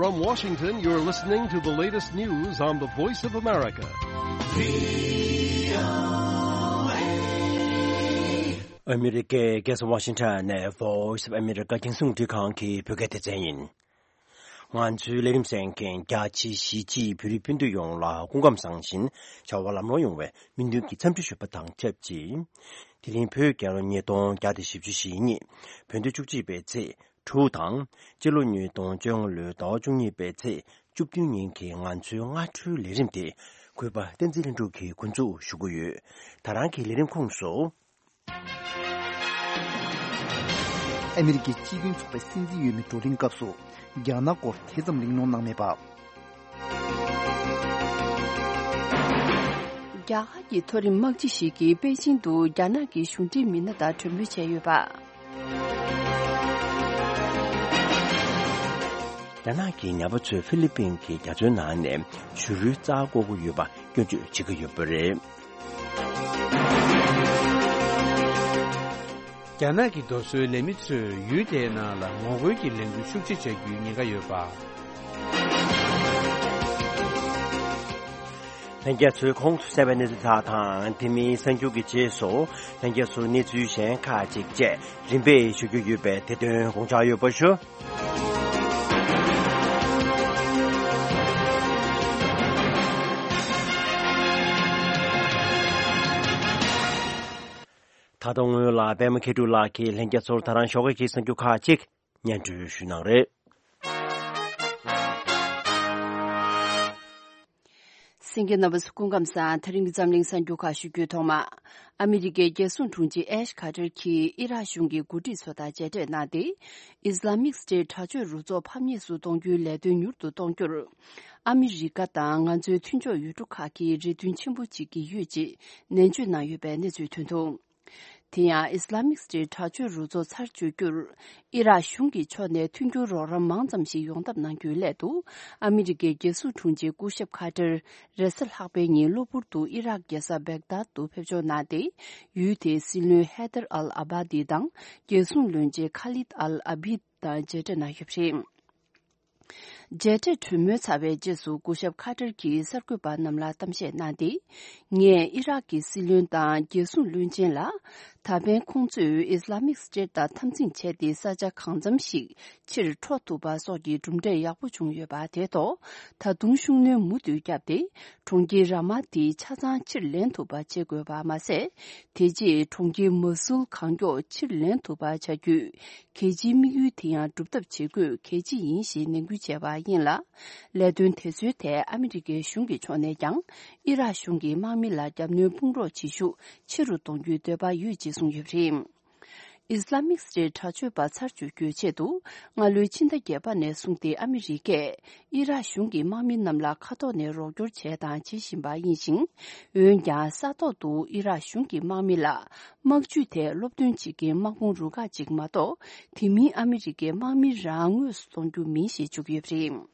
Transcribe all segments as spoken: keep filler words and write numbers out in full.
From Washington, you're listening to the latest news on the Voice of America. ཨ་མི་རི་ཀའི་རྒྱལ་ས་ཝ་ཤིང་ཊོན་ནས་Voice of America རྒྱང་སྲིང་རླུང་འཕྲིན་ཁང་གི་བོད་སྐད་སྡེ་ཚན་ཡིན། ང་ཚོའི་ལས་རིམ་གསན་མཁན་རྒྱ་ཆེའི་གཞིས་བྱེས་བོད་རིགས་སྤུན་ཟླ་ཡོངས་ལ་སྐུ་ཁམས་བཟང་ཞིང་བྱ་བ་ལམ་ལྷོང་ཡོང་བའི་སྨོན་འདུན་གྱི་འཚམས་འདྲི་ཞུ་བ་དང་ཆབས་ཅིག་དེ་རིང་བོད་རྒྱལ་ལོ་ཉིས་སྟོང་བརྒྱ་དང་བཞི་བཅུ་ཞེ་གཉིས། བོད་ཟླ་བཅུ་གཅིག་པའི་ཚེས་དྲུག་དང་། སྤྱི་ལོ་ཉིས་སྟོང་བཅོ་ལྔ་ལོའི་ཟླ་བ་བཅུ་གཉིས་པའི་ཚེས་བཅུ་བདུན་ཉིན་གྱི་ང་ཚོའི་སྔ་དྲོའི་ལས་རིམ་དེ་གུས་པ་བསྟན་འཛིན་ལྷུན་གྲུབ་ཀྱིས་འགོ་འཛུགས་ཞུ་གི་ཡོད། ད་རང་གི་ལས་རིམ་ཁོངས་སུ། ཨ་མི་རི་ཀའི་སྤྱི་མཐུན་ཚོགས་པའི་སྲིད་འཛིན་འོས་མི་བགྲོ་གླེང་སྐབས་སུ་རྒྱ་ནག་སྐོར་དེ་ཙམ་གླེང་སློང་གནང་མེད་པ། རྒྱ་གར་གྱི་མཐོ་རིམ་དམག་སྤྱི་ཞིག་གིས་པེ་ཅིང་དུ་རྒྱ་ནག་གི་གཞུང་འབྲེལ་མི་སྣ་དང་གྲོས་མོལ་བྱས་ཡོད་པ། རྒྱ་ནག་གི་ཉ་པ་ཚོས་ཧྥི་ལི་པིན་གྱི་རྒྱ་མཚོའི་ནང་ནས་བྱུ་རུའི་རྩྭ་བརྐོ་གི་ཡོད་པ་སྐྱོན་བརྗོད་བྱེད་ཀྱི་ཡོད་པ་རེད། རྒྱ་ནག་གི་རྡོ་སོལ་ལས་མི་ཚོས་ཡུལ་དེའི་ནང་ལ་ངོ་རྒོལ་གྱི་ལས་འགུལ་ཤུགས་ཆེ་བྱ་རྒྱུའི་ཉེན་ཁ་ཡོད་པ། ལྷན་རྒྱས་ཚོས་གོང་དུ་གསན་པའི་གནས་ཚུལ་དག་དང་དེ་མིན་གསར་འགྱུར་གྱི་རྗེས་སུ་ལྷན་རྒྱས་ཚོས་གནས་ཚུལ་གཞན་ཁག་ཅིག་བཅས་རིམ་པས་ཞུ་རྒྱུ་ཡོད་པས་དེ་དོན་དགོངས་འཇགས་ཡོད་པ་ཞུ། ད་དུང་སྔོན་ལ་པད་མ་མཁས་གྲུབ་ལགས་ཀྱིས་ལྷན་རྒྱས་ཚོར་ད་རང་ཞོགས་ཀས་ཀྱི་གསར་འགྱུར་ཁག་ཅིག་སྙན་སྒྲོན་ཞུ་གནང་རེད། གསན་མཁན་རྣམ་པ་ཚོ་སྐུ་ཁམས་བཟང་། དེ་རིང་གི་འཛམ་གླིང་གསར་འགྱུར་ཁག་ཞུ་རྒྱུའི་ཐོག་མ། ཨ་མི་རི་ཀའི་རྒྱལ་སྲུང་དྲུང་ཆེ་ཨེཤ་ཁ་ཏར་གྱིས་ཨི་རག་གཞུང་གི་འགོ་ཁྲིད་ཚོ་དང་མཇལ་འཕྲད་གནང་སྟེ། ཨིས་ལ་མིག་སི་ཊེ་ཊི་དྲག་སྤྱོད་རུ་ཚོགས་ཕམ་ཉེས་སུ་གཏོང་རྒྱུའི་ལས་དོན་མྱུར་དུ་གཏོང་རྒྱུར། ཨ་མི་རི་ཀ་དང་ང་ཚོའི་མཐུན་ཕྱོགས་ཡུལ་གྲུ་ཁག་གིས་རེ་འདུན་ཆེན་པོ་བྱེད་ཀྱི་ཡོད་ཅེས་ནན་བརྗོད་གནང་ཡོད་པའི་གནས་ཚུལ་ཐོན་འདུག་དེ་ཡང་ཨིས་ལ་མིག་སི་ཊེ་ཊི་དྲག་སྤྱོད་རུ་ཚོགས་ཚར་གཅོད་རྒྱུར། ཨི་རག་གཞུང་གི་ཕྱོགས་ནས་མཐུན་འགྱུར་རོགས་རམ་མང་ཙམ་ཞིག་ཡོང་ཐབས་གནང་རྒྱུའི་སླད་དུ། ཨ་མི་རི་ཀའི་རྒྱལ་སྲུང་དྲུང་ཆེ་སྐུ་ཞབས་ཁ་ཏར་རེས་གཟའ་ལྷག་པའི་ཉིན་གློ་བུར་དུ་ཨི་རག་རྒྱལ་ས་བེག་དཱད་དུ་ཕེབས་འབྱོར་གནང་སྟེ། ཡུལ་དེའི་སྲིད་བློན་ཧེ་དར་ཨལ་ཨ་བྷ་དི་དང་རྒྱལ་སྲུང་བློན་ཆེན་ཁ་ལིད་ཨལ་ཨ་བྷིད་དང་མཇལ་འཕྲད་གནང་ཡོད་པ་རེད། མཇལ་འཕྲད་གྲོས་མོལ་ཚར་བའི་རྗེས་སུ་སྐུ་ཞབས་ཁ་ཏར་གྱིས་གསར་འགོད་པ་རྣམས་ལ་གཏམ་བཤད་གནང་སྟེ། ངས་ཨི་རག་གི་སྲིད་བློན་དང་རྒྱལ་སྲུང་བློན་ཆེན་ལ། ད་ཕན་ཁོང་ཚོས་ཨིས་ལ་མིག་སི་ཊེ་ཊི་དང་འཐབ་འཛིང་བྱས་ཏེ་ས་ཆ་གང་འཚམ་ཞིག་ཕྱིར་འཕྲོག་ཐུབ་པ་སོགས་ཀྱི་གྲུབ་འབྲས་ཡག་པོ་བྱུང་ཡོད་པ་དེ་ཐོག་ད་དུང་ཤུགས་སྣོན་མུ་མཐུད་བརྒྱབ་སྟེ། གྲོང་ཁྱེར་ར་མ་དེ་ཆ་ཚང་ཕྱིར་ལེན་ཐུབ་པ་བྱེད་དགོས་པ་མ་ཟད། དེ་རྗེས་གྲོང་ཁྱེར་མ་སུལ་གང་མགྱོགས་ཕྱིར་ལེན་ཐུབ་པ་བྱ་རྒྱུའི་གལ་ཆེའི་དམིགས་ཡུལ་དེ་ཡང་སྒྲུབ་ཐབས་བྱེད་དགོས་གལ་ཆེ་ཡིན་ཞེས་ནན་སྐུལ་བྱས་པ་ཡིན་ལ། ལས་དོན་དེ་ཚོའི་ཐད་ཨ་མི་རི་ཀའི་གཞུང་གི་ཕྱོགས་ནས་ཀྱང་ཨི་རག་གཞུང་གི་དམག་མི་ལ་རྒྱབ་གནོན་དཔུང་རོགས་བྱེད་ཤུགས་ཆེ་རུ་གཏོང་རྒྱུའི་འདོད་པ་ཡོད་ཅེས་གསུངས་ཡོད་པ་རེད། ཨིས་ལ་མིག་སི་ཊེ་ཊི་དྲག་སྤྱོད་པ་ཚར་གཅོད་རྒྱུའི་ཆེད་དུ་སྔ་ལོའི་ཕྱི་ཟླ་བརྒྱད་པ་ནས་བཟུང་སྟེ་ཨ་མི་རི་ཀས་ཨི་རག་གཞུང་གི་དམག་མི་རྣམས་ལ་མཁའ་ཐོག་ནས་རོགས་སྐྱོར་བྱས་དང་བྱེད་བཞིན་པ་ཡིན་ཞིང་། འོན་ཀྱང་ས་ཐོག་ཏུ་ཨི་རག་གཞུང་གི་དམག་མི་ལ་དམག་ཇུས་ཐད་སློབ་སྟོན་བྱེད་མཁན་དམག་དཔུང་རུ་ཁག་ཅིག་མ་གཏོགས་དེ་མིན་ཨ་མི་རི་ཀའི་དམག་མི་རང་དངོས་སུ་གཏོང་རྒྱུ་མིན་ཞེས་བརྗོད་ཀྱི་ཡོད་པ་རེད།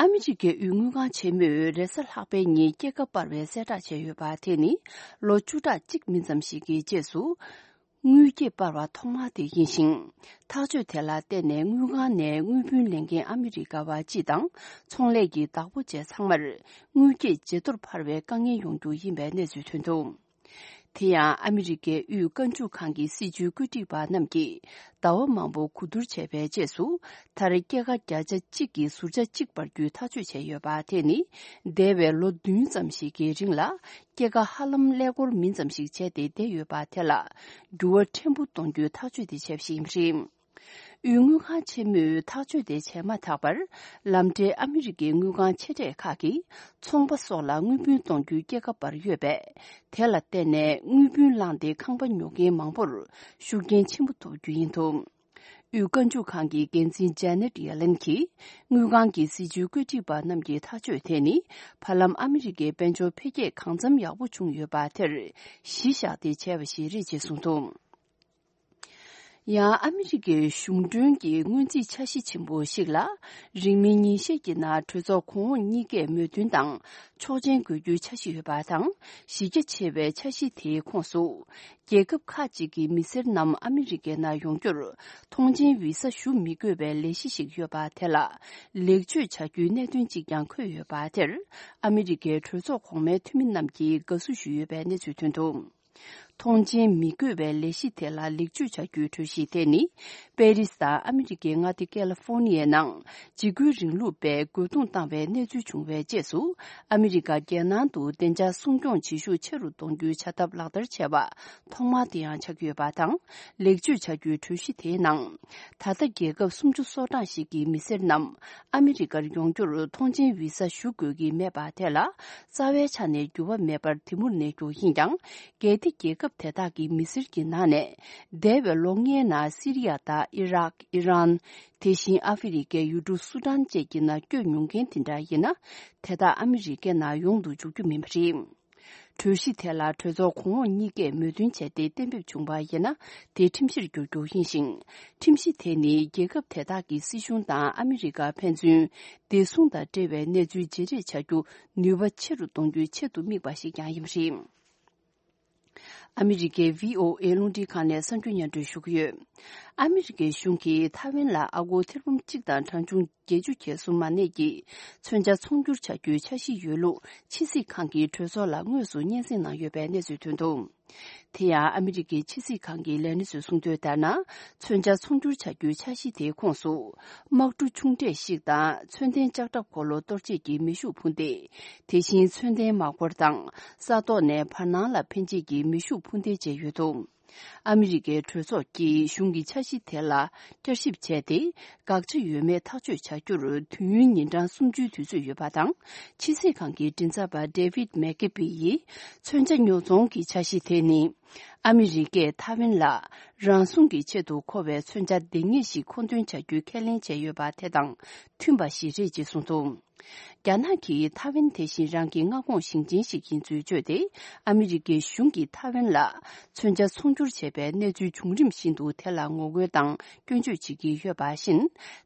ཨ་མི་རི་ཀའི་དབུས་དངུལ་ཁང་ཆེན་མོས་རེས་གཟའ་ལྷག་པའི་ཉིན་སྐྱེད་ཀ་སྤར་བའི་གསལ་བསྒྲགས་བྱས་ཡོད་པ་དེ་ནི་ལོ་བཅུ་ཕྲག་གཅིག་མིན་ཙམ་ཞིག་གི་རྗེས་སུ། དངུལ་སྐྱེད་སྤར་བ་ཐོག་མ་དེ་ཡིན་ཞིང་། ཐག་གཅོད་དེ་ལ་བརྟེན་ནས་དངུལ་ཁང་ནས་དངུལ་བུན་ལེན་མཁན་ཨ་མི་རི་ཀ་བ་སྤྱི་དང་ཚོང་ལས་ཀྱི་བདག་པོ་བཅས་ཚང་མར་དངུལ་སྐྱེད་ཇེ་མཐོར་འཕར་བའི་དཀའ་ངལ་ཡོང་རྒྱུ་ཡིན་པའི་གནས་ཚུལ་ཐོན་འདུག་དེ་ཡང་ཨ་མི་རི་ཀའི་དབུས་རྐང་འཇུག་ཁང་གི་སྲིད་བྱུས་བཀོད་སྒྲིག་པ་རྣམས་ཀྱིས་ཟླ་བ་མང་པོ་གོ་བསྡུར་བྱས་པའི་རྗེས་སུ། མཐར་སྐྱེད་ཀ་བརྒྱ་ཆ་གཅིག་གིས་ཟུར་ཆ་གཅིག་སྤར་རྒྱུའི་ཐག་གཅོད་བྱས་ཡོད་པ་དེ་ནི་འདས་པའི་ལོ་བདུན་ཙམ་ཞིག་གི་རིང་ལ་སྐྱེད་ཀ་ཧ་ལམ་ཀླད་ཀོར་མིན་ཙམ་ཞིག་བྱས་ཏེ་བསྡད་ཡོད་པ་དེ་ལ་འགྱུར་བ་ཕྲན་བུ་གཏོང་རྒྱུའི་ཐག་གཅོད་དེ་བྱས་པ་ཞིག་ཡིན་པ་རེད། དབུས་དངུལ་ཁང་ཆེན་མོས་ཐག་གཅོད་དེ་བྱས་མ་ཐག་པར། ལམ་འབྲས་ཨ་མི་རི་ཀའི་དངུལ་ཁང་ཆེ་གྲས་ཁག་གིས་ཚོང་པ་སོགས་ལ་དངུལ་བུན་གཏོང་རྒྱུའི་སྐྱེད་ཀ་སྤར་ཡོད་པས། དེ་ལ་བརྟེན་ནས་དངུལ་བུན་བླངས་ཏེ་ཁང་པ་ཉོ་མཁན་མང་པོར་ཤུགས་རྐྱེན་ཆེན་པོ་ཐོབ་རྒྱུ་ཡིན་འདུག་དབུས་རྐང་འཇུག་ཁང་གི་འགན་འཛིན་ཇ་ནེ་ཊི་ཡེ་ལེན་གྱིས། དངུལ་ཁང་གི་སྲིད་བྱུས་བཀོད་སྒྲིག་པ་རྣམས་ཀྱི་ཐག་གཅོད་དེ་ནི། བར་ལམ་ཨ་མི་རི་ཀའི་དཔལ་འབྱོར་འཕེལ་རྒྱས་གང་འཚམ་ཡག་པོ་བྱུང་ཡོད་པ་དེར་གཞི་བཞག་སྟེ་བྱས་པ་ཞིག་རེད་ཅེས་གསུངས་འདུག་ཡང་ཨ་མི་རི་ཀའི་གཞུང་གྲོན་གྱི་སྔོན་རྩིས་འཆར་གཞི་ཆེན་པོ་ཞིག་ལ། རིང་མིན་ཉིན་ཤས་ཀྱི་ནང་གྲོས་ཚོགས་གོང་འོག་གཉིས་ཀས་མོས་མཐུན་དང་ཆོག་མཆན་དགོས་རྒྱུའི་འཆར་གཞི་ཡོད་པ་དང་། གཞི་རྒྱ་ཆེ་བའི་འཆར་གཞི་དེའི་ཁོངས་སུ། རྒྱལ་ཁབ་ཁག་ཅིག་གི་མི་སེར་རྣམས་ཨ་མི་རི་ཀའི་ནང་ཡོང་རྒྱུར་ཐོངས་མཆན་བི་ས་ཞུ་མི་དགོས་པའི་ལས་གཞི་ཞིག་ཡོད་པ་དེ་ལ་ལེགས་བཅོས་བྱ་རྒྱུའི་གནད་དོན་གཅིག་ཀྱང་འཁོད་ཡོད་པ་དེར། ཨ་མི་རི་ཀའི་གྲོས་ཚོགས་གོང་མའི་འཐུས་མི་རྣམས་ཀྱིས་དགའ་བསུ་ཞུས་ཡོད་པའི་གནས་ཚུལ་ཐོན་འདུག་ཐོངས་མཆན་མི་དགོས་པའི་ལས་གཞི་དེ་ལ་ལེགས་བཅོས་བྱ་རྒྱུའི་གྲོས་གཞི་དེ་ནི། པེ་རིས་དང་ཨ་མི་རི་ཀའི་མངའ་སྡེ་ཀེ་ལི་ཧྥོ་ནི་ཡའི་ནང་འཇིགས་སྐུལ་རིང་ལུགས་པས་རྒོལ་རྡུང་བཏང་བའི་གནས་ཚུལ་བྱུང་བའི་རྗེས་སུ། ཨ་མི་རི་ཀ་རྒྱལ་ནང་དུ་བདེ་འཇགས་སྲུང་སྐྱོང་བྱེད་ཤུགས་ཆེ་རུ་གཏོང་རྒྱུའི་བྱ་ཐབས་ལག་བསྟར་བྱས་པ་ཐོག་མ་དེ་ཡང་ཆགས་ཀྱི་ཡོད་པ་དང་། ལེགས་བཅོས་བྱ་རྒྱུའི་གྲོས་གཞི་དེའི་ནང་། ད་ལྟ་རྒྱལ་ཁབ་སུམ་ཅུ་སོ་གྲངས་ཤིག་གི་མི་སེར་རྣམས་ཨ་མི་རི་ཀར་ཡོང་རྒྱུར་ཐོངས་མཆན་བི་ས་ཞུ་དགོས་ཀྱི་མེད་པ་དེ་ལ། རྩ་བའི་ཆ་ནས་འགྱུར་བ་མེད་པར་དེ་མུར་གནས་རྒྱུ་ཡིན་ཀྱང་། གལ་ཏེ་རྒྱལ་ཁབ་དེ་དག་གི་མི་སེར་གྱི་ནང་ནས། འདས་པའི་ལོ་ལྔའི་ནང་སི་རི་ཡ་དང་ཨི་རག་ཨི་རན། དེ་བཞིན་ཨ་ཧྥེ་རི་ཁའི་ཡུལ་གྲུ་སུ་ཏན་བཅས་ཀྱི་ནང་བསྐྱོད་མྱོང་མཁན་དེ་འདྲ་ཡིན་ན། དེ་དག་ཨ་མི་རི་ཀའི་ནང་ཡོང་དུ་འཇུག་རྒྱུ་མིན་པ་རེད། གྲོས་གཞི་དེ་ལ་གྲོས་ཚོགས་གོང་འོག་གཉིས་ཀས་མོས་མཐུན་བྱས་ཏེ་གཏན་འབེབས་བྱུང་བ་ཡིན་ན། དེ་ཁྲིམས་གཞིར་འགྱུར་རྒྱུ་ཡིན་ཞིང་། ཁྲིམས་གཞི་དེ་ནི་རྒྱལ་ཁབ་དེ་དག་གི་སྲིད་གཞུང་དང་ཨ་མི་རི་ཀར་ཕན་ཚུན་བདེ་སྲུང་དང་འབྲེལ་བའི་གནས་ཚུལ་བརྗེ་རེས་བྱ་རྒྱུ་ནུས་པ་ཆེ་རུ་གཏོང་རྒྱུའི་ཆེད་དུ་དམིགས་པ་ཞིག་ཀྱང་ཡིན་པ་རེད། ཨ་མི་རི་ཀའི་བྷི་ཨོ་ཨེ་རླུང་འཕྲིན་ཁང་ནས་གསར་འགྱུར་སྙན་སྒྲོན་ཞུ་གི་ཡོད། ཨ་མི་རི་ཀའི་གཞུང་གིས་ཐའེ་ཝན་ལ་ཨ་སྒོར་ཐེར་འབུམ་གཅིག་དང་གྲངས་ཆུང་བརྒྱད་ཅུ་གྱ་གསུམ་མ་གནས་ཀྱི་མཚོན་ཆ་ཚོང་སྒྱུར་བྱ་རྒྱུའི་འཆར་གཞི་ཡོད་ལུགས་ཕྱི་སྲིད་ཁང་གིས་གྲོས་ཚོགས་ལ་དངོས་སུ་སྙན་སེང་གནང་ཡོད་པའི་གནས་ཚུལ་ཐོན་འདུག་དེ་ཡང་ཨ་མི་རི་ཀའི་ཕྱི་སྲིད་ཁང་གི་ལས་སྣེ་ཚོས་གསུངས་དོན་ལྟར་ན། མཚོན་ཆ་ཚོང་སྒྱུར་བྱ་རྒྱུའི་འཆར་གཞི་དེའི་ཁོངས་སུ། དམག་གྲུ་ཆུང་གྲས་ཤིག་དང་མཚོན་ལྡན་ལྕགས་ཁྲབ་འཁོར་ལོ་གཏོར་བྱེད་ཀྱི་མེ་ཤུགས་འཕུར་མདེལ། དེ་བཞིན་མཚོན་ལྡན་དམག་འཁོར་དང་ས་ཐོག་ནས་བར་སྣང་ལ་འཕེན་བྱེད་ཀྱི་མེ་ཤུགས་འཕུར་མདེལ་བཅས་ཡོད་འདུག་ཨ་མི་རི་ཀའི་གྲོས་ཚོགས་ཀྱིས་གཞུང་གི་འཆར་གཞི་དེ་ལ་བསྐྱར་ཞིབ་བྱས་ཏེ། དགག་བྱ་ཡོད་མེད་ཐག་གཅོད་བྱ་རྒྱུར་དུས་ཡུན་ཉིན་གྲངས་སུམ་ཅུའི་དུས་ཚོད་ཡོད་པ་དང་། ཕྱི་སྲིད་ཁང་གི་མགྲིན་ཚབ་པ་David McKeever་ཡིས། མཚོན་ཆ་ཉོ་ཚོང་གི་འཆར་གཞི་དེ་ནི། ཨ་མི་རི་ཀས་ཐའེ་ཝན་ལ་རང་སྲུང་གི་ཆེད་དུ་མཁོ་བའི་མཚོན་ཆ་འདང་ངེས་ཤིག་མཁོ་འདོན་བྱ་རྒྱུའི་ཁས་ལེན་བྱས་ཡོད་པ་དེ་དང་མཐུན་པ་ཞིག་རེད་ཅེས་གསུངས་འདུག་རྒྱ་ནག་གིས་ཐའེ་ཝན་དེ་བཞིན་རང་གི་མངའ་ཁོངས་ཞིང་ཆེན་ཞིག་ཡིན་ཚུལ་བརྗོད་དེ། ཨ་མི་རི་ཀའི་གཞུང་གིས་ཐའེ་ཝན་ལ་མཚོན་ཆ་ཚོང་སྒྱུར་བྱས་པའི་གནས་ཚུལ་བྱུང་རིམ་བཞིན་དུ་དེ་ལ་ངོ་རྒོལ་དང་སྐྱོན་བརྗོད་བྱེད་ཀྱི་ཡོད་པ་བཞིན།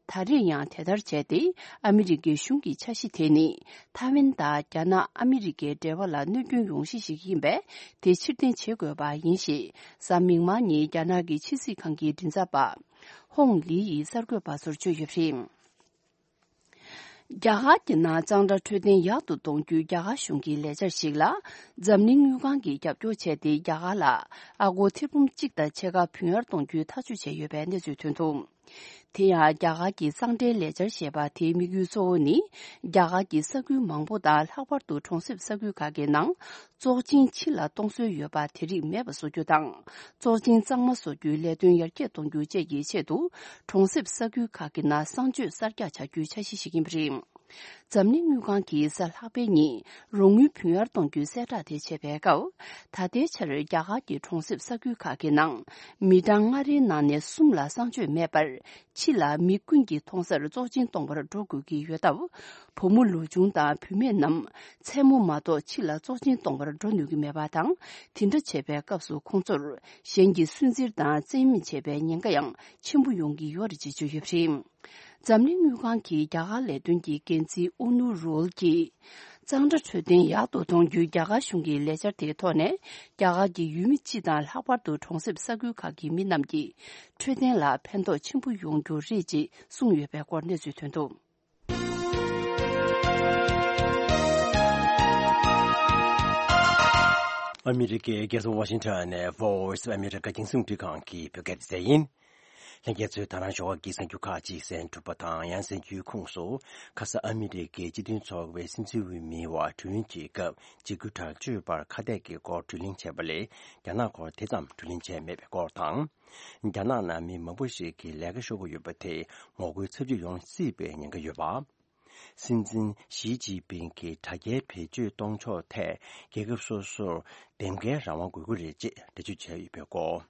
ད་རེས་ཡང་དེ་ལྟར་བྱས་ཏེ། ཨ་མི་རི་ཀའི་གཞུང་གི་འཆར་གཞི་དེ་ནི། ཐའེ་ཝན་དང་རྒྱ་ནག་ཨ་མི་རི་ཀའི་འབྲེལ་བ་ལ་གནོད་སྐྱོན་ཡོང་གཞི་ཞིག་ཡིན་པས། དེ་ཕྱིར་འཐེན་བྱེད་དགོས་པ་ཡིན་ཞེས། གཟའ་མིག་དམར་ཉིན་རྒྱ་ནག་གི་ཕྱི་སྲིད་ཁང་གི་མགྲིན་ཚབ་པ། ཧོང་ལི་ཡིས་གསར་འགོད་པ་ཚོར་བརྗོད་ཡོད་པ་རེད། རྒྱ་གར་གྱི་ནང་གཙང་སྦྲ་འཕྲོད་བསྟེན་ཡག་ཏུ་གཏོང་རྒྱུའི་རྒྱ་གར་གཞུང་གི་ལས་འཆར་ཞིག་ལ། འཛམ་གླིང་དངུལ་ཁང་གིས་རྒྱབ་སྐྱོར་བྱས་ཏེ། རྒྱ་གར་ལ་ཨ་སྒོར་ཐེར་འབུམ་གཅིག་དང་ཕྱེད་ཀ་བུན་གཡར་གཏོང་རྒྱུའི་ཐག་གཅོད་བྱས་ཡོད་པའི་གནས་ཚུལ་ཐོན་འདུག་དེ་ཡང་རྒྱ་གར་གྱི་གཙང་སྦྲའི་ལས་འཆར་ཞེས་པ་དེའི་དམིགས་ཡུལ་གཙོ་བོ་ནི། རྒྱ་གར་གྱི་ས་ཁུལ་མང་པོ་དང་། ལྷག་པར་དུ་གྲོང་གསེབ་ས་ཁུལ་ཁག་གི་ནང་། བཙོག་གཅིན་ཕྱི་ལ་གཏོང་སྲོལ་ཡོད་པ་དེ་རིགས་མེད་པ་བཟོ་རྒྱུ་དང་། བཙོག་གཅིན་གཙང་མ་བཟོ་རྒྱུའི་ལས་དོན་ཡར་རྒྱས་གཏོང་རྒྱུ་བཅས་ཀྱི་ཆེད་དུ། གྲོང་གསེབ་ས་ཁུལ་ཁག་གི་ནང་གསང་སྤྱོད་གསར་རྒྱག་བྱ་རྒྱུའི་འཆར་གཞི་ཞིག་ཡིན་པ་རེད། འཛམ་གླིང་དངུལ་ཁང་གིས་གཟའ་ལྷག་པའི་ཉིན་རོགས་དངུལ་བུན་གཡར་གཏོང་རྒྱུའི་གསལ་བསྒྲགས་དེ་བྱས་པའི་སྐབས། ད་ལྟའི་ཆར་རྒྱ་གར་གྱི་གྲོང་གསེབ་ས་ཁུལ་ཁག་གི་ནང་། མི་གྲངས་ལྔ་རེའི་ནང་ནས་གསུམ་ལ་གསང་སྤྱོད་མེད་པར། ཕྱི་ལ་མི་ཀུན་གྱིས་མཐོང་སར་བཙོག་གཅིན་གཏོང་བར་འགྲོ་དགོས་ཀྱི་ཡོད་སྟབས། བུ་མོ་ལོ་ཆུང་དང་བུད་མེད་རྣམས་མཚན་མོ་མ་གཏོགས་ཕྱི་ལ་བཙོག་གཅིན་གཏོང་བར་འགྲོ་ནུས་ཀྱི་མེད་པ་དང་། དེ་འདྲ་བྱས་པའི་སྐབས་སུ་ཁོང་ཚོར་གཞན་གྱིས་སུན་གཙེར་དང་བཙན་གཡེམ་བྱས་པའི་ཉེན་ཁ་ཡང་ཆེན་པོ་ཡོང་གི་ཡོད་རེད་ཅེས་བརྗོད་ཡོད་པ་རེད། འཛམ་གླིང་དངུལ་ཁང་གི་རྒྱ་གར་ལས་དོན་གྱི་འགན་འཛིན་ཨུ་ནུ་རུལ་གྱིས། གཙང་སྦྲ་འཕྲོད་བསྟེན་ཡག་ཏུ་གཏོང་རྒྱུའི་རྒྱ་གར་གཞུང་གི་ལས་འཆར་དེའི་ཐོག་ནས། རྒྱ་གར་གྱི་ཡུལ་མི་སྤྱི་དང་། ལྷག་པར་དུ་གྲོང་གསེབ་ས་ཁུལ་ཁག་གི་མི་རྣམས་ཀྱི་འཕྲོད་བསྟེན་ལ་ཕན་ཐོགས་ཆེན་པོ་ཡོང་རྒྱུ་རེད་ཅེས་གསུངས་ཡོད་པའི་སྐོར་གནས་ཚུལ་ཐོན་འདུག་ཨ་མི་རི་ཀའི་རྒྱལ་ས་ཝ་ཤིང་ཊོན་ནས་Voice of America་རྒྱང་སྲིང་རླུང་འཕྲིན་ཁང་གི་བོད་སྐད་སྡེ་ཚན་ཡིན། ལྷན་རྒྱས་ཚོས་ད་རང་ཞོགས་ཀྱི་གསར་འགྱུར་ཁག་ཅིག་གསན་གྲུབ་པ་དང་། ཡང་གསར་འགྱུར་ཁོངས་སུ། ཁ་ས་ཨ་མི་རི་ཀའི་སྤྱི་མཐུན་ཚོགས་པའི་སྲིད་འཛིན་འོས་མིའི་དབར་བགྲོ་གླེང་གྱི་སྐབས། འཇིགས་སྐུལ་དྲག་སྤྱོད་པར་ཁ་གཏད་ཀྱི་སྐོར་བགྲོ་གླེང་བྱས་པ་ལས། རྒྱ་ནག་སྐོར་དེ་ཙམ་བགྲོ་གླེང་བྱས་མེད་པའི་སྐོར་དང་། རྒྱ་ནག་ནང་མི་མང་པོ་ཞིག་གིས་ལས་ཀ་ཤོར་གྱི་ཡོད་པ་དེ་ངོ་རྒོལ་ཚབས་ཆེ་ཡོང་སྲིད་པའི་ཉེན་ཁ་ཡོད་པ། སྲིད་འཛིན་ཞི་ཅིན་ཕིང་གིས་དྲ་རྒྱའི་བེད་སྤྱོད་གཏོང་ཕྱོགས་ཐད་རྒྱལ་ཁབ་སོ་སོར་འདེམས་ཀའི་རང་དབང་དགོས་ཀྱི་རེད་ཅེས་འགྲེལ་བརྗོད་བྱས་ཡོད་པའི་སྐོར།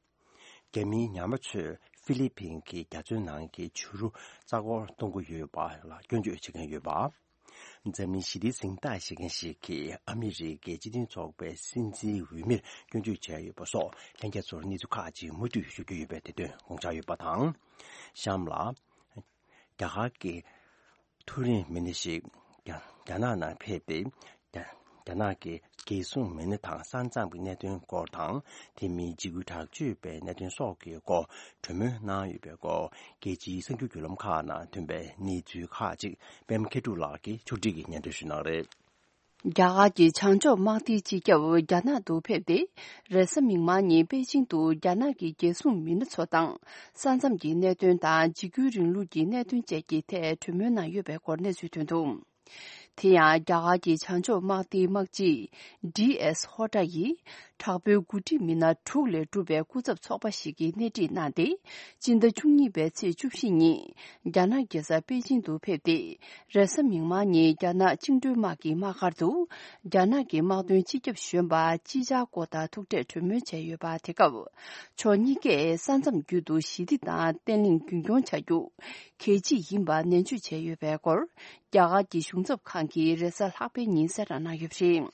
རྒྱ་མིའི་ཉམས་པ་ཚོས་ཧྥི་ལི་ཕིན་གྱི་རྒྱ་མཚོའི་ནང་གི་བྱུ་རུ་རྩ་འཁོར་གཏོང་གི་ཡོད་པ་ལ་སྐྱོན་བརྗོད་བྱེད་མཁན་ཡོད་པ། འཛམ་གླིང་ཞི་བདེའི་གཟེངས་རྟགས་བཞེས་མཁན་ཞིག་གིས་ཨ་མི་རི་ཀའི་སྤྱི་མཐུན་ཚོགས་པའི་སྲིད་འཛིན་འོས་མིར་སྐྱོན་བརྗོད་བྱས་ཡོད་པ་སོགས་ལྷན་རྒྱས་ཚོར་གནས་ཚུལ་ཁག་ཅིག་མུ་མཐུད་ཞུ་རྒྱུ་ཡོད་པའི་དེ་དོན་དགོངས་འཇགས་ཡོད་པ་དང་། གཤམ་ལ། རྒྱ་གར་གྱི་མཐོ་རིམ་མི་སྣ་ཞིག་རྒྱ་རྒྱ་ནག་ནང་ཕེབས་ཏེ། རྒྱ་རྒྱ་ནག་གི་རྒྱལ་སྲུང་མི་སྣ་དང་ས་མཚམས་ཀྱི་གནད་དོན་སྐོར་དང་། དེ་མིན་འཇིགས་སྐུལ་དྲག་སྤྱོད་པའི་གནད་དོན་སོགས་ཀྱི་སྐོར་གྲོས་མོལ་གནང་ཡོད་པའི་སྐོར། རྒྱལ་སྤྱིའི་གསར་འགྱུར་བརྒྱུད་ལམ་ཁག་ནང་ཐོན་པའི་གནས་ཚུལ་ཁག་ཅིག་པད་མ་མཁས་གྲུབ་ལགས་ཀྱིས་ཕྱོགས་སྒྲིག་གིས་སྙན་སྒྲོན་ཞུ་གནང་རེད། རྒྱ་གར་གྱི་བྱང་ཕྱོགས་དམག་སྡེའི་སྤྱི་ཁྱབ་རྒྱ་ནག་ཏུ་ཕེབས་ཏེ། རེས་གཟའ་མིག་དམར་ཉིན་པེ་ཅིང་དུ་རྒྱ་ནག་གི་རྒྱལ་སྲུང་མི་སྣ་ཚོ་དང་ས་མཚམས་ཀྱི་གནད་དོན་དང་འཇིགས་སྐུལ་རིང་ལུགས་ཀྱི་གནད་དོན་བཅས་ཀྱི་ཐད་གྲོས་མོལ་གནང་ཡོད་པའི་སྐོར་གནས་ཚུལ་ཐོན་འདུག་དེ་ཡང་རྒྱ་གར་གྱི་བྱང་ཕྱོགས་དམག་སྡེའི་དམག་སྤྱི་ཌི་ཨེས་ཧོ་ཏྲ་ཡིས་དྲག་པོའི་འགོ་ཁྲིད་མི་སྣ་དྲུག་ལས་གྲུབ་པའི་སྐུ་ཚབ་ཚོགས་པ་ཞིག་གིས་སྣེ་ཁྲིད་གནང་སྟེ། སྤྱི་ཟླ་བཅུ་གཉིས་པའི་ཚེས་བཅུ་བཞི་ཉིན་རྒྱ་ནག་རྒྱལ་ས་པེ་ཅིང་དུ་ཕེབས་ཏེ། རེས་གཟའ་མིག་དམར་ཉིན་རྒྱ་ནག་བཅིངས་འགྲོལ་དམག་གི་དམག་སྒར་དུ་རྒྱ་ནག་གི་དམག་དོན་སྤྱི་ཁྱབ་གཞོན་པ་ཅི་ཅཱ་ཀོ་དང་ཐུག་འཕྲད་གྲོས་མོལ་བྱས་ཡོད་པ། དེ་སྐབས་ཕྱོགས་གཉིས་ཀས་ས་མཚམས་བརྒྱུད་དུ་ཞི་བདེ་དང་བརྟན་ལྷིང་རྒྱུན་འཁྱོངས་བྱ་རྒྱུ་གལ་ཆེ་ཡིན་པ་ནན་བརྗོད་བྱས་ཡོད་པའི་སྐོར། རྒྱ་གར་གྱི་གཞུང་ཚབ་ཁང་གིས་རེས་གཟའ་ལྷག་པའི་ཉིན་གསལ་བསྒྲགས་གནང་ཡོད་པ་རེད།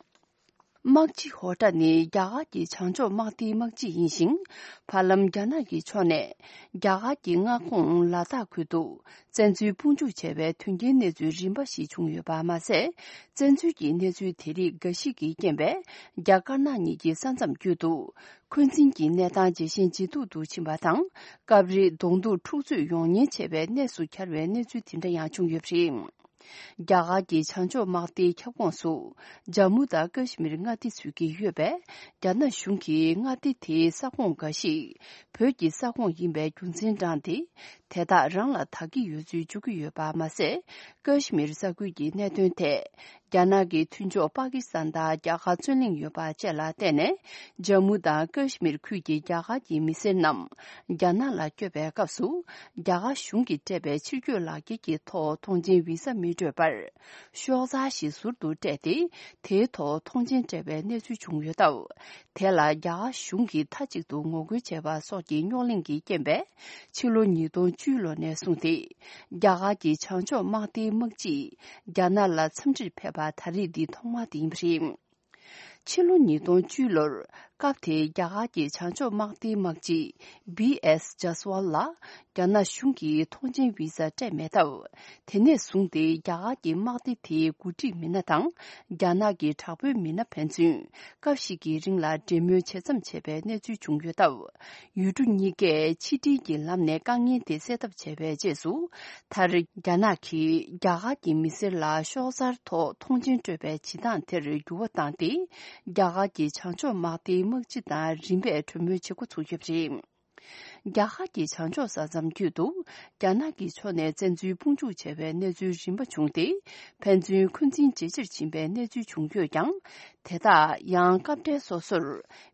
དམག་སྤྱི་ཧོ་ཏྲ་ནི་རྒྱ་གར་གྱི་བྱང་ཕྱོགས་དམག་སྡེའི་དམག་སྤྱི་ཡིན་ཞིང་། བར་ལམ་རྒྱ་ནག་གི་ཕྱོགས་ནས་རྒྱ་གར་གྱི་མངའ་ཁོངས་ལ་དྭགས་ཁུལ་དུ་བཙན་འཛུལ་དཔུང་འཇུག་བྱས་པའི་དོན་རྐྱེན་གནས་ཚུལ་རིམ་པ་ཞིག་བྱུང་ཡོད་པ་མ་ཟད། བཙན་འཛུལ་གྱི་གནས་ཚུལ་དེ་རིགས་འགའ་ཞིག་གི་རྐྱེན་པས་རྒྱ་དཀར་ནག་གཉིས་ཀྱི་ས་མཚམས་རྒྱུད་དུ་འཁོན་འཛིན་གྱི་གནས་སྟངས་ཇེ་ཞན་ཇེ་སྡུག་ཏུ་ཕྱིན་པ་དང་། སྐབས་རེ་གདོང་ཐུག་འཁྲུག་རྩོད་ཡོང་ཉེན་ཆེ་བའི་གནས་སུ་གྱར་བའི་གནས་ཚུལ་དེ་འདྲ་ཡང་བྱུང་ཡོད་པ་རེད། རྒྱ་གར་གྱི་བྱང་ཕྱོགས་དམག་སྡེའི་ཁྱབ་ཁོངས་སུ་ཇམ་མུ་དང་ཀ་ཤི་མིར་མངའ་སྡེ་ཚུད་ཀྱི་ཡོད་པས། རྒྱ་ནག་གཞུང་གིས་མངའ་སྡེ་དེའི་ས་ཁོངས་འགའ་ཞིག་བོད་ཀྱི་ས་ཁོངས་ཡིན་པའི་རྒྱུ་མཚན་བགྲངས་ཏེ། དེ་དག་རང་ལ་བདག་གི་ཡོད་ཚུལ་བརྗོད་ཀྱི་ཡོད་པ་མ་ཟད། ཀ་ཤི་མིར་ས་ཁུལ་གྱི་གནད་དོན་ཐད། རྒྱ་ནག་གི་མཐུན་ཕྱོགས་པ་ཀི་སི་ཐན་དང་རྒྱ་གར་རྩོད་གླེང་ཡོད་པ་བཅས་ལ་བརྟེན་ནས། ཇམ་མུ་དང་ཀ་ཤི་མིར་ཁུལ་གྱི་རྒྱ་གར་གྱི་མི་སེར་རྣམས་རྒྱ་ནག་ལ་བསྐྱོད་པའི་སྐབས་སུ། རྒྱ་གར་གཞུང་གིས་སྤྲད་པའི་ཕྱིར་སྐྱོད་ལག་འཁྱེར་གྱི་ཐོག་མཐོང་མཆན་བི་ས་མི་སྤྲོད་པར། ཤོག་ཚར་ཞིག་ཟུར་དུ་སྤྲད་དེ། དེའི་ཐོག་མཐོང་མཆན་སྤྲད་པའི་གནས་ཚུལ་བྱུང་ཡོད་སྟབས། དེ་ལ་རྒྱ་གར་གཞུང་གིས་མཐའ་གཅིག་ཏུ་ངོ་རྒོལ་བྱས་པ་སོགས་ཀྱི་རྙོག་གླེང་གི་རྐྱེན་པས། ཕྱི་ལོ་ཉིས་སྟོང་བཅུ་ལོ་ནས་བཟུང་སྟེ། རྒྱ་གར་གྱི་བྱང་ཕྱོགས་དམག་སྡེའི་དམག་སྤྱིས་རྒྱ་ནག་ལ་འཚམས་འདྲིར་ཕེབས་པ་ད་རེས་འདི་ཐོག་མ་དེ་ཡིན་པ་རེད། ཕྱི་ལོ་ཉིས་སྟོང་བཅུ་ལོར་སྐབས་དེའི་རྒྱ་གར་གྱི་བྱང་ཕྱོགས་དམག་སྡེའི་དམག་སྤྱི་བི་ཨེས་ཇཱ་སི་ཝལ་ལ་རྒྱ་ནག་གཞུང་གིས་མཐོང་མཆན་བི་ས་སྤྲད་མེད་སྟབས། དེ་ནས་བཟུང་སྟེ་རྒྱ་གར་གྱི་དམག་སྡེ་དེའི་འགོ་ཁྲིད་མི་སྣ་དང་། རྒྱ་ནག་གི་དྲག་པོའི་མི་སྣ་ཕན་ཚུན་སྐབས་ཤིག་གི་རིང་ལ་འབྲེལ་མོལ་ཇེ་མཚམས་ཆད་པའི་གནས་ཚུལ་བྱུང་ཡོད་སྟབས། ཡུལ་གྲུ་གཉིས་ཀས་ཕྱི་འབྲེལ་གྱི་ལམ་ནས་དཀའ་ངལ་དེ་སེལ་ཐབས་བྱས་པའི་རྗེས་སུ། མཐར་རྒྱ་ནག་གིས་རྒྱ་གར་གྱི་མི་སེར་ལ་ཤོག་གསར་ཐོག་མཐོང་མཆན་སྤྲོད་པའི་བྱེད་སྟངས་དེར་འགྱུར་བ་བཏང་སྟེ། རྒྱ་གར་གྱི་བྱང་ཕྱོགས་དམག་སྡེའི་དམག་སྤྱི་དང་རིམ་པས་གྲོས་མོལ་བྱེད་འགོ་ཚུགས་ཡོད་པ་རེད། རྒྱ་གར་གྱི་བྱང་ཕྱོགས་ས་མཚམས་རྒྱུད་དུ་རྒྱ་ནག་གི་ཕྱོགས་ནས་བཙན་འཛུལ་དཔུང་འཇུག་བྱས་པའི་གནས་ཚུལ་རིམ་པ་བྱུང་སྟེ། ཕན་ཚུན་འཁོན་འཛིན་ཇེ་ཆེར་ཕྱིན་པའི་གནས་ཚུལ་བྱུང་ཡོད་ཀྱང་། དེ་དག་ཡང་སྐབས་འཕྲལ་སོ་སོར་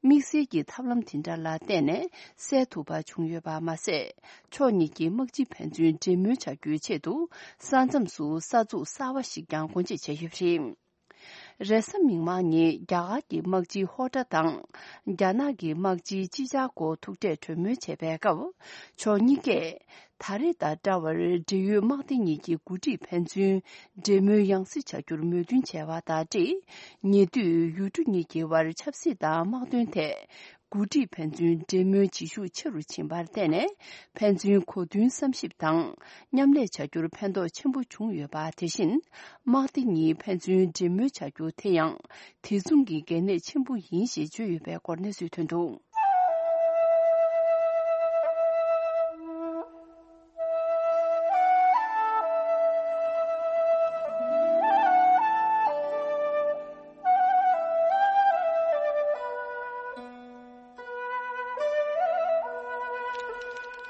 དམིགས་བསལ་གྱི་ཐབས་ལམ་དེ་འདྲ་ལ་བརྟེན་ནས་སེལ་ཐུབ་པ་བྱུང་ཡོད་པ་མ་ཟད། ཕྱོགས་གཉིས་ཀྱི་དམག་སྤྱི་ཕན་ཚུན་འབྲེལ་མོལ་བྱ་རྒྱུའི་ཆེད་དུ་ས་མཚམས་སུ་ས་ཚུགས་གསར་བ་ཞིག་ཀྱང་སྒོ་འབྱེད་བྱས་ཡོད་པ་རེད། རེས་གཟའ་མིག་དམར་ཉིན་རྒྱ་གར་གྱི་དམག་སྤྱི་ཧོ་ཏྲ་དང་། རྒྱ་ནག་གི་དམག་སྤྱི་ཅི་ཅཱ་ཀོ་ཐུག་འཕྲད་གྲོས་མོལ་བྱས་པའི་སྐབས། ཕྱོགས་གཉིས་ཀས་ད་རེས་དང་འདྲ་བར་འབྲེལ་ཡོད་དམག་སྡེ་གཉིས་ཀྱི་འགོ་ཁྲིད་ཕན་ཚུན་འབྲེལ་མོལ་ཡང་སེ་བྱ་རྒྱུར་མོས་མཐུན་བྱས་པ་དང་འབྲེལ། ཉེ་དུས་ཡུལ་གྲུ་གཉིས་ཀྱི་དབར་ཆབ་སྲིད་དང་དམག་དོན་ཐད། འགོ་ཁྲིད་ཕན་ཚུན་འབྲེལ་མོལ་བྱེད་ཤུགས་ཆེ་རུ་ཕྱིན་པར་བརྟེན་ནས། ཕན་ཚུན་གོ་མཐུན་བསམ་ཞིབ་དང་མཉམ་ལས་བྱ་རྒྱུར་ཕན་ཐོགས་ཆེན་པོ་བྱུང་ཡོད་པ། དེ་བཞིན་དམག་སྡེ་གཉིས་ཕན་ཚུན་འབྲེལ་མོལ་བྱ་རྒྱུ་དེ་ཡང་དེ་མཚུངས་ཀྱི་གལ་གནད་ཆེན་པོ་ཡིན་ཞེས་བརྗོད་ཡོད་པའི་སྐོར་གནས་ཚུལ་ཐོན་འདུག་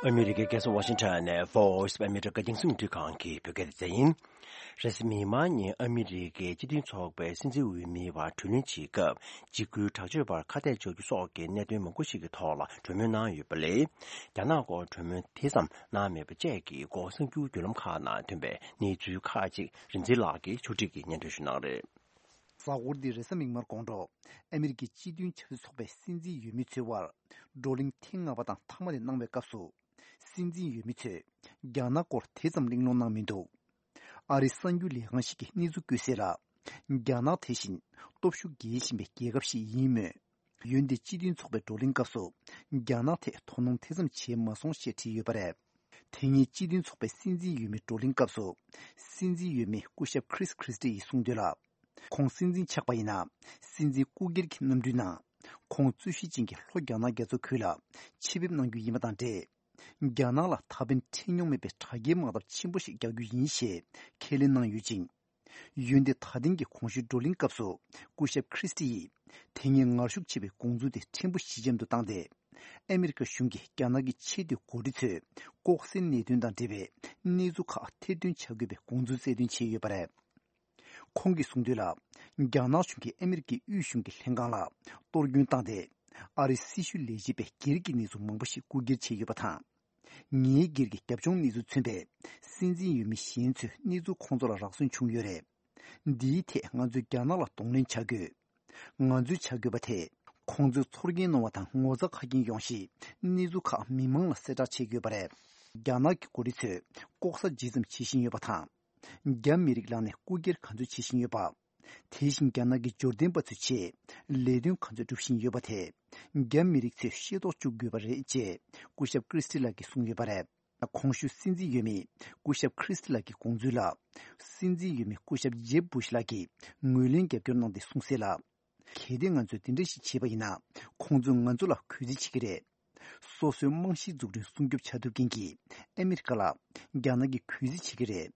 ཨ་མི་རི་ཀའི་རྒྱལ་ས་ཝ་ཤིང་ཊོན་ནས་Voice of America རྒྱང་སྲིང་རླུང་འཕྲིན་ཁང་གི་བོད་སྐད་སྡེ་ཚན་ཡིན། རེས་གཟའ་མིག་དམར་ཉིན་ཨ་མི་རི་ཀའི་སྤྱི་མཐུན་ཚོགས་པའི་སྲིད་འཛིན་འོས་མིའི་བར་གྲོས་གླེང་བྱེད་སྐབས་འཇིགས་སྐུལ་དྲག་སྤྱོད་པར་ཁ་གཏད་གཅོག་རྒྱུ་སོགས་ཀྱི་གནད་དོན་མང་པོ་ཞིག་གི་ཐོག་ལ་གྲོས་མོལ་གནང་ཡོད་པ་ལས། རྒྱ་ནག་སྐོར་གྲོས་མོལ་དེ་ཙམ་གནང་མེད་པ་བཅས་ཀྱི་སྐོར་གསར་འགྱུར་བརྒྱུད་ལམ་ཁག་ནང་ཐོན་པའི་གནས་ཚུལ་ཁག་ཅིག་རིག་འཛིན་ལགས་ཀྱིས་ཕྱོགས་སྒྲིག་གིས་སྙན་སྒྲོན་ཞུ་གནང་རེད། གཟའ་འཁོར་འདིའི་རེས་གཟའ་མིག་དམར་དགོང་དྲོ། ཨ་མི་རི་ཀའི་སྤྱི་མཐུན་ཆབ་སྲིད་ཚོགས་པའི་སྲིད་འཛིན་འོས་མི་ཚོའི་དབར་བགྲོ་གླེང་ཐེངས་ལྔ་པ་དང་མཐའ་མ་དེ་གནང་བའི་སྐབས་སུ། སྲིད་འཛིན་འོས་མི་ཚོས་རྒྱ་ནག་སྐོར་དེ་ཙམ་གླེང་སློང་གནང་མི་འདུག་ཨ་རིའི་གསར་འགྱུར་ལས་ཁང་ཞིག་གིས་གནས་ཚུལ་བཀོད་གསལ་ལ། རྒྱ་ནག་དེ་བཞིན་སྟོབས་ཤུགས་རྒྱས་བཞིན་པའི་རྒྱལ་ཁབ་ཞིག་ཡིན་མོད། ཡུན་དེ་སྤྱི་མཐུན་ཚོགས་པའི་བགྲོ་གླེང་སྐབས་སུ། རྒྱ་ནག་ཐད་དོ་སྣང་དེ་ཙམ་བྱས་མ་སོང་ཞེས་བྲིས་ཡོད་པ་རེད། དེ་སྔའི་སྤྱི་མཐུན་ཚོགས་པའི་སྲིད་འཛིན་འོས་མིའི་བགྲོ་གླེང་སྐབས་སུ། སྲིད་འཛིན་འོས་མི་སྐུ་ཞབས་ཁྲིས་ཁྲིས་ཏི་ཡིས་གསུངས་དོན་ལ། ཁོང་སྲིད་འཛིན་ཆགས་པ་ཡིན་ན། སྲིད་འཛིན་སྐུ་སྒེར་གྱི་གནམ་གྲུའི་ནང་། ཁོང་རྩོད་གཞི་ཅན་གྱི་ལྷོ་རྒྱ་ནག་རྒྱ་མཚོ་ཁུལ་ལ་ཆེད་ཕེབས་གནང་རྒྱུ་ཡིན་པ་དང་འབྲེལ། རྒྱ་ནག་ལ་ད་ཕན་འཕྲད་མྱོང་མེད་པའི་དྲག་རྐྱེན་དམག་འཐབ་ཆེན་པོ་ཞིག་རྒྱག་རྒྱུ་ཡིན་ཞེས་ཁས་ལེན་གནང་ཡོད་ཅིང་། འོན་ཏེ་ད་ཐེངས་ཀྱི་གོང་ཞུས་བགྲོ་གླེང་སྐབས་སུ་སྐུ་ཞབས་ཁྲིས་ཏི་ཡིས་དེ་སྔའི་ངར་ཤུགས་ཆེ་བའི་དགོངས་ཚུལ་དེ་ཕྲན་བུ་ཞི་འཇམ་དུ་བཏང་སྟེ། ཨ་མི་རི་ཀ་གཞུང་གིས་རྒྱ་ནག་གི་ཆེས་མཐོའི་འགོ་ཁྲིད་ཚོས་ལྐོག་ཟའི་གནད་དོན་དང་འབྲེལ་བའི་གནས་ཚུལ་ཁག་ཐེར་འདོན་བྱ་དགོས་པའི་དགོངས་ཚུལ་གསལ་སྟོན་བྱས་ཡོད་པ་རེད། ཁོང་གིས་གསུངས་དོན་ལ། རྒྱ་ནག་གཞུང་གིས་ཨ་མི་རི་ཀའི་དབུས་གཞུང་གི་ལྷན་ཁང་ལ་གཏོར་སྐྱོན་བཏང་སྟེ། ཨ་རིའི་སྲི་ཞུ་ལས་བྱེད་པས་སྒེར་གྱི་གནས་ཚུལ་མང་པོ་ཞིག་རྐུ་འཁྱེར་བྱས་ཡོད་པ་དང་། ངའི་སྒེར་གྱི་རྒྱབ་ལྗོངས་གནས་ཚུལ་མཚོན་པའི་སྲིད་འཛིན་འོས་མི་གཞན་ཚོས་གནས་ཚུལ་ཁོང་ཚོ་ལ་རག་སོན་བྱུང་ཡོད་རེད། འདིའི་ཐད་ང་ཚོས་རྒྱ་ནག་ལ་གདོང་ལེན་བྱ་དགོས། ང་ཚོས་བྱ་དགོས་པ་དེ། ཁོང་ཚོས་ཚོར་སྐྱེན་གནང་བ་དང་ངོ་ཚ་ཁ་སྐྱེན་ཡོང་གཞིའི་གནས་ཚུལ་ཁག་མི་མང་ལ་གསལ་བསྒྲགས་བྱེད་དགོས་པ་རེད། རྒྱ་ནག་གི་འགོ་ཁྲིད་ཚོས་ལྐོག་ཟ་ཇི་ཙམ་བྱེད་བཞིན་ཡོད་པ་དང་། རྒྱ་མི་རིགས་ལངས་ནས་རྐུ་འཁྱེར་ག་ཚོད་བྱེད་བཞིན་ཡོད་པ། དེ་བཞིན་རྒྱ་ནག་གི་འབྱོར་ལྡན་པ་ཚོའི་ཆེད་ལས་དོན་ག་ཚོད་སྒྲུབ་བཞིན་ཡོད་པ་དེ། རྒྱ་མི་རིགས་ཚོས་ཤེས་རྟོགས་བཅུག་དགོས་པ་རེད་ཅེས་སྐུ་ཞབས་ཁྲིས་ཏི་ལགས་ཀྱིས་གསུངས་ཡོད་པ་རེད། གོང་ཞུས་སྲིད་འཛིན་འོས་མི་སྐུ་ཞབས་ཁྲིས་ཏི་ལགས་ཀྱི་དགོངས་ཚུལ་ལ། སྲིད་འཛིན་འོས་མི་སྐུ་ཞབས་ཇེབ་བུ་ཤ་ལགས་ཀྱིས་ངོས་ལེན་རྒྱབ་སྐྱོར་གནང་སྟེ་གསུངས་གསལ་ལ། གལ་ཏེ་ང་ཚོས་དེ་འདྲ་ཞིག་བྱས་པ་ཡིན་ན། ཁོང་ཚོས་ང་ཚོ་ལ་གུས་བརྩི་བྱེད་ཀྱི་རེད། སོ་སོའི་རྨང་གཞིའི་འཛུགས་སྐྲུན་སྲུང་སྐྱོབ་བྱ་ཐུབ་མཁན་གྱི་ཨ་མི་རི་ཀ་ལ་རྒྱ་ནག་གིས་གུས་བརྩི་བྱེད་ཀྱི་རེད།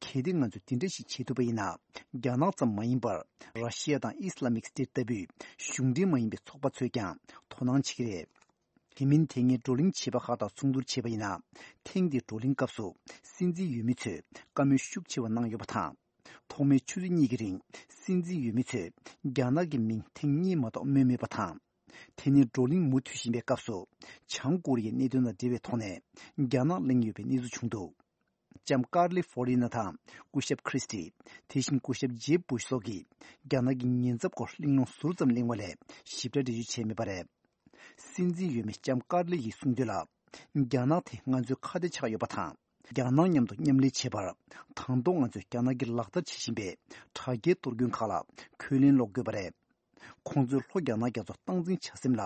གལ་ཏེ་ང་ཚོས་དེ་འདྲ་ཞིག་བྱེད་ཐུབ་པ་ཡིན་ན། རྒྱ་ནག་ཙམ་མ་ཡིན་པར་ར་ཤི་ཡ་དང་ཨི་སི་ལ་མིག་སི་ཏེ་ལྟ་བུའི་གཞུང་འབྲེལ་མ་ཡིན་པའི་ཚོགས་པ་ཚོས་ཀྱང་དོ་སྣང་བྱེད་ཀྱི་རེད། དེ་མིན་དེ་སྔའི་བགྲོ་གླེང་བྱས་པ་ཁག་དང་མཚུངས་བསྡུར་བྱས་པ་ཡིན་ན། ཐེངས་འདིའི་བགྲོ་གླེང་སྐབས་སུ་སྲིད་འཛིན་འོས་མི་ཚོས་བཀའ་མོལ་ཤུགས་ཆེ་བ་གནང་ཡོད་པ་དང་། ཐོག་མའི་ཆུ་ཚོད་གཉིས་ཀྱི་རིང་སྲིད་འཛིན་འོས་མི་ཚོས་རྒྱ་ནག་གི་མིང་ཐེངས་གཉིས་མ་གཏོགས་སྨོས་མེད་པ་དང་། དེ་ནས་བགྲོ་གླེང་མུ་མཐུད་བཞིན་པའི་སྐབས་སུ། བྱང་ཀོ་རི་ཡའི་གནད་དོན་དང་འབྲེལ་བའི་ཐོག་ནས་རྒྱ་ནག་གླེང་ཡོད་པའི་གནས་ཚུལ་བྱུང་འདུག་ལྕམ་ཀར་ལི་ཧྥོ་རི་ན་དང་སྐུ་ཞབས་ཁྲིས་ཏི། དེ་བཞིན་སྐུ་ཞབས་ཇེབ་བུ་ཤ་སོགས་ཀྱིས་རྒྱ་ནག་གི་ཉེན་ཚབས་སྐོར་གླེང་སློང་ཟུར་ཙམ་གླེང་བ་ལས་ཞིབ་ཕྲ་འགྲེལ་བརྗོད་བྱས་མེད་པ་རེད། སྲིད་འཛིན་འོས་མི་ལྕམ་ཀར་ལི་ཡིས་གསུངས་དོན་ལ། རྒྱ་ནག་དེ་ང་ཚོའི་ཁ་གཏད་ཆགས་ཡོད་པ་དང་། རྒྱ་ནག་མཉམ་དུ་མཉམ་ལས་བྱེད་པར་དང་ཐོག་ང་ཚོས་རྒྱ་ནག་གིས་ལག་བསྟར་བྱེད་བཞིན་པའི་དྲག་རྐྱེན་གཏོར་སྐྱོན་ཁག་ལ་ཁས་ལེན་སློག་དགོས་པ་རེད། ཁོང་ཚོས་ལྷོ་རྒྱ་ནག་རྒྱ་མཚོ་སྟངས་འཛིན་བྱ་སེམས་ལ་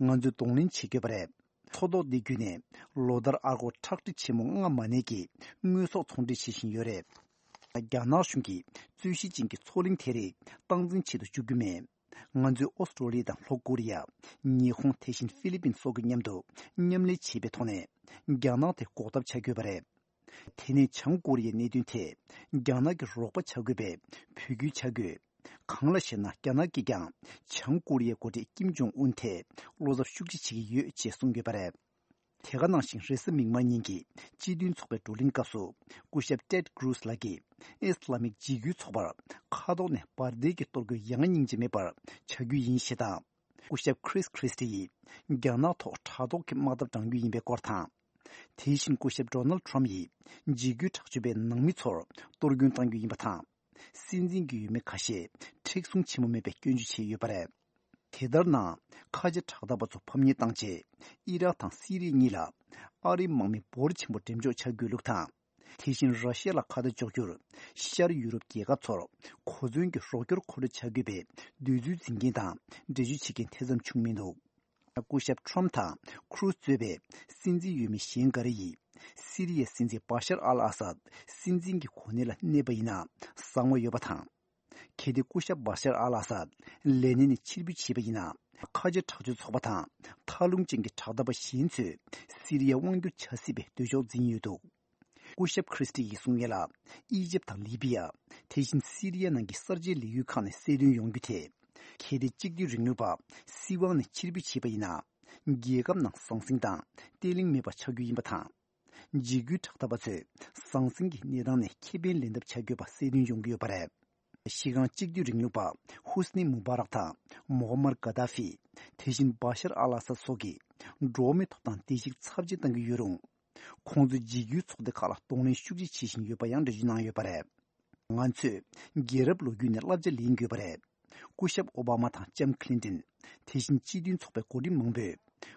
ང་ཚོས་གདོང་ལེན་བྱེད་དགོས་པ་རེད། མཚོ་ཐོག་འདི་བརྒྱུད་ནས་ལོ་ལྟར་ཨར་སྒོར་ཁྲག་ཁྲིག་ཆེན་མོ་ལྔ་མ་ནས་ཀྱི་དངོས་ཟོག་ཚོང་འབྲེལ་བྱེད་བཞིན་ཡོད་རེད། རྒྱ་ནག་གཞུང་གིས་རྩོད་གཞི་ཅན་གྱི་མཚོ་གླིང་དེ་རིགས་སྟངས་འཛིན་བྱེད་དུ་འཇུག་རྒྱུ་མེད། ང་ཚོས་ཨོ་སི་ཀྲོ་ལི་ཡ་དང་ལྷོ་ཀོ་རི་ཡ། ཉི་ཧོང་དེ་བཞིན་ཧྥི་ལི་པིན་སོགས་ཀྱི་མཉམ་དུ་མཉམ་ལས་བྱེད་པའི་ཐོག་ནས་རྒྱ་ནག་དེ་འགོག་ཐབས་བྱ་དགོས་པ་རེད། དེ་ནས་བྱང་ཀོ་རི་ཡའི་གནད་དོན་ཐད་རྒྱ་ནག་གི་རོགས་པ་བྱ་དགོས་པའི་འབོད་སྐུལ་བྱ་དགོས། གང་ལ་ཞེ་ན། རྒྱ་ནག་གིས་ཀྱང་བྱང་ཀོ་རི་ཡའི་འགོ་ཁྲིད་ཀིམ་ཇོང་ཨུན་ཐད་བློ་འཚབ་ཤུགས་ཆེ་བྱེད་ཀྱི་ཡོད་ཅེས་གསུངས་ཡོད་པ་རེད། དེ་ག་ནང་བཞིན་རེས་གཟའ་མིག་དམར་ཉིན་གྱི་སྤྱི་མཐུན་ཚོགས་པའི་བགྲོ་གླེང་སྐབས་སུ་སྐུ་ཞབས་ཏེད་ཀྲུས་ལགས་ཀྱིས་ཨི་སི་ལ་མིག་འཇིགས་སྐུལ་ཚོགས་པར་མཁའ་ཐོག་ནས་འབར་མདེལ་གྱི་གཏོར་རྒོལ་ཡང་སྙིང་རྗེ་མེད་པར་བྱ་རྒྱུ་ཡིན་ཞེས་དང་། སྐུ་ཞབས་ཁྲིས་ཁྲིས་ཏི་ཡིས་རྒྱ་ནག་ཐོག་དྲ་ཐོག་གི་དམག་འཐབ་བགྲང་རྒྱུ་ཡིན་པའི་སྐོར་དང་། དེ་བཞིན་སྐུ་ཞབས་ཌོ་ནལ་ཁྲམ་ཡིས་འཇིགས་སྐུལ་དྲག་སྤྱོད་པའི་ནང་མི་ཚོར་གཏོར་སྐྱོན་གཏང་རྒྱུ་ཡིན་པ་དང་། སྲིད་འཛིན་གྱི་འོས་མི་ཁ་ཤས་མཁྲེགས་བཟུང་ཆེན་པོ་མེད་པའི་སྐྱོན་བརྗོད་བྱས་ཡོད་པ་རེད། དེ་ལྟར་ན། ཁ་ཆེ་དྲག་འཐབ་པ་ཚོ་ཕམ་ཉེས་བཏང་རྗེས། ཨི་རག་དང་སི་རི་གཉིས་ལ་ཨ་རིའི་དམག་མི་འབོར་ཆེན་པོ་འགྲེམས་འཇོག་བྱ་དགོས་ལུགས་དང་། དེ་བཞིན་ར་ཤི་ཡ་ལ་ཁ་གཏད་གཅོག་རྒྱུར་ཤར་ཡུ་རོབ་རྒྱལ་ཁབ་ཚོར་གོ་མཚོན་གྱི་རོགས་སྐྱོར་མཁོ་སྤྲོད་བྱ་དགོས་པའི་འདོད་ཚུལ་འཛིན་མཁན་དང་འགྲེལ་བརྗོད་བྱེད་མཁན་དེ་ཙམ་བྱུང་མི་འདུག་སྐུ་ཞབས་ཁྲོམ་དང་ཁུ་རུ་གཙོས་པའི་སྲིད་འཛིན་འོས་མི་གཞན་འགའ་རེ་ཡིས་སི་རི་ཡའི་སྲིད་འཛིན་བ་ཤར་ཨལ་ཨ་སད་སྲིད་འཛིན་གྱི་གོ་གནས་ལ་གནས་པ་ཡིན་ན་བཟང་བ་ཡོད་པ་དང་། གལ་ཏེ་སྐུ་ཞབས་བ་ཤར་ཨལ་ཨ་སད་ལས་གནས་ནས་ཕྱིར་འབུད་བྱས་པ་ཡིན་ན། ཁ་ཆེ་དྲག་སྤྱོད་ཚོགས་པ་དང་མཐའ་ལྷུང་ཅན་གྱི་དྲག་འཐབ་པ་གཞན་ཚོས་སི་རི་ཡ་དབང་བསྒྱུར་བྱ་སྲིད་པའི་འདོད་ཕྱོགས་འཛིན་ཡོད་འདུག་སྐུ་ཞབས་ཁྲིས་ཏི་ཡིས་གསུངས་ཡས་ལ། ཨི་ཇེབ་དང་ལི་བི་ཡ། དེ་བཞིན་སི་རི་ཡ་ནང་གི་གསར་བརྗེའི་ལས་འགུལ་ཁག་ནས་གསལ་སྟོན་ཡོང་རྒྱུ་དེ། གལ་ཏེ་གཅིག་སྡུད་རིང་ལུགས་པ་སྲིད་དབང་ནས་ཕྱིར་འབུད་བྱས་པ་ཡིན་ན། རྒྱལ་ཁབ་ནང་ཟང་ཟིང་དང་བརྟན་ལྷིང་མེད་པ་ཆགས་རྒྱུ་ཡིན་པ་དང་། འཇིགས་སྐུལ་དྲག་འཐབ་པ་ཚོས་ཟང་ཟིང་གི་གནས་སྟངས་ནས་ཁེ་ཕན་ལེན་ཐབས་བྱ་དགོས་པ་གསལ་སྟོན་ཡོང་གི་ཡོད་པ་རེད། གཞི་རྐང་གཅིག་སྡུད་རིང་ལུགས་པ་ཧུ་སི་ནི་མུ་བྷ་རག་དང་མོ་ཧ་མར་གྷ་དཱ་ཧྥི། དེ་བཞིན་བ་ཤར་ཨལ་ཨ་སད་སོགས་ཀྱིས་འགྲོ་བ་མིའི་ཐོབ་ཐང་བརྡལ་བཤིག་ཚབས་ཆེ་བཏང་གི་ཡོད་རུང་། ཁོང་ཚོས་འཇིགས་སྐུལ་ཚོགས་སྡེ་ཁག་ལ་གདོང་ལེན་ཤུགས་ཆེ་བྱེད་བཞིན་ཡོད་པ་ཡང་འགྲེལ་བརྗོད་གནང་ཡོད་པ་རེད། ང་ཚོས་རྒྱལ་རབས་ལོ་རྒྱུས་ནས་བསླབ་བྱ་ལེན་དགོས་པ་རེད། སྐུ་ཞབས་ཨོ་བྷ་མ་དང་ལྕམ་ཁི་ལིན་ཏོན། དེ་བཞིན་སྤྱི་མཐུན་ཚོགས་པའི་འགོ་ཁྲིད་མང་པོས་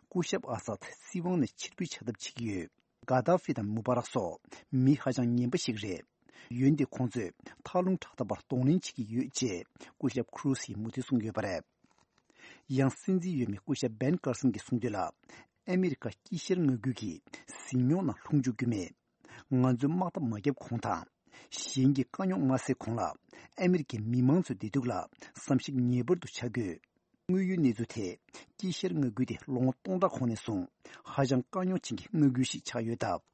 སྐུ་ཞབས་ཨ་སད་སྲིད་དབང་ནས་ཕྱིར་འབུད་བྱ་ཐབས་བྱེད་ཀྱི་ཡོད། གྷ་དཱ་ཧྥི་དང་མུ་བྷ་རག་སོགས་མི་ཧ་ཅང་ངན་པ་ཞིག་རེད། འོན་ཏེ་ཁོང་ཚོས་མཐའ་ལྷུང་དྲག་མཐའ་བར་གདོང་ལེན་བྱེད་ཀྱི་ཡོད་ཅེས་སྐུ་ཞབས་ཁུ་རུ་སིས་མུ་མཐུད་གསུངས་ཡོད་པ་རེད། ཡང་སྲིད་འཛིན་འོས་མི་སྐུ་ཞབས་བན་ཀར་སན་གྱིས་གསུངས་དོན་ལ། ཨ་མི་རི་ཀ་དཀྱིལ་ཤར་མངའ་ཁུལ་གྱི་ཟིང་སྙོགས་ནང་ལྷུང་འཇུག་རྒྱུ་མེད། ང་ཚོས་དམག་འཐབ་མ་བརྒྱབ་གོང་དང་། གཞན་གྱི་དཀའ་རྙོག་མ་སེལ་གོང་ལ། ཨ་མི་རི་ཀའི་མི་མང་ཚོའི་བདེ་སྡུག་ལ་བསམ་གཞིག་ངེས་པར་དུ་བྱ་དགོས། དངོས་ཡོད་གནས་ཚུལ་ཐད། དཀྱིལ་ཤར་མངའ་ཁུལ་དེ་ལོ་ངོ་སྟོང་ཕྲག་གོང་ནས་བཟུང་ཧ་ཅང་དཀའ་རྙོག་ཅན་གྱི་མངའ་ཁུལ་ཞིག་ཆགས་ཡོད་སྟབས།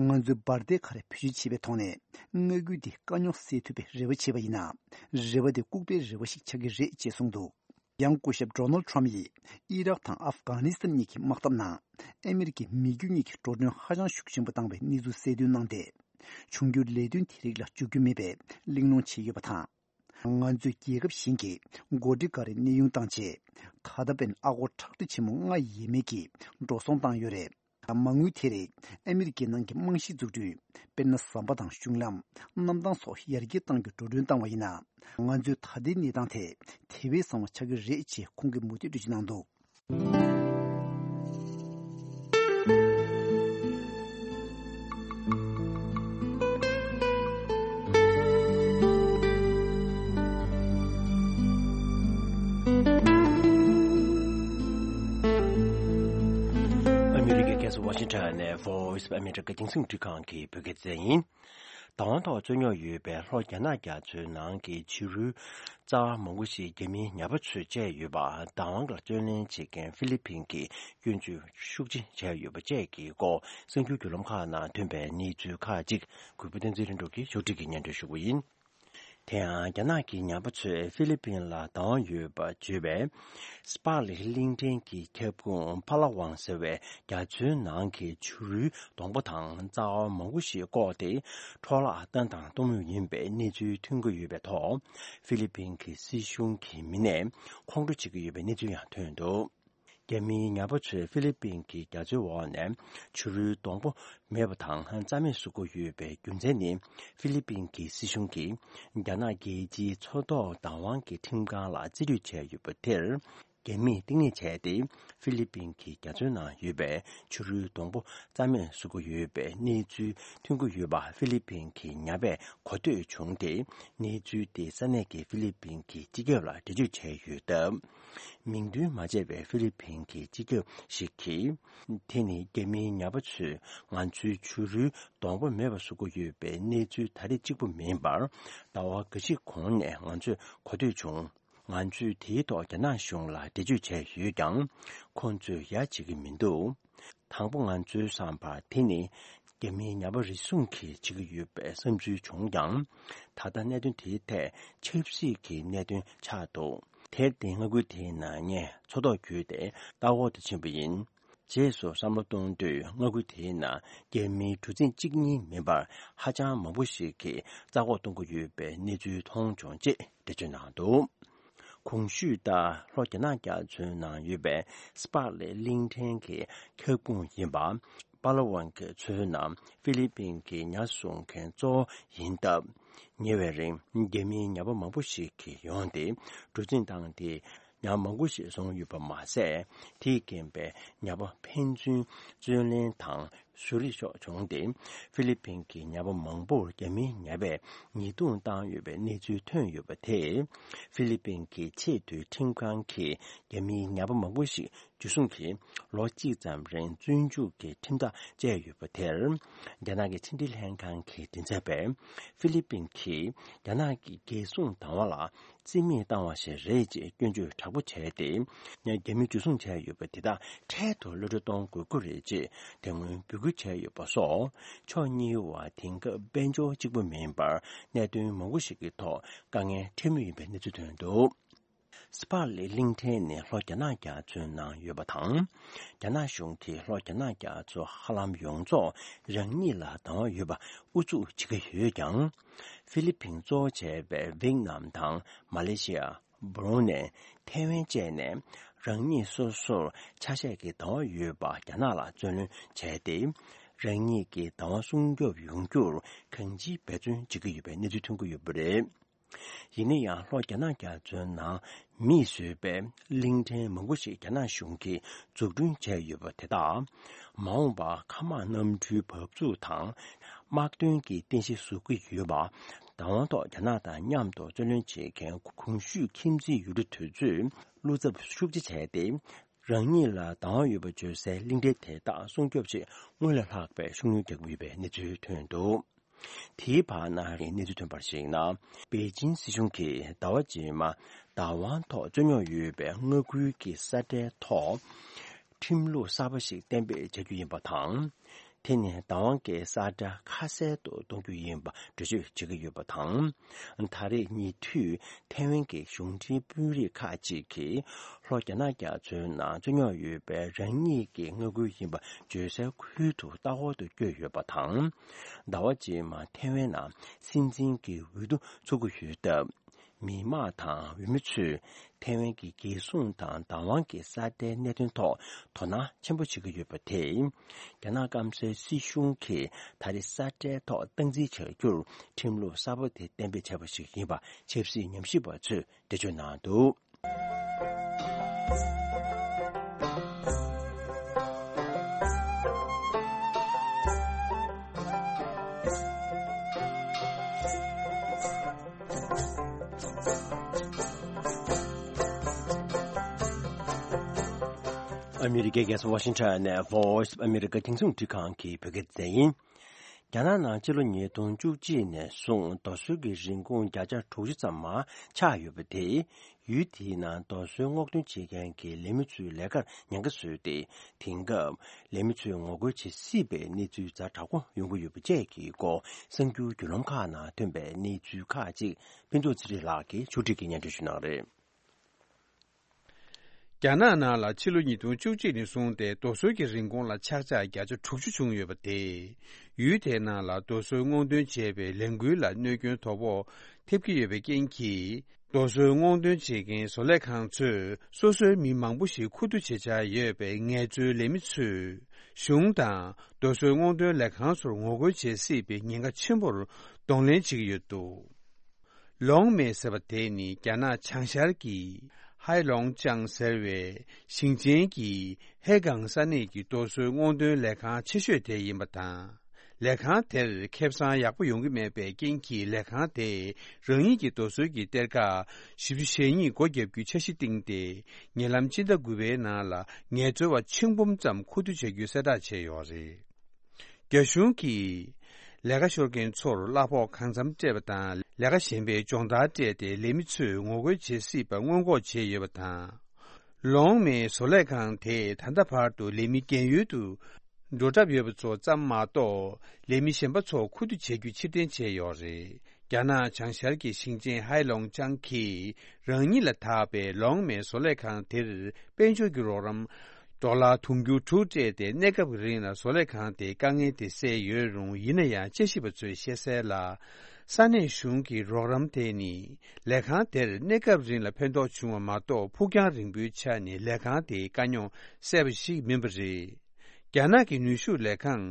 ང་ཚོས་འབར་མདེལ་ག་རེ་བེད་སྤྱོད་བྱེད་པའི་ཐོག་ནས་མངའ་ཁུལ་འདི་དཀའ་རྙོག་སེལ་ཐུབ་པའི་རེ་བ་བྱས་པ་ཡིན་ན། རེ་བ་དེ་ལྐུགས་པའི་རེ་བ་ཞིག་ཆགས་ཀྱི་རེད་ཅེས་གསུངས་འདུག། ཡང་སྐུ་ཞབས་ཌོ་ནལ་ཊམ་ཡིས་ཨི་རག་དང་ཨབ་གྷ་ནི་སི་ཐན་གཉིས་ཀྱི་དམག་འཐབ་ནང་ཨ་མི་རི་ཀའི་མི་རྒྱུ་གཉིས་ཀྱི་འགྲོ་གྲོན་ཧ་ཅང་ཤུགས་ཆེན་པོ་བཏང་བའི་གནས་ཚུལ་གསལ་སྟོན་གནང་སྟེ། འབྱུང་འགྱུར་ལས་དོན་དེ་རིགས་ལ་འཇུག་རྒྱུ་མེད་པའི་གླེང་སློང་བྱས་ཡོད་པ་དང་། ང་ཚོས་རྒྱལ་ཁབ་གཞན་གྱི་འགོ་ཁྲིད་འགའ་རེ་གནས་དབྱུང་བཏང་རྗེས། ད་ལྟ་བར་ཨ་སྒོར་ཁྲག་ཁྲིག་ཆེན་མོ་ལྔ་ཡས་མས་ཀྱིས་འགྲོ་སོང་བཏང་ཡོད་རེད། མ་དངུལ་དེ་རིགས་ཨ་མི་རི་ཀའི་ནང་གི་རྨང་གཞི་འཛུགས་སྐྲུན། དཔེར་ན། ཟམ་པ་དང་གཞུང་ལམ། གནམ་ཐང་སོགས་ཡར་རྒྱས་གཏང་རྒྱུར་འགྲོ་གྲོན་བཏང་བ་ཡིན་ན། ང་ཚོའི་ད་ལྟའི་གནས་སྟངས་དེ་དེ་བས་བཟང་བ་ཆགས་ཀྱི་རེད་ཅེས་ཁོང་གིས་མུ་མཐུད་འགྲེལ་བརྗོད་གནང་འདུག། ཨ་མི་རི་ཀའི་རྒྱལ་ས་ཝ་ཤིང་ཊོན་ནས་Voice of America རྒྱང་སྲིང་འཕྲིན་ཁང་གི་བོད་སྐད་སྡེ་ཚན་ཡིན། བདག་དབང་ཐོག་རྩོད་རྙོག་ཡོད་པའི་ལྷོ་རྒྱ་ནག་རྒྱ་མཚོའི་ནང་གི་ཕྱི་རོལ་རྩ་བ་མང་པོ་ཞིག་རྒྱ་མིའི་ཉ་པ་ཚོས་བཅད་ཡོད་པ། བདག་དབང་ལ་བརྩོན་ལེན་བྱེད་མཁན་ཧྥི་ལི་ཕིན་གྱིས་སྐྱོན་བརྗོད་ཤུགས་ཆེ་བྱས་ཡོད་པ་བཅས་ཀྱི་སྐོར་གསར་འགྱུར་བརྒྱུད་ལམ་ཁག་ནང་ཐོན་པའི་གནས་ཚུལ་ཁག་ཅིག་གུས་པ་བསྟན་འཛིན་ལྷུན་གྲུབ་ཀྱིས་ཕྱོགས་སྒྲིག་གིས་སྙན་སྒྲོན་ཞུ་གི་ཡིན། དེ་ཡང་རྒྱ་ནག་གི་ཉ་པ་ཚོས་ཧྥི་ལི་ཕིན་ལ་བདག་དབང་ཡོད་པ་བརྗོད་པའི་སྤག་ལེ་གླིང་ཕྲན་གྱི་ཁྱབ་ཁོངས་ཕ་ལ་ཝང་ཟེར་བའི་རྒྱ་མཚོའི་ནང་གི་ཆུ་རུལ་སྡོང་པོ་དང་རྩ་བ་མང་པོ་ཞིག་བཀོག་སྟེ་འཕྲོ་བརླག་བཏང་དང་གཏོང་མུས་ཡིན་པའི་གནས་ཚུལ་ཐོན་གྱི་ཡོད་པའི་ཐོག། ཧྥི་ལི་ཕིན་གྱི་སྲིད་གཞུང་གི་མི་སྣས་ཁོང་ཁྲོ་བྱེད་ཀྱི་ཡོད་པའི་གནས་ཚུལ་ཡང་ཐོན་འདུག། རྒྱ་མིའི་ཉ་པ་ཚོས་ཧྥི་ལི་ཕིན་གྱི་རྒྱ་མཚོའི་འོག་ནས་ཆུ་རུལ་སྡོང་པོ་མེད་པ་དང་རྩ་མེད་བཟོ་དགོས་ཡོད་པའི་རྒྱུ་མཚན་ནི། ཧྥི་ལི་ཕིན་གྱི་སྲིད་གཞུང་གིས་རྒྱ་ནག་རྒྱལ་སྤྱིའི་མཚོ་ཐོག་བདག་དབང་གི་ཁྲིམས་ཁང་ལ་རྩིས་སྤྲོད་བྱས་ཡོད་པ་དེར། རྒྱ་མིས་གཏིང་ནས་བྱས་ཏེ། ཧྥི་ལི་ཕིན་གྱི་རྒྱ་མཚོའི་ནང་ཡོད་པའི་ཆུ་རུལ་སྡོང་པོ་རྩ་མེད་བཟོ་གི་ཡོད་པའི་གནས་ཚུལ་ཐོན་གྱི་ཡོད་པ་ཧྥི་ལི་ཕིན་གྱི་ཉ་པས་གོ་ཐོས་བྱུང་སྟེ། གནས་ཚུལ་དེ་ས་གནས་ཀྱི་ཧྥི་ལི་ཕིན་གྱི་སྤྱི་ཁྱབ་ལ་འགྲེལ་བརྗོད་བྱས་ཡོད་སྟབས། མིང་འདོན་མ་བྱས་པའི་ཧྥི་ལི་ཕིན་གྱི་སྤྱི་ཁྱབ་ཞིག་གིས། དེ་ནི་རྒྱ་མིའི་ཉ་པ་ཚོས་ང་ཚོའི་ཆུ་རུལ་སྡོང་པོ་མེད་པ་བཟོ་གི་ཡོད་པའི་གནས་ཚུལ་ད་རེས་གཅིག་པུ་མིན་པར། ཟླ་བ་འགའ་ཞིག་གོང་ནས་ང་ཚོས་གོ་ཐོས་བྱུང་། ང་ཚོས་དེའི་ཐོག་རྒྱ་ནག་གཞུང་ལ་འགྲེལ་བརྗོད་བྱས་ཡོད་ཀྱང་། ཁོང་ཚོས་ཡ་བྱེད་ཀྱི་མི་འདུག། དང་པོ་ང་ཚོའི་བསམ་པར་དེ་ནི་རྒྱ་མིའི་ཉ་པ་རེ་ཟུང་གིས་བྱེད་ཀྱི་ཡོད་པའི་བསམ་ཚུལ་བྱུང་ཀྱང་། ད་ལྟ་གནད་དོན་དེའི་ཐད་ཆབ་སྲིད་ཀྱི་གནད་དོན་ཆགས་འདུག། དེར་བརྟེན་མངའ་ཁུལ་དེའི་ནང་ནས་མཚོ་ཐོག་བརྒྱུད་དེ་ལྟ་འོག་ཏུ་ཕྱིན་པ་ཡིན། རྗེས་སུ་བསམ་བློ་གཏོང་དུས་མངའ་ཁུལ་དེའི་ནང་རྒྱ་མིའི་གྲུ་གཟིངས་གཅིག་གཉིས་མིན་པར་ཧ་ཅང་མང་པོ་ཞིག་གིས་རྩ་འགོག་གཏོང་གི་ཡོད་པའི་གནས་ཚུལ་མཐོང་བྱུང་ཅེས་འགྲེལ་བརྗོད་གནང་འདུག། གོང་ཞུས་ལྟར་ལྷོ་རྒྱ་ནག་རྒྱ་མཚོའི་ནང་ཡོད་པའི་སྤག་ལེ་གླིང་ཕྲན་གྱི་ཁྱབ་ཁོངས་ཡིན་པ། པ་ལ་ཝང་གི་མཚོའི་ནང་ཧྥི་ལི་པིན་གྱི་ཉ་བཟོ་མཁན་གཙོ་བོ་ཡིན་སྟབས། ཉེ་བའི་རིང་རྒྱ་མིའི་ཉ་པ་མང་པོ་ཞིག་གིས་ཡོང་སྟེ་གྲུ་གཟིངས་བཏང་སྟེ། ཉ་མང་པོ་ཞིག་བཟུང་ཡོད་པ་མ་ཟད། དེས་རྐྱེན་པས་ཉ་པ་ཕན་ཚུན་རྩོད་ལེན་དང་ཟུར་རེས་སོགས་བྱུང་སྟེ། ཧྥི་ལི་པིན་གྱི་ཉ་པ་མང་པོར་རྒྱ་མིའི་ཉ་པས་ཉེས་རྡུང་བཏང་ཡོད་པའི་གནས་ཚུལ་ཐོན་ཡོད་པ་དེས། ཧྥི་ལི་པིན་གྱི་ཆེས་མཐོའི་ཁྲིམས་ཁང་གིས་རྒྱ་མིའི་ཉ་པ་མང་པོ་ཞིག་འཇུ་བཟུང་གིས་ལོ་གཅིག་ཙམ་རིང་བཙོན་འཇུག་གི་ཁྲིམས་ཐག་བཅད་ཡོད་པ་དེར། རྒྱ་ནག་གི་ཕྱི་འབྲེལ་ལྷན་ཁང་གི་མགྲིན་ཚབ་པས་ཧྥི་ལི་པིན་གྱིས་རྒྱ་ནག་གི་རྒྱལ་སྲུང་བདག་དབང་ལ་རྩིས་མེད་བཏང་བ་ཞིག་རེད་ཅེས་སྐྱོན་བརྗོད་དྲག་པོ་བྱས་ཏེ། རྒྱ་མི་འཇུ་བཟུང་བྱས་ཡོད་པ་དེ་དག་འཕྲལ་དུ་གློད་གྲོལ་གཏོང་དགོས་ཀྱི་རེད་ཅེས་དེ་སྔོན་འབོད་སྐུལ་བྱས་ཡོད་པ་སོགས། ཕྱོགས་གཉིས་བར་དེང་སྐབས་དཔལ་འབྱོར་གཅིག་པུ་མིན་པར་གནད་དོན་མང་པོ་ཞིག་གི་ཐོག་དཀའ་ངལ་འཕྲད་མུས་ཡིན་པའི་གནས་ཚུལ་ཐོན་འདུག། སྤག་ལེ་གླིང་ཕྲན་ནི་ལྷོ་རྒྱ་ནག་རྒྱ་མཚོའི་ནང་ཡོད་པ་དང་། རྒྱ་ནག་གཞུང་གིས་ལྷོ་རྒྱ་ནག་རྒྱ་མཚོ་ཧ་ལམ་ཡོངས་རྫོགས་རང་ཉིད་ལ་བདག་དབང་ཡོད་པ་ཨུ་ཚུགས་བྱེད་ཀྱི་ཡོད་ཀྱང་། ཧྥི་ལི་ཕིན་གཙོ་བོ་བྱས་པའི་ཝེད་ནམ་དང་མ་ལེ་ཤི་ཡ། སྦ་རུ་ནེ། ཐའེ་ཝན་བཅས་ནས་རང་ཉིད་སོ་སོར་ཆ་ཤས་ཀྱི་བདག་དབང་ཡོད་པ་རྒྱ་ནག་ལ་བརྩོན་ལེན་བྱས་ཏེ། རང་ཉིད་ཀྱི་བདག་དབང་སྲུང་སྐྱོབ་ཡོང་རྒྱུར་གང་ཅིའི་འབད་བརྩོན་བྱེད་ཀྱི་ཡོད་པའི་གནས་ཚུལ་ཐོན་གྱི་ཡོད་པ་རེད། ཡིན་ན་ཡང་ལྷོ་རྒྱ་ནག་རྒྱ་མཚོའི་ནང་མིས་བཟོས་པའི་གླིང་ཕྲན་མང་པོ་ཞིག་རྒྱ་ནག་གཞུང་གིས་འཛུགས་སྐྲུན་བྱས་ཡོད་པ་དེ་དག་མ་འོངས་པར་མཁའ་དམག་གནམ་གྲུའི་བབས་ཚུགས་དང་ དམག་དོན་གྱི་རྟེན་གཞི་བཟོ་གི་ཡོད་པ། བདག་དབང་ཐོག་རྒྱ་ནག་དང་མཉམ་དུ་རྩོད་ལེན་བྱེད་མཁན་གོང་ཞུས་ཁྱིམ་མཚེས་ཡུལ་གྲུ་དེ་ཚོས་བློ་འཚབ་ཤུགས་ཆེ་བྱས་ཏེ། རང་ཉིད་ལ་བདག་དབང་ཡོད་པ་བརྗོད་སའི་གླིང་ཕྲན་དེ་དག་སྲུང་སྐྱོབ་ཆེད་སྔོན་ལས་ལྷག་པའི་ཤུགས་སྣོན་རྒྱག་གི་ཡོད་པའི་གནས་ཚུལ་ཐོན་འདུག། དེའི་བར་ན་རེས་གནས་ཚུལ་ཐོན་པར་གཞིགས་ན། པེ་ཅིན་སྲིད་གཞུང་གིས་ཟླ་བ་རྗེས་མ་བདག་དབང་ཐོག་རྩོད་རྙོག་ཡོད་པའི་མངའ་ཁུལ་གྱི་ས་ཁྲའི་ཐོག་ཁྲིམས་ལུགས་གསར་པ་ཞིག་གཏན་འབེབས་བྱ་རྒྱུ་ཡིན་པ་དང་། དེ་ནི་བདག་དབང་གི་ས་ཁྲ་ཁ་གསལ་དུ་གཏོང་རྒྱུ་ཡིན་པ་འགྲེལ་བརྗོད་བྱེད་ཀྱི་ཡོད་པ་དང་། ད་རེས་ཉེ་དུས་ཐའེ་ཝན་གྱི་གཞུང་འབྲེལ་དཔོན་རིགས་ཁག་ཅིག་གིས་ལྷོ་རྒྱ་ནག་རྒྱ་མཚོའི་ནང་རྩོད་རྙོག་ཡོད་པའི་རང་ཉིད་ཀྱི་མངའ་ཁུལ་ཡིན་པ་བརྗོད་སའི་ཁུལ་དུ་ལྟ་སྐོར་དུ་བསྐྱོད་ཡོད་པ་དང་། ཟླ་བ་རྗེས་མ་ཐའེ་ཝན་ནང་སྲིད་འཛིན་གྱི་འོས་བསྡུ་འཚོགས་ཀྱི་ཡོད་སྟབས། མི་དམངས་དང་འོས་མི་ཚོས་ཐའེ་ཝན་གྱི་རྒྱལ་སྲུང་དང་བདག་དབང་གི་ས་ཁྲའི་གནད་དོན་ཐོག་དོ་སྣང་ཆེན་པོ་བྱེད་ཀྱི་ཡོད་པ་དེས། རྒྱ་ནག་སྐམ་སའི་སྲིད་གཞུང་གིས་ད་རེས་ས་ཁྲའི་ཐོག་སྟངས་འཛིན་བྱ་རྒྱུར་ཁྲིམས་ལུགས་གསར་པ་དེ་གཏན་འབེབས་བྱས་པ་ཞིག་ཡིན་པ་ཆབ་སྲིད་ཉམས་ཞིབ་པ་ཚོས་འགྲེལ་བརྗོད་གནང་འདུག། ཨ་མི་རི་ཀའི་རྒྱལ་ས་ཝ་ཤིང་ཊོན་ནས་Voice of America་རྒྱང་སྲིང་རླུང་འཕྲིན་ཁང་གི་བོད་སྐད་སྡེ་ཚན་ཡིན། རྒྱ་ནག་ནང་ཕྱི་ལོ་ཉིས་སྟོང་བཅུ་གཅིག་ནས་བཟུང་རྡོ་སོལ་གྱི་རིན་གོང་བརྒྱ་ཆ་དྲུག་ཅུ་ཙམ་མར་ཆག་ཡོད་པ་དེས། ཡུལ་དེའི་ནང་རྡོ་སོལ་སྔོག་འདོན་བྱེད་མཁན་གྱི་ལས་མི་ཚོའི་ལས་ཀར་ཉེན་ཁ་བཟོས་ཏེ། དེང་སྐབས་ལས་མི་ཚོས་ངོ་རྒོལ་བྱེད་སྲིད་པའི་གནས་ཚུལ་ཛ་དྲག་པོ་ཡོང་གི་ཡོད་པ་བཅས་ཀྱི་སྐོར་གསར་འགྱུར་བརྒྱུད་ལམ་ཁག་ནང་ཐོན་པའི་གནས་ཚུལ་ཁག་ཅིག་ཕུན་ཚོགས་ཚེ་རིང་ལགས་ཀྱིས་ཕྱོགས་སྒྲིག་གིས་སྙན་སྒྲོན་ཞུ་གནང་རེད། རྒྱ་ནག་ནང་ལ་ཕྱི་ལོ་ཉིས་སྟོང་བཅུ་གཅིག་ནས་བཟུང་སྟེ་རྡོ་སོལ་གྱི་རིན་གོང་ལ་ཆག་ཆག་བརྒྱ་ཆ་དྲུག་ཅུ་བྱུང་ཡོད་པ་དེས། ཡུལ་དེའི་ནང་ལ་རྡོ་སོལ་སྔོག་འདོན་བྱས་པའི་ལས་འགུལ་ལ་གནོད་སྐྱོན་དོ་ཕོག་ཐེབས་ཀྱི་ཡོད་པའི་རྐྱེན་གྱིས། རྡོ་སོལ་སྔོག་འདོན་བྱེད་མཁན་བཟོ་ལས་ཁང་ཚོས་སོ་སོའི་མི་མང་པོ་ཞིག་ཁུ་བསྡུ་བྱེད་འཆར་ཡོད་པའི་ངལ་རྩོལ་ལས་མི་ཚོས། གཞུང་དང་རྡོ་སོལ་སྔོག་འདོན་ལས་ཁང་ཚོར་ངོ་རྒོལ་བྱེད་སྲིད་པའི་ཉེན་ཁ་ཆེན་པོར་གདོང་ལེན་བྱེད་ཀྱི་ཡོད་འདུག། ལོང་མེ་ཟེར་བ་དེ་ནི་རྒྱ་ནག་བྱང་ཤར་གྱི་ཧའེ་ལོང་ཅང་ཟེར་བའི་ཞིང་ཆེན་གྱི་ཧེ་གང་ས་གནས་ཀྱི་རྡོ་སོལ་སྔོག་འདོན་ལས་ཁང་ཆེ་ཤོས་དེ་ཡིན་པ་དང་། ལས་ཁང་དེར་ཁེ་བཟང་ཡག་པོ་ཡོང་གི་མེད་པའི་རྐྱེན་གྱིས། ལས་ཁང་དེས་རང་ཉིད་ཀྱི་རྡོ་སོལ་གྱི་གཏེར་ཁ་བཞི་བཅུ་ཞེ་གཉིས་སྒོ་བརྒྱབ་རྒྱུའི་འཆར་གཞི་བཏིང་སྟེ། ཉེ་ལམ་སྤྱི་ཟླ་དགུ་པའི་ནང་ལ་ངལ་རྩོལ་བ་ཆིག་འབུམ་ཙམ་ཁུ་བསྡུ་བྱ་རྒྱུའི་གསལ་བསྒྲགས་བྱས་ཡོད་རེད། རྒྱ་གཞུང་གིས་ལས་ཀ་ཤོར་མཁན་ཚོར་གླ་ཕོགས་གང་འཚམ་སྤྲད་པ་དང་། ལས་ཀ་གཞན་པའི་སྦྱོང་བརྡར་སྤྲད་དེ་ལས་མི་ཚོས་ངོ་རྒོལ་བྱེད་སྲིད་པ་སྔོན་འགོག་བྱས་ཡོད་པ་དང་། ལོང་མེའི་བཟོ་ལས་ཁང་དེས་ད་ལྟ་བར་དུ་ལས་མི་རྒན་ཡོལ་དུ་འགྲོ་གྲབས་ཡོད་པ་ཚོ་ཙམ་མ་གཏོགས། ལས་མི་གཞན་པ་ཚོ་ཁུ་བསྡུ་བྱ་རྒྱུ་ཕྱིར་འཐེན་བྱས་ཡོད་རེད། རྒྱ་ནག་བྱང་ཤར་གྱི་ཞིང་ཆེན་ཧའེ་ལོང་ཅང་གིས་རང་ཉིད་ལ་བདག་པའི་ལོང་མེའི་བཟོ་ལས་ཁང་དེར་དཔལ་འབྱོར་གྱི་རོགས་རམ་ཌོ་ལར་དུང་ཕྱུར་དྲུག་སྤྲད་དེ། གནས་སྐབས་ཀྱི་རིང་ལ་བཟོ་ལས་ཁང་དེའི་དཀའ་ངལ་དེ་སེལ་ཡོད་རུང་། ཡིན་ན་ཡང་དཔྱད་ཞིབ་པ་ཚོས་བཤད་གསལ་ལ། ས་གནས་གཞུང་གི་རོགས་རམ་དེ་ནི་ལས་ཁང་དེར་གནས་སྐབས་རིང་ལ་ཕན་ཐོགས་བྱུང་བ་མ་གཏོགས། ཕུགས་རྒྱང་རིང་པོའི་ཆ་ནས་ལས་ཁང་དེའི་དཀའ་རྙོག་སེལ་བ་ཞིག་མིན་པ་རེད། རྒྱ་ནག་གི་ནུས་ཤུགས་ལས་ཁང་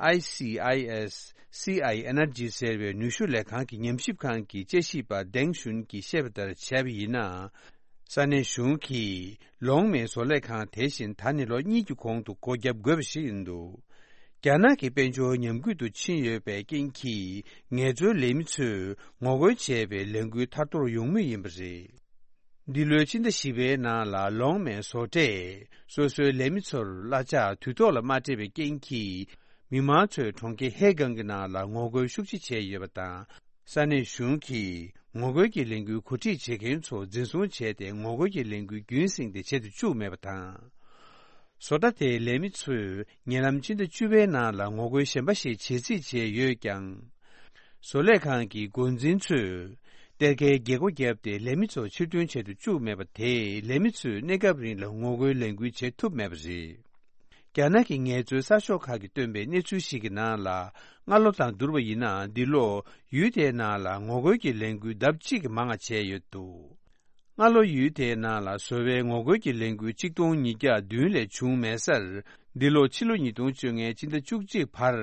ཨའི་སི་ཨའི་ཨེས་སི་ཨའི་ཨེ་ནར་ཇི་ཟེར་བའི་ནུས་ཤུགས་ལས་ཁང་གི་ཉམས་ཞིབ་ཁང་གི་དཔྱད་ཞིབ་པ་ཌེང་ཞུན་གྱིས་བཤད་པ་ལྟར་བྱས་པ་ཡིན་ན། ས་གནས་གཞུང་གིས་ལོང་མེའི་བཟོ་ལས་ཁང་དེ་བཞིན་ད་ནི་ལོ་གཉིས་ཀྱི་གོང་དུ་སྒོ་བརྒྱབ་དགོས་པ་ཞིག་ཡིན་འདུག། རྒྱ་ནག་གི་དཔལ་འབྱོར་ཉམས་རྒུད་དུ་ཕྱིན་ཡོད་པའི་རྐྱེན་གྱིས། ངལ་རྩོལ་ལས་མི་ཚོས་ངོ་རྒོལ་བྱས་པའི་ལས་འགུལ་ཐར་ཐོར་ཡོང་མུས་ཡིན་པ་རེད། འདི་ལོའི་ཕྱི་ཟླ་བཞི་པའི་ནང་ལ་ལོང་མེའི་བཟོ་གྲྭས་སོ་སོའི་ལས་མི་ཚོར་གླ་ཆ་དུས་ཐོག་ལ་མ་སྤྲད་པའི་རྐྱེན་གྱིས། མི་མང་ཚོས་གྲོང་ཁྱེར་ཧེ་གང་གི་ནང་ལ་ངོ་རྒོལ་ཤུགས་ཆེ་བྱས་ཡོད་པ་དང་། ས་གནས་གཞུང་གིས་ངོ་རྒོལ་གྱི་ལས་འགུལ་གོ་སྒྲིག་བྱེད་མཁན་ཚོ་འཛིན་བཟུང་བྱས་ཏེ། ངོ་རྒོལ་གྱི་ལས་འགུལ་རྒྱུན་བསྲིངས་ཏེ་བྱེད་དུ་བཅུག་མེད་པ་དང་། བཟོ་གྲྭ་དེའི་ལས་མི་ཚོས་ཉེ་ལམ་ཕྱི་ཟླ་བཅུ་པའི་ནང་ལ་ངོ་རྒོལ་གཞན་པ་ཞིག་བྱེད་རྩིས་བྱས་ཡོད་ཀྱང་། བཟོ་ལས་ཁང་གི་འགོ་འཛིན་ཚོས་གཏེར་ཁའི་རྒྱལ་སྒོ་བརྒྱབ་སྟེ་ལས་མི་ཚོ་ཕྱིར་འདོན་བྱེད་དུ་བཅུག་མེད་པ་དེས། ལས་མི་ཚོས་གནས་སྐབས་རིང་ལ་ངོ་རྒོལ་ལས་འགུལ་བྱེད་ཐུབ་མེད་པ་རེད། རྒྱ་ནག་གི་ངལ་རྩོལ་གསར་ཤོག་ཁག་གིས་བཏོན་པའི་གནས་ཚུལ་ཞིག་གི་ནང་ལ། སྔ་ལོ་དང་བསྡུར་བ་ཡིན་ན། འདི་ལོ་ཡུལ་དེའི་ནང་ལ་ངོ་རྒོལ་གྱི་ལས་འགུལ་ལྡབ་གཅིག་གིས་མང་བ་བྱས་ཡོད་འདུག། སྔ་ལོ་ཡུལ་དེའི་ནང་ལ་བཟོ་བའི་ངོ་རྒོལ་གྱི་ལས་འགུལ་གཅིག་སྟོང་ཉིས་བརྒྱ་བདུན་ལས་བྱུང་མེད་སར། འདི་ལོ་ཕྱི་ལོ་ཉིས་སྟོང་བཅོ་ལྔའི་ཕྱི་ཟླ་བཅུ་གཅིག་བར་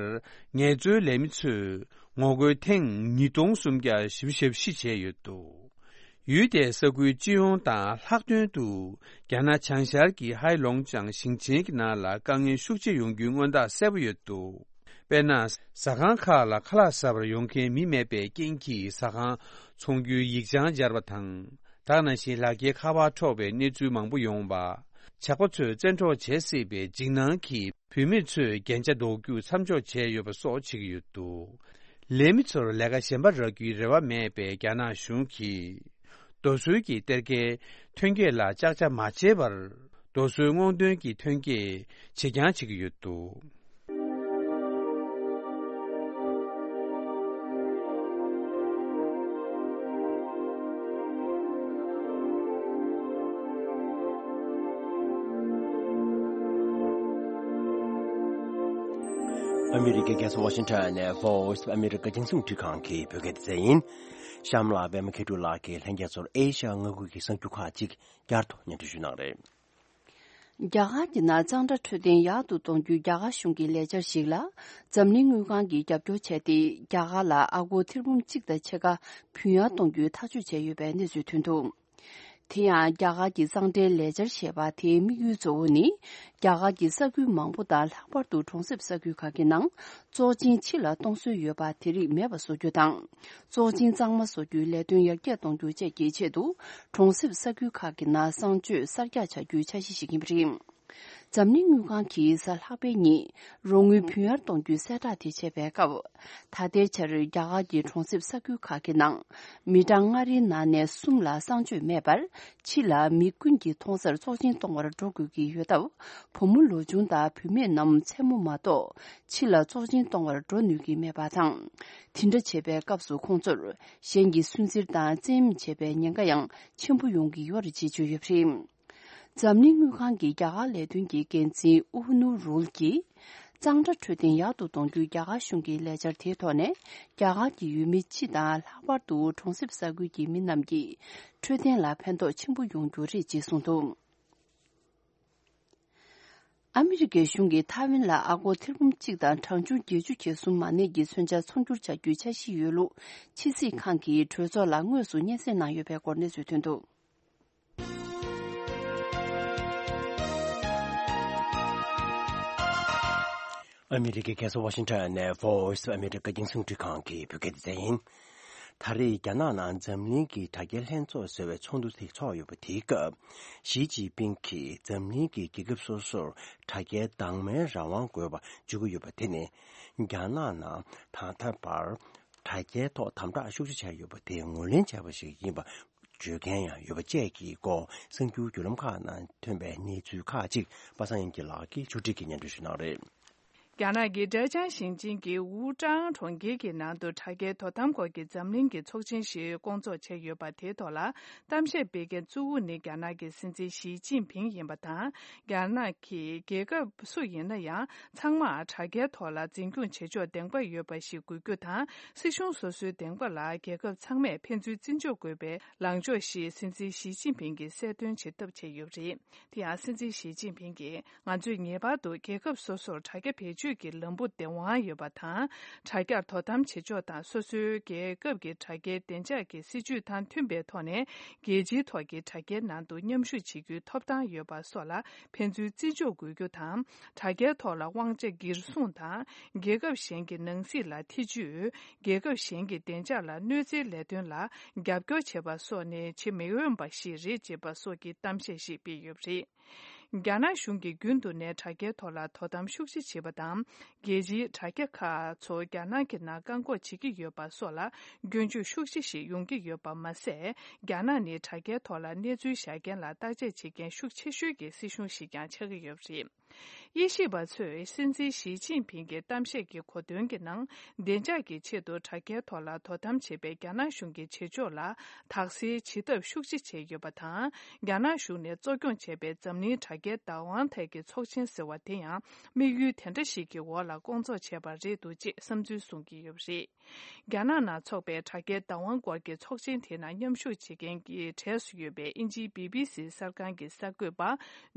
ངལ་རྩོལ་ལས་མི་ཚོས་ངོ་རྒོལ་ཐེངས་ཉིས་སྟོང་སུམ་བརྒྱ་བཞི་བཅུ་ཞེ་བཞི་བྱས་ཡོད་འདུག། ཡུལ་དེའི་ས་ཁུལ་སྤྱི་ཡོངས་དང་ལྷག་དོན་དུ། རྒྱ་ནག་བྱང་ཤར་གྱི་ཧའེ་ལོང་ཅང་ཞིང་ཆེན་གྱི་ནང་ལ་དཀའ་ངལ་ཤུགས་ཆེ་ཡོང་རྒྱུའི་མངོན་རྟགས་གསལ་པོ་ཡོད་འདུག། དཔེར་ན། ཟ་ཁང་ཁག་ལ་ཁ་ལག་ཟ་བར་ཡོང་མཁན་མི་མེད་པའི་རྐྱེན་གྱིས་ཟ་ཁང་ཚོང་རྒྱུའི་ཡིག་ཆང་སྦྱར་བ་དང་། ད་ག་ནང་བཞིན་ལག་འཁྱེར་ཁ་པར་འཕྲོག་པའི་གནས་ཚུལ་མང་པོ་ཡོང་བ། ཇག་པ་ཚོས་བཙན་འཕྲོག་བྱེད་སྲིད་པའི་འཇིགས་སྣང་གིས་བུད་མེད་ཚོས་རྒྱན་ཆ་འདོགས་རྒྱུ་མཚམས་འཇོག་བྱས་ཡོད་པ་སོགས་བྱེད་ཀྱི་ཡོད་འདུག་ལས་མི་ཚོར་ལས་ཀ་གཞན་པ་རག་རྒྱུའི་རེ་བ་མེད་པའི་རྒྱ་ནག་གཞུང་གིས། རྡོ་སོལ་གྱི་གཏེར་ཁའི་ཐོན་སྐྱེད་ལ་ཅག་ཅག་མ་བྱེད་པར། རྡོ་སོལ་སྔོག་འདོན་གྱི་ཐོན་སྐྱེད་བྱེད་རྐྱང་བྱེད་ཀྱི་ཡོད་འདུག་ཨ་མི་རི་ཀའི་རྒྱལ་ས་ཝ་ཤིང་ཊོན་ནས་Voice of America རྒྱང་སྲིང་རླུང་འཕྲིན་ཁང་གི་བོད་སྐད་སྡེ་ཚན་ཡིན། གཤམ་ལ་པད་མ་མཁས་གྲུབ་ལགས་ཀྱིས་ལྷན་རྒྱས་ཚོར་ཨེ་ཤ་ཡ་མངའ་ཁུལ་གྱི་གསར་འགྱུར་ཁག་ཅིག་བསྐྱར་དུ་སྙན་སྒྲོན་ཞུ་གནང་རེད། རྒྱ་གར་གྱི་ནང་གཙང་སྦྲ་འཕྲོད་བསྟེན་ཡག་ཏུ་གཏོང་རྒྱུའི་རྒྱ་གར་གཞུང་གི་ལས་འཆར་ཞིག་ལ། འཛམ་གླིང་དངུལ་ཁང་གིས་རྒྱབ་སྐྱོར་བྱས་ཏེ། རྒྱ་གར་ལ་ཨ་སྒོར་ཐེར་འབུམ་གཅིག་དང་ཕྱེད་ཀ་ཕུལ་ཡག་གཏོང་རྒྱུའི་ཐག་གཅོད་བྱས་ཡོད་པའི་གནས་ཚུལ་ཐོན་འདུག་དེ་ཡང་རྒྱ་གར་གྱི་གཙང་སྦྲའི་ལས་འཆར་ཞེས་པ་དེའི་དམིགས་ཡུལ་གཙོ་བོ་ནི། རྒྱ་གར་གྱི་ས་ཁུལ་མང་པོ་དང་ལྷག་པར་དུ་གྲོང་གསེབ་ས་ཁུལ་ཁག་གི་ནང་བཙོག་གཅིན་ཕྱི་ལ་གཏོང་སྲོལ་ཡོད་པ་དེ་རིགས་མེད་པ་བཟོ་རྒྱུ་དང་། བཙོག་གཅིན་གཙང་མ་བཟོ་རྒྱུའི་ལས་དོན་ཡར་རྒྱས་གཏོང་རྒྱུ་བཅས་ཀྱི་ཆེད་དུ། གྲོང་གསེབ་ས་ཁུལ་ཁག་གི་ནང་གསང་སྤྱོད་གསར་རྒྱག་བྱ་རྒྱུའི་འཆར་གཞི་ཞིག་ཡིན་པ་རེད། འཛམ་གླིང་དངུལ་ཁང་གིས་གཟའ་ལྷག་པའི་ཉིན་རོགས་དངུལ་ཕུལ་ཡར་གཏོང་རྒྱུའི་གསལ་བསྒྲགས་དེ་བྱས་པའི་སྐབས། ད་ལྟའི་ཆར་རྒྱ་གར་གྱི་གྲོང་གསེབ་ས་ཁུལ་ཁག་གི་ནང་མི་གྲངས་ལྔ་རེའི་ནང་ནས་གསུམ་ལ་གསང་སྤྱོད་མེད་པར། ཕྱི་ལ་མི་ཀུན་གྱིས་མཐོང་སར་བཙོག་གཅིན་གཏོང་བར་འགྲོ་དགོས་ཀྱི་ཡོད་སྟབས། བུ་མོ་ལོ་ཆུང་དང་བུད་མེད་རྣམས་མཚན་མོ་མ་གཏོགས་ཕྱི་ལ་བཙོག་གཅིན་གཏོང་བར་འགྲོ་ནུས་ཀྱི་མེད་པ་དང་། དེ་འདྲ་བྱེད་པའི་སྐབས་སུ་ཁོང་ཚོར་གཞན་གྱི་སུན་གཙེར་དང་བཙན་གཡེམ་བྱེད་པའི་ཉེན་ཁ་ཡང་ཆེན་པོ་ཡོང་གི་ཡོད་རེད་ཅེས་བརྗོད་ཡོད་པ་རེད། འཛམ་གླིང་དངུལ་ཁང་གི་རྒྱ་གར་ལས་དོན་གྱི་འགན་འཛིན་ཨུ་ནུ་རུལ་གྱིས། གཙང་སྦྲ་འཕྲོད་བསྟེན་ཡག་ཏུ་གཏོང་རྒྱུའི་རྒྱ་གར་གཞུང་གི་ལས་འཆར་དེའི་ཐོག་ནས། རྒྱ་གར་གྱི་ཡུལ་མི་སྤྱི་དང་ལྷག་པར་དུ་གྲོང་གསེབ་ས་ཁུལ་གྱི་མི་རྣམས་ཀྱི་འཕྲོད་བསྟེན་ལ་ཕན་ཐོགས་ཆེན་པོ་ཡོང་རྒྱུ་རེད་ཅེས་གསུངས་འདུག་ཨ་མི་རི་ཀའི་གཞུང་གིས་ཐའེ་ཝན་ལ་ཨ་སྒོར་ཐེར་འབུམ་གཅིག་དང་གྲངས་ཆུང་བརྒྱད་ཅུ་གྱ་གསུམ་མ་གནས་ཀྱི་མཚོན་ཆ་ཚོང་སྒྱུར་བྱ་རྒྱུའི་འཆར་གཞི་ཡོད་ལུགས། ཕྱི་སྲིད་ཁང་གིས་གྲོས་ཚོགས་ལ་དངོས་སུ་སྙན་སེང་གནང་ཡོད་པའི་སྐོར་གནས་ཚུལ་ཐོན་འདུག་ཨ་མི་རི་ཀའི་རྒྱལ་ས་ཝ་ཤིང་ཊོན་ནས་Voice of America རྒྱང་སྲིང་རླུང་འཕྲིན་ཁང་གི་བོད་སྐད་སྡེ་ཚན་ཡིན། ད་རེས་རྒྱ་ནག་ནང་འཛམ་གླིང་གི་དྲ་རྒྱའི་ལྷན་ཚོགས་ཟེར་བའི་ཚོགས་འདུ་དེ་ཚོགས་ཡོད་པ་དེའི་སྐབས། ཞི་ཅིན་ཕིང་གིས་འཛམ་གླིང་གི་རྒྱལ་ཁབ་སོ་སོར་དྲ་རྒྱའི་དྭངས་མའི་རང་དབང་དགོས་པ་བརྗོད་ཀྱི་ཡོད་པ་དེ་ནི། རྒྱ་ནག་ནང་ད་ལྟ་བར་དྲ་རྒྱའི་ཐོག་དམ་དྲག་ཤུགས་ཆེ་བྱས་ཡོད་པ་དེ་ངོས་ལེན་བྱས་པ་ཞིག་ཡིན་པ། བརྗོད་མཁན་ཡང་ཡོད་པ་བཅས་ཀྱི་སྐོར་གསར་འགྱུར་བརྒྱུད་ལམ་ཁག་ནང་ཐོན་པའི་གནས་ཚུལ་ཁག་ཅིག་པ་སངས་དབྱངས་སྐྱིད་ལགས་ཀྱིས་ཕྱོགས་སྒྲིག་གིས་སྙན་སྒྲོན་ཞུ་གནང་རེད། རྒྱ་ནག་གི་ཀྲེ་ཅང་ཞིང་ཆེན་གྱི་ཝུའུ་ཀྲང་གྲོང་ཁྱེར་གྱི་ནང་དུ་དྲ་རྒྱའི་དོ་དམ་སྐོར་གྱི་འཛམ་གླིང་གི་ཚོགས་ཆེན་ཞིག་བསྐོང་ཚོགས་བྱས་ཡོད་པ་དེའི་ཐོག་ལ་གཏམ་བཤད་སྤེལ་མཁན་གཙོ་བོ་ནི་རྒྱ་ནག་གི་སྲིད་འཛིན་ཞི་ཅིན་ཕིང་ཡིན་པ་དང་། རྒྱ་ནག་གི་རྒྱལ་ཁབ་སུ་ཡིན་ན་ཡང་ཚང་མར་དྲ་རྒྱའི་ཐོག་ལ་འཛིན་སྐྱོང་བྱེད་ཕྱོགས་བདེན་པ་ཡོད་པ་ཞིག་དགོས་རྒྱུ་དང་། སྲིད་གཞུང་སོ་སོའི་བདེན་པ་ལ་རྒྱལ་ཁབ་ཚང་མས་ཕན་ཚུན་བརྩི་འཇོག་དགོས་པའི་ལངས་ཕྱོགས་ཤིག་སྲིད་འཛིན་ཞི་ཅིན་ཕིང་གིས་གསལ་སྟོན་བྱེད་ཐབས་བྱས་ཡོད་པ་རེད། དེ་ཡང་སྲིད་འཛིན་ཞི་ཅིན་ཕིང་གིས། ང་ཚོས་ངེས་པར་དུ་རྒྱལ་ཁབ་སོ་སོར་དྲ་རྒྱ་བེད་སྤྱོད་ཀྱི་ལམ་བུ་བདེ་དབང་ཡོད་པ་དང་། དྲ་རྒྱར་དོ་དམ་བྱེད་ཕྱོགས་དང་སོ་སོའི་རྒྱལ་ཁབ་ཀྱི་དྲ་རྒྱའི་བདེ་འཇགས་ཀྱི་སྲིད་ཇུས་དང་མཐུན་པའི་ཐོག་ནས། རྒྱལ་སྤྱིའི་ཐོག་གི་དྲ་རྒྱའི་ནང་དུ་མཉམ་ཞུགས་བྱེད་རྒྱུའི་ཐོབ་ཐང་ཡོད་པ་སོགས་ལ་ཕན་ཚུན་བརྩི་འཇོག་དགོས་རྒྱུ་དང་། དྲ་རྒྱའི་ཐོག་ལ་དབང་ཆ་སྒེར་སྲུང་དང་། རྒྱལ་ཁབ་གཞན་གྱི་ནང་སྲིད་ལ་ཐེ་ཇུས། རྒྱལ་ཁབ་གཞན་གྱི་བདེ་འཇགས་ལ་གནོད་འཚེའི་ལས་དོན་ལ་རྒྱབ་སྐྱོར་བྱེད་པ་སོགས་ནི་བྱེད་མི་འོས་པ་ཞིག་རེད་ཅེས་པ་སོགས་ཀྱི་གཏམ་བཤད་ཞིག་སྤེལ་ཡོད་པ་རེད། རྒྱ་ནག་གཞུང་གིས་རྒྱུན་དུ་ནས་དྲ་རྒྱའི་ཐོག་ལ་དོ་དམ་ཤུགས་ཆེ་བྱེད་པ་དང་། རྒྱལ་སྤྱིའི་དྲ་རྒྱ་ཁག་ཚོ་རྒྱ་ནག་གི་ནང་བཀག་འགོག་བྱེད་ཀྱི་ཡོད་པ་སོགས་ལ་སྐྱོན་བརྗོད་ཤུགས་ཆེ་ཞིག་ཡོང་གི་ཡོད་པ་མ་ཟད། རྒྱ་ནག་ནི་དྲ་རྒྱའི་ཐོག་ལ་གནས་ཚུལ་བཞག་མཁན་ལ་བརྟག་དཔྱད་བྱེད་མཁན་ཤུགས་ཆེ་ཤོས་ཀྱི་སྲིད་གཞུང་ཞིག་ཀྱང་ཆགས་ཀྱི་ཡོད་པ་རེད། དབྱེ་ཞིབ་པ་ཚོས་སྲིད་འཛིན་ཞི་ཅིན་ཕིང་གི་གཏམ་བཤད་ཀྱི་གོ་དོན་གྱི་ནང་། བདེ་འཇགས་ཀྱི་ཆེད་དུ་དྲ་རྒྱའི་ཐོག་ལ་དོ་དམ་བྱེད་པའི་རྒྱ་ནག་གཞུང་གི་བྱེད་ཕྱོགས་ལ་དག་སེལ་བྱེད་ཐབས་ཤུགས་ཆེ་བྱས་ཡོད་པ་དང་། རྒྱ་ནག་གཞུང་ནས་གཙོ་སྐྱོང་བྱས་པའི་འཛམ་གླིང་དྲ་རྒྱའི་བདག་དབང་ཐད་ཀྱི་ཚོགས་ཆེན་ཟེར་བ་དེ་ཡང་དམིགས་ཡུལ་དེ་འདྲ་ཞིག་གི་འོག་ལ་བསྐོང་ཚོགས་བྱས་པ་རེད་འདུག་ཅེས་བསམ་ཚུལ་གསུང་གི་ཡོད་པ་རེད། རྒྱ་ནག་ནང་འཚོགས་པའི་དྲ་རྒྱའི་བདག་དབང་སྐོར་གྱི་ཚོགས་ཆེན་དེ་ནང་མཉམ་ཞུགས་བྱེད་མཁན་གྱི་གྲས་སུ་ཡོད་པའི་དབྱིན་ཇིའི་བི་བི་སི་གསར་ཁང་གི་གསར་འགོད་པ་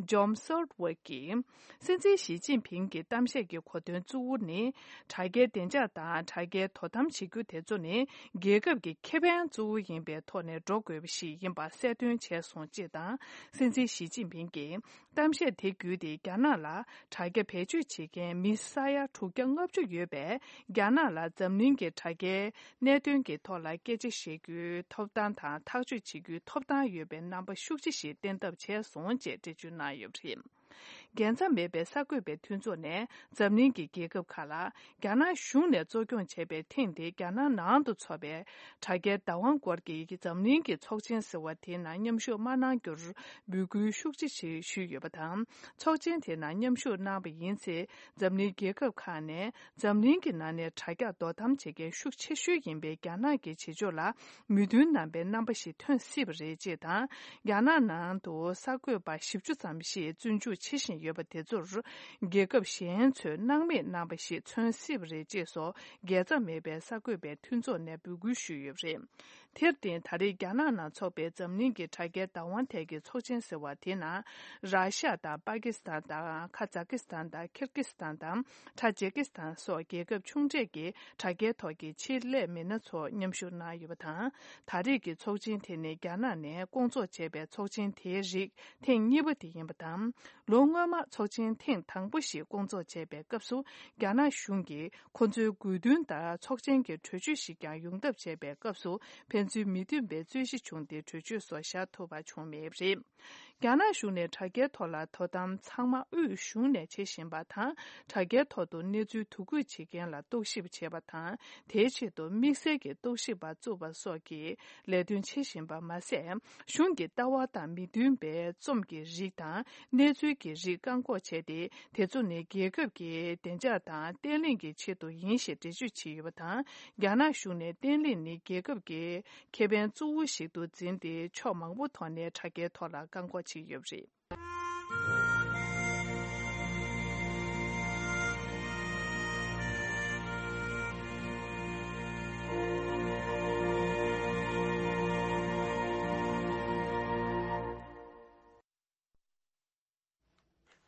ཇོམ་སོལ་ཝེ་ཀྱིས། སྲིད་འཛིན་ཞི་ཅིན་ཕིང་གི་གཏམ་བཤད་ཀྱི་གོ་དོན་གཙོ་བོ་ནི། དྲ་རྒྱའི་བདེ་འཇགས་དང་དྲ་རྒྱའི་དོ་དམ་བྱེད་རྒྱུ་དེ་ཚོ་ནི་རྒྱལ་ཁབ་ཀྱི་ཁེ་ཕན་གཙོ་བོ་ཡིན་པའི་ཐོག་ནས་འགྲོ་དགོས་པ་ཞིག་ཡིན་པ་གསལ་སྟོན་བྱས་སོང་ཅེས་དང་། སྲིད་འཛིན་ཞི་ཅིན་ཕིང་གིས་གཏམ་བཤད་དེ་བརྒྱུད་དེ། རྒྱ་ནག་ལ་དྲ་རྒྱ་བེད་སྤྱོད་བྱེད་མཁན་མི་ས་ཡ་དྲུག་བརྒྱ་ལྔ་བཅུ་ཡོད་པས། རྒྱ་ནག་ལ་འཛམ་གླིང་གི་དྲ་རྒྱའི་གནད་དོན་གྱི་ཐོག་ལ་སྐད་ཆ་བཤད་རྒྱུའི་ཐོབ་ཐང་དང་། ཐག་གཅོད་བྱེད་རྒྱུའི་ཐོབ་ཐང་ཡོད་པའི་རྣམ་པ་ཤུགས་ཆེ་ཞིག་བསྟན་ཐབས་བྱས་སོང་ཅེས་འགྲེལ་བརྗོད་གནང་ཡོད་པ་རེད། རྒྱལ་མཚམས་མེད་པའི་གསར་འགོད་པའི་མཐུན་ཚོགས་ནས་འཛམ་གླིང་གི་རྒྱལ་ཁབ་ཁག་ལ། རྒྱ་ནག་གཞུང་ནས་གཙོ་སྐྱོང་བྱས་པའི་ཐེངས་འདིའི་རྒྱ་ནག་ནང་དུ་འཚོགས་པའི་དྲ་རྒྱའི་བདག་དབང་སྐོར་གྱི་འཛམ་གླིང་གི་ཚོགས་ཆེན་ཟེར་བ་དེའི་ནང་མཉམ་ཞུགས་མ་གནང་རྒྱུར་འབོད་སྐུལ་ཤུགས་ཆེ་ཞིག་ཞུས་ཡོད་པ་དང་། ཚོགས་ཆེན་དེའི་ནང་མཉམ་ཞུགས་གནང་བ་ཡིན་ཚེ། འཛམ་གླིང་རྒྱལ་ཁབ་ཁག་ནས་འཛམ་གླིང་གི་ནང་ནས་དྲ་རྒྱ་དོ་དམ་བྱེད་མཁན་ཤུགས་ཆེ་ཤོས་ཡིན་པའི་རྒྱ་ནག་གི་བྱེད་ཕྱོགས་ལ་མོས་མཐུན་གནང་པའི་རྣམ་པ་ཞིག་ཐོན་སྲིད་པ་རེད་ཅེས་དང་། རྒྱ་ནག་ནང་དུ་གསར་འགོད་པ་བཞི་བཅུ་ཙམ་ཞིག་བཙོན་འཇུག་བྱེད་བཞིན་ཡོད་པ་དེ་ཚོར་རྒྱལ་ཁབ་གཞན་ཚོས་སྣང་མེད་གནང་པ་ཞིག་མཚོན་སྲིད་པ་རེད་ཅེས་སོགས། རྒྱལ་མཚམས་མེད་པའི་གསར་འགོད་པའི་མཐུན་ཚོགས་ནས་འབོད་སྐུལ་ཞུས་ཡོད་པ་རེད། དེར་བརྟེན། ད་རེས་རྒྱ་ནག་ནང་འཚོགས་པའི་འཛམ་གླིང་གི་དྲ་རྒྱའི་བདག་དབང་ཐད་ཀྱི་ཚོགས་ཆེན་ཟེར་བ་དེའི་ནང་། ར་ཤ་དང་པ་ཀི་སི་ཐན་དང་། ཁ་ཛ་ཀི་སི་ཐན་དང་། ཁིར་ཀི་སི་ཐན་དང་། ཐ་ཇེ་ཀི་སི་ཐན་སོགས་རྒྱལ་ཁབ་ཆུང་གྲས་ཀྱི་དྲ་རྒྱའི་ཐོག་གི་ཆེད་ལས་མི་སྣ་ཚོ་མཉམ་ཞུགས་གནང་ཡོད་པ་དང་། ད་རེས་ཀྱི་ཚོགས་ཆེན་དེ་ནི་རྒྱ་ནག་ནས་སྐོང་ཚོགས་བྱས་པའི་ཚོགས་ཆེན་དེའི་རིགས་ཐེངས་གཉིས་པ་དེ་ཡིན་པ་དང་། ལོ་སྔོན་མ་ཚོགས་ཆེན་ཐེངས་དང་པོ་ཞིག་སྐོང་ཚོགས་བྱས་པའི་སྐབས་སུ། རྒྱ་ནག་གཞུང་གིས་ཁོ་ཚོའི་དགོས་འདུན་ལྟར་ཚོགས་ཆེན་གྱི་གྲོས་ཆོད་ཞིག་ཀྱང་ཡོང་ཐབས་བྱས་པའི་སྐབས་སུ། ཕན་ཚུན་མི་མཐུན་པའི་རྩོད་གཞི་བྱུང་སྟེ། གྲོས་ཆོད་སོགས་བཞག་ཐུབ་པ་བྱུང་མེད་པ་རེད། རྒྱ་ནག་གཞུང་ནས་དྲ་རྒྱའི་ཐོག་ལ་དོ་དམ་ཚང་མ་དབུས་གཞུང་ནས་བྱེད་བཞིན་པ་དང་། དྲ་རྒྱའི་ཐོག་ཏུ་གནས་ཚུལ་དོ་ཁུར་བྱེད་མཁན་ལ་རྟོག་ཞིབ་བྱེད་པ་དང་། དེའི་ཆེད་དུ་དམིགས་བསལ་གྱི་རྟོག་ཞིབ་པ་བཙུགས་པ་སོགས་ཀྱི་ལས་དོན་བྱེད་བཞིན་པ་མ་ཟད། གཞུང་གི་ལྟ་བ་དང་མི་མཐུན་པའི་རྩོམ་གྱི་རིགས་དང་གནས་ཚུལ་གྱི་རིགས་བཀག་འགོག་བྱས་ཏེ། དེ་ཚོ་ནི་རྒྱལ་ཁབ་ཀྱི་བདེ་འཇགས་དང་བརྟན་ལྷིང་གི་ཆེད་དུ་ཡིན་ཞེས་འགྲེལ་བརྗོད་བྱས་ཡོད་པ་དང་། རྒྱ་ནག་གཞུང་ནས་བརྟན་ལྷིང་ནི་རྒྱལ་ཁབ་ཀྱི་ཁེ་ཕན་གཙོ་བོ་ཞིག་ཏུ་འཛིན་ཏེ། ཕྱོགས་མང་པོ་ཐོག་ནས་དྲ་རྒྱའི་ཐོག་ལ་བཀག་འགོག་བྱས་ཡོད་པ་རེད།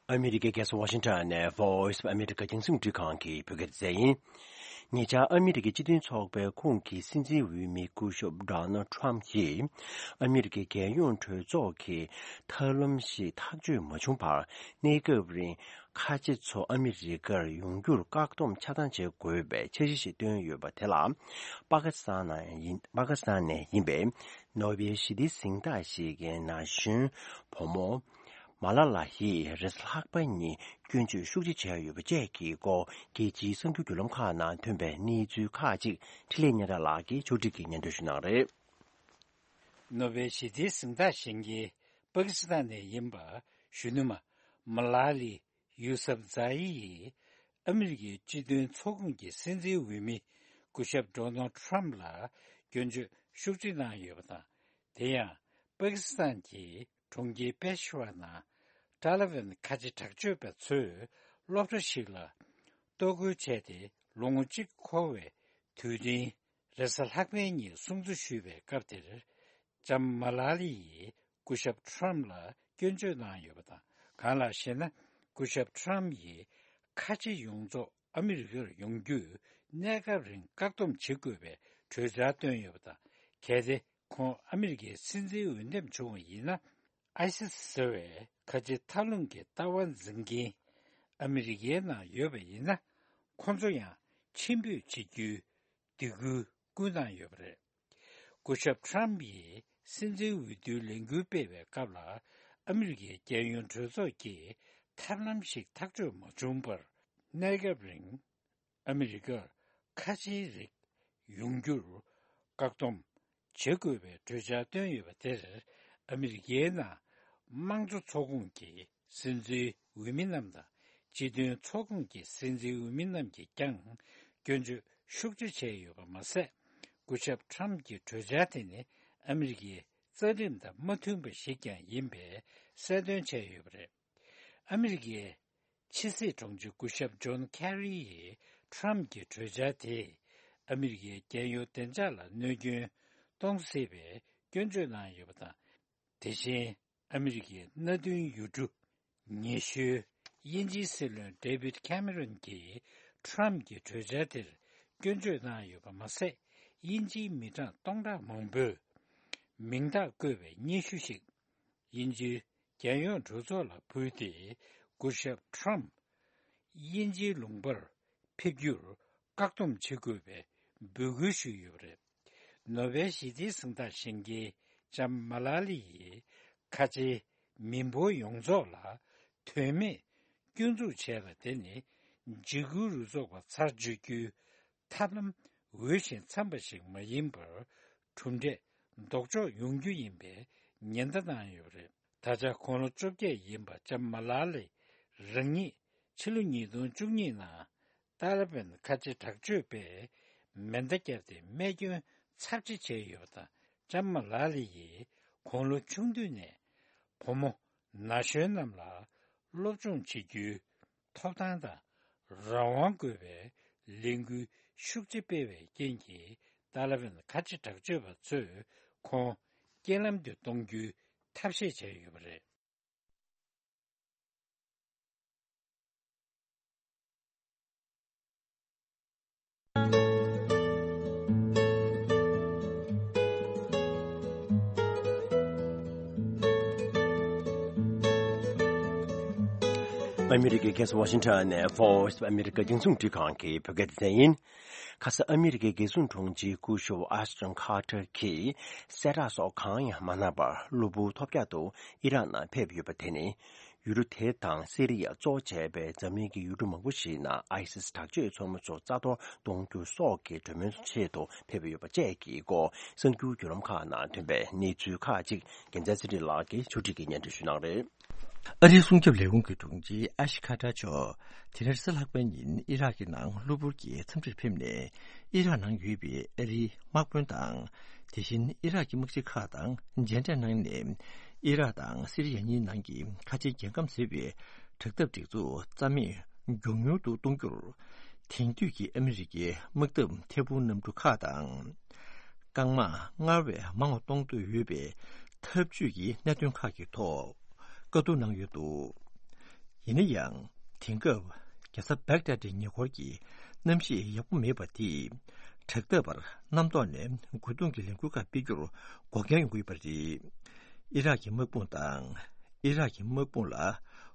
ཨ་མི་རི་ཀའི་རྒྱལ་ས་ཝ་ཤིང་ཊོན་ནས་Voice of America རྒྱང་སྲིང་རླུང་འཕྲིན་ཁང་གི་བོད་སྐད་སྡེ་ཚན་ཡིན། ཉེ་ཆར་ཨ་མི་རི་ཀའི་སྤྱི་མཐུན་ཚོགས་པའི་ཁོངས་ཀྱི་སྲིད་འཛིན་འོས་མི་སྐུ་ཞབས་Donald Trump ཡིས་ཨ་མི་རི་ཀའི་རྒྱལ་ཡོངས་གྲོས་ཚོགས་ཀྱི་ཐབས་ལམ་ཞིག་ཐག་གཅོད་མ་བྱུང་བར། གནས་སྐབས་རིང་ཁ་ཆེ་ཚོ་ཨ་མི་རི་ཀར་ཡོང་རྒྱུར་བཀག་སྡོམ་ཆ་ཚང་བྱེད་དགོས་པའི་འཆར་གཞི་ཞིག་བཏོན་ཡོད་པ་དེ་ལ། པ་ཀི་སི་ཐན་ནང་ཡིན། པ་ཀི་སི་ཐན་ནས་ཡིན་པའི་ནོ་བེལ་ཞི་བདེའི་གཟེངས་རྟགས་ཞིག་གི་ན་གཞོན་བུ་མོ་མ་ལ་ལ་ཡིས་རེས་གཟའ་ལྷག་པ་ཉིན་སྐྱོན་བརྗོད་ཤུགས་ཆེ་བྱས་ཡོད་པ་བཅས་ཀྱི་སྐོར། རྒྱལ་སྤྱིའི་གསར་འགྱུར་བརྒྱུད་ལམ་ཁག་ནང་ཐོན་པའི་གནས་ཚུལ་ཁག་ཅིག་འཕྲིན་ལས་སྙན་གྲགས་ལགས་ཀྱིས་ཕྱོགས་སྒྲིག་གིས་སྙན་སྒྲོན་ཞུ་གནང་རེད། ནོ་བེལ་ཞི་བདེའི་གཟེངས་རྟགས་བཞེས་མཁན་པ་ཀི་སི་ཐན་ནས་ཡིན་པ་གཞོན་ནུ་མ་མ་ལ་ལི་ཡུ་སབ་ཛ་ཡི་ཡིས་ཨ་མི་རི་ཀའི་སྤྱི་མཐུན་ཚོགས་ཁོངས་ཀྱི་སྲིད་འཛིན་འོས་མི་སྐུ་ཞབས་Donald Trump ལ་སྐྱོན་བརྗོད་ཤུགས་ཆེ་གནང་ཡོད་པ་དང་། དེ་ཡང་པ་ཀི་སི་ཐན་གྱི་གྲོང་ཁྱེར་པེ་ཤ་ཝར་ནང་ཏཱ་ལི་བན་ཁ་ཆེ་དྲག་སྤྱོད་པ་ཚོས་སློབ་གྲྭ་ཞིག་ལ་གཏོར་རྒོལ་བྱས་ཏེ། ལོ་ངོ་གཅིག་འཁོར་བའི་དུས་དྲན་རེས་གཟའ་ལྷག་པའི་ཉིན་སྲུང་བརྩི་ཞུས་པའི་སྐབས་དེར། ལྕམ་མ་ལ་ལི་ཡིས་སྐུ་ཞབས་ཁྲམ་ལ་སྐྱོན་བརྗོད་གནང་ཡོད་པ་དང་། གང་ལགས་ཤེ་ན། སྐུ་ཞབས་ཁྲམ་ཡིས་ཁ་ཆེ་ཡོངས་རྫོགས་ཨ་མི་རི་ཀར་ཡོང་རྒྱུ་གནས་སྐབས་རིང་བཀག་སྡོམ་བྱེད་དགོས་པའི་གྲོས་འཆར་བཏོན་ཡོད་པ་དང་། གལ་ཏེ་ཁོང་ཨ་མི་རི་ཀའི་སྲིད་འཛིན་འོས་འདེམས་བྱུང་བ་ཡིན་ན། ཨའི་སི་སི་ཟེར་བའི་ཁ་ཆེ་མཐའ་ལྷུང་གི་ལྟ་བ་འཛིན་མཁན་ཨ་མི་རི་ཀའི་ནང་ཡོད་པ་ཡིན་ན། ཁོང་ཚོ་ཡང་ཕྱིར་འབུད་བྱེད་རྒྱུའི་སྡིགས་སྐུལ་བསྐུལ་གནང་ཡོད་པ་རེད། སྐུ་ཞབས་ཁྲམ་ཡིས་སྲིད་འཛིན་འོས་བསྡུའི་ལས་འགུལ་སྤེལ་བའི་སྐབས་ལ། ཨ་མི་རི་ཀའི་རྒྱལ་ཡོངས་གྲོས་ཚོགས་ཀྱིས་ཐབས་ལམ་ཞིག་ཐག་གཅོད་མ་བྱུང་བར། གནས་སྐབས་རིང་ཨ་མི་རི་ཀར་ཁ་ཆེའི་རིགས་ཡོང་རྒྱུར་བཀག་སྡོམ་བྱེད་དགོས་པའི་གྲོས་འཆར་བཏོན་ཡོད་པ་དེར། ཨ་མི་རི་ཀའི་ནང་དམངས་གཙོ་ཚོགས་ཁོངས་ཀྱི་སྲིད་འཛིན་འོས་མི་རྣམས་དང་། སྤྱི་མཐུན་ཚོགས་ཁོངས་ཀྱི་སྲིད་འཛིན་འོས་མི་རྣམས་ཀྱིས་ཀྱང་སྐྱོན་བརྗོད་ཤུགས་ཆེ་བྱས་ཡོད་པ་མ་ཟད། སྐུ་ཞབས་ཁྲམ་གྱི་གྲོས་འཆར་དེ་ནི་ཨ་མི་རི་ཀའི་རྩ་ཁྲིམས་དང་མ་མཐུན་པ་ཞིག་ཀྱང་ཡིན་པའི་གསལ་སྟོན་བྱས་ཡོད་པ་རེད། ཨ་མི་རི་ཀའི་ཕྱི་སྲིད་དྲུང་ཆེ་སྐུ་ཞབས་ཇོན་ཁེ་རི་ཡིས་ཁྲམ་གྱི་གྲོས་འཆར་དེས་ཨ་མི་རི་ཀའི་རྒྱལ་ཡོངས་བདེ་འཇགས་ལ་གནོད་སྐྱོན་གཏོང་སྲིད་པའི་སྐྱོན་བརྗོད་གནང་ཡོད་པ་དང་། དེ་བཞིན་ཨ་མི་རི་ཀའི་མནའ་མཐུན་ཡུལ་གྲུ་ཉེ་ཤོས་ དབྱིན་ཇིའི་སྲིད་བློན་ཌེ་བིད་ཁེ་མེ་རོན་གྱིས་ཊམ་གྱི་གྲོས་འཆར་དེར་སྐྱོན་བརྗོད་གནང་ཡོད་པ་མ་ཟད། དབྱིན་ཇིའི་མི་གྲངས་སྟོང་ཕྲག་མང་པོས་མིང་རྟགས་བཀོད་པའི་སྙན་ཞུ་ཞིག་དབྱིན་ཇིའི་རྒྱལ་ཡོངས་གྲོས་ཚོགས་ལ་ཕུལ་ཏེ། སྐུ་ཞབས་ཊམ་དབྱིན་ཇིའི་ལུང་པར་ཕེབས་རྒྱུར་བཀག་སྡོམ་བྱེད་དགོས་པའི་འབོད་སྐུལ་ཞུས་ཡོད་པ་རེད། ནོ་བེལ་ཞི་བདེའི་གཟེངས་རྟགས་བཞེས་མཁན་ལྕམ་མ་ལ་ལི་ཡིས་ཁ་ཆེའི་མི་འབོར་ཡོངས་རྫོགས་ལ་དོན་མེད་སྐྱོན་འཛུགས་བྱས་པ་དེ་ནི་འཇིགས་སྐུལ་རུ་ཚོགས་པ་ཚར་གཅོད་རྒྱུའི་ཐབས་ལམ་འོས་ཤིང་འཚམ་པ་ཞིག་མ་ཡིན་པར། གྲུབ་འབྲས་ལྡོག་ཕྱོགས་ཡོང་རྒྱུ་ཡིན་པའི་ཉེན་བརྡ་བཏང་ཡོད་པ་རེད། ད་ཆ་དགུང་ལོ་བཅོ་བརྒྱད་ཡིན་པ་ལྕམ་མ་ལ་ལི་རང་ཉིད་ཕྱི་ལོ་ཉིས་སྟོང་བཅུ་གཉིས་ནང་ཏཱ་ལི་བན་ཁ་ཆེ་དྲག་སྤྱོད་པས་མེ་མདའ་བརྒྱབ་སྟེ་རྨས་སྐྱོན་ཚབས་ཆེ་བྱས་ཡོད་པ་དང་། ལྕམ་མ་ལ་ལི་ཡིས་དགུང་ལོ་ཆུང་དུས་ནས་བུ་མོ་ན་གཞོན་རྣམས་ལ་སློབ་སྦྱོང་བྱེད་རྒྱུའི་ཐོབ་ཐང་དང་རང་དབང་དགོས་པའི་ལས་འགུལ་ཤུགས་ཆེ་སྤེལ་བའི་རྐྱེན་གྱིས། ཏཱ་ལི་བན་ཁ་ཆེ་དྲག་སྤྱོད་པ་ཚོས་ཁོང་རྐྱེན་ལམ་དུ་གཏོང་རྒྱུའི་ཐབས་ཤེས་བྱས་ཡོད་པ་རེད། ཨ་མི་རི་ཀའི་རྒྱལ་ས་ཝ་ཤིང་ཊོན་ནས་Voice of America་རྒྱང་སྲིང་རླུང་འཕྲིན་ཁང་གི་བོད་སྐད་སྡེ་ཚན་ཡིན། ཁ་ས་ཨ་མི་རི་ཀའི་རྒྱལ་སྲུང་དྲུང་ཆེ་སྐུ་ཞབས་ཨ་ཤ་ཊོན་ཁ་ཏར་གྱིས་གསལ་བསྒྲགས་སོགས་གང་ཡང་མ་གནང་བར་གློ་བུར་ཐོལ་རྒྱག་ཏུ་ཨི་རག་ནང་ཕེབས་ཡོད་པ་དེ་ནི། ཡུལ་གྲུ་དེ་དང་སི་རི་ཡ་གཙོ་བྱས་པའི་འཛམ་གླིང་གི་ཡུལ་གྲུ་མང་པོ་ཞིག་ནང་ཨའི་སིས་དྲག་སྤྱོད་ཚོགས་མི་ཚོ་རྩ་གཏོར་གཏོང་རྒྱུ་སོགས་ཀྱི་གྲོས་མོལ་ཆེད་དུ་ཕེབས་ཡོད་པ་བཅས་ཀྱི་སྐོར་གསར་འགྱུར་བརྒྱུད་ལམ་ཁག་ནང་ཐོན་པའི་གནས་ཚུལ་ཁག་ཅིག་རྒྱལ་མཚན་ཚེ་རིང་ལགས་ཀྱིས་ཕྱོགས་སྒྲིག་གིས་སྙན་སྒྲོན་ཞུ་གནང་རེད། ཨ་རིའི་སྲུང་སྐྱོབ་ལས་ཁུངས་ཀྱི་དྲུང་ཆེ་ཨ་ཤི་ཁ་ཏར་མཆོག་དེ་རིང་རེས་གཟའ་ལྷག་པའི་ཉིན་ཨི་རག་གི་ནང་གློ་བུར་གྱི་འཚམས་འདྲིར་ཕེབས་ནས། ཨི་རག་ནང་ཡོད་པའི་ཨ་རིའི་དམག་དཔོན་དང་། དེ་བཞིན་ཨི་རག་གི་དམག་སྤྱི་ཁག་དང་མཇལ་འཕྲད་གནང་ནས། ཨི་རག་དང་སི་རི་ཡ་གཉིས་ནང་གི་ཁ་ཆེའི་རྒྱལ་ཁམས་ཟེར་བའི་དྲག་འཐབ་སྒྲིག་འཛུགས་རྩ་མེད་མགྱོགས་མྱུར་དུ་གཏོང་རྒྱུར། དེང་དུས་ཀྱི་ཨ་མི་རི་ཀའི་དམག་འཐབ་ཐད་འཕུར་གནམ་གྲུ་ཁག་དང་། རྐང་དམག་སྔར་བས་མང་བ་གཏོང་འདོད་ཡོད་པའི་འཐབ་ཇུས་ཀྱི་གནད་དོན་ཁག་གི་ཐོག་བཀའ་བསྡུར་གནང་ཡོད་འདུག། ཡིན་ན་ཡང་། དེང་སྐབས་རྒྱལ་ས་བེག་དཱད་ཀྱི་ཉེ་འཁོར་གྱི་གནམ་གཤིས་ཡག་པོ་མེད་པ་དེས། དྲག་འཐབ་པར་གནམ་ཐོག་ནས་རྒོལ་རྡུང་གི་ལས་འགུལ་ཁག་སྤེལ་རྒྱུར་འགོག་རྐྱེན་ཡོང་གི་ཡོད་པ་རེད། ཨི་རག་གི་དམག་དཔུང་དང་། ཨི་རག་གི་དམག་དཔུང་ལ་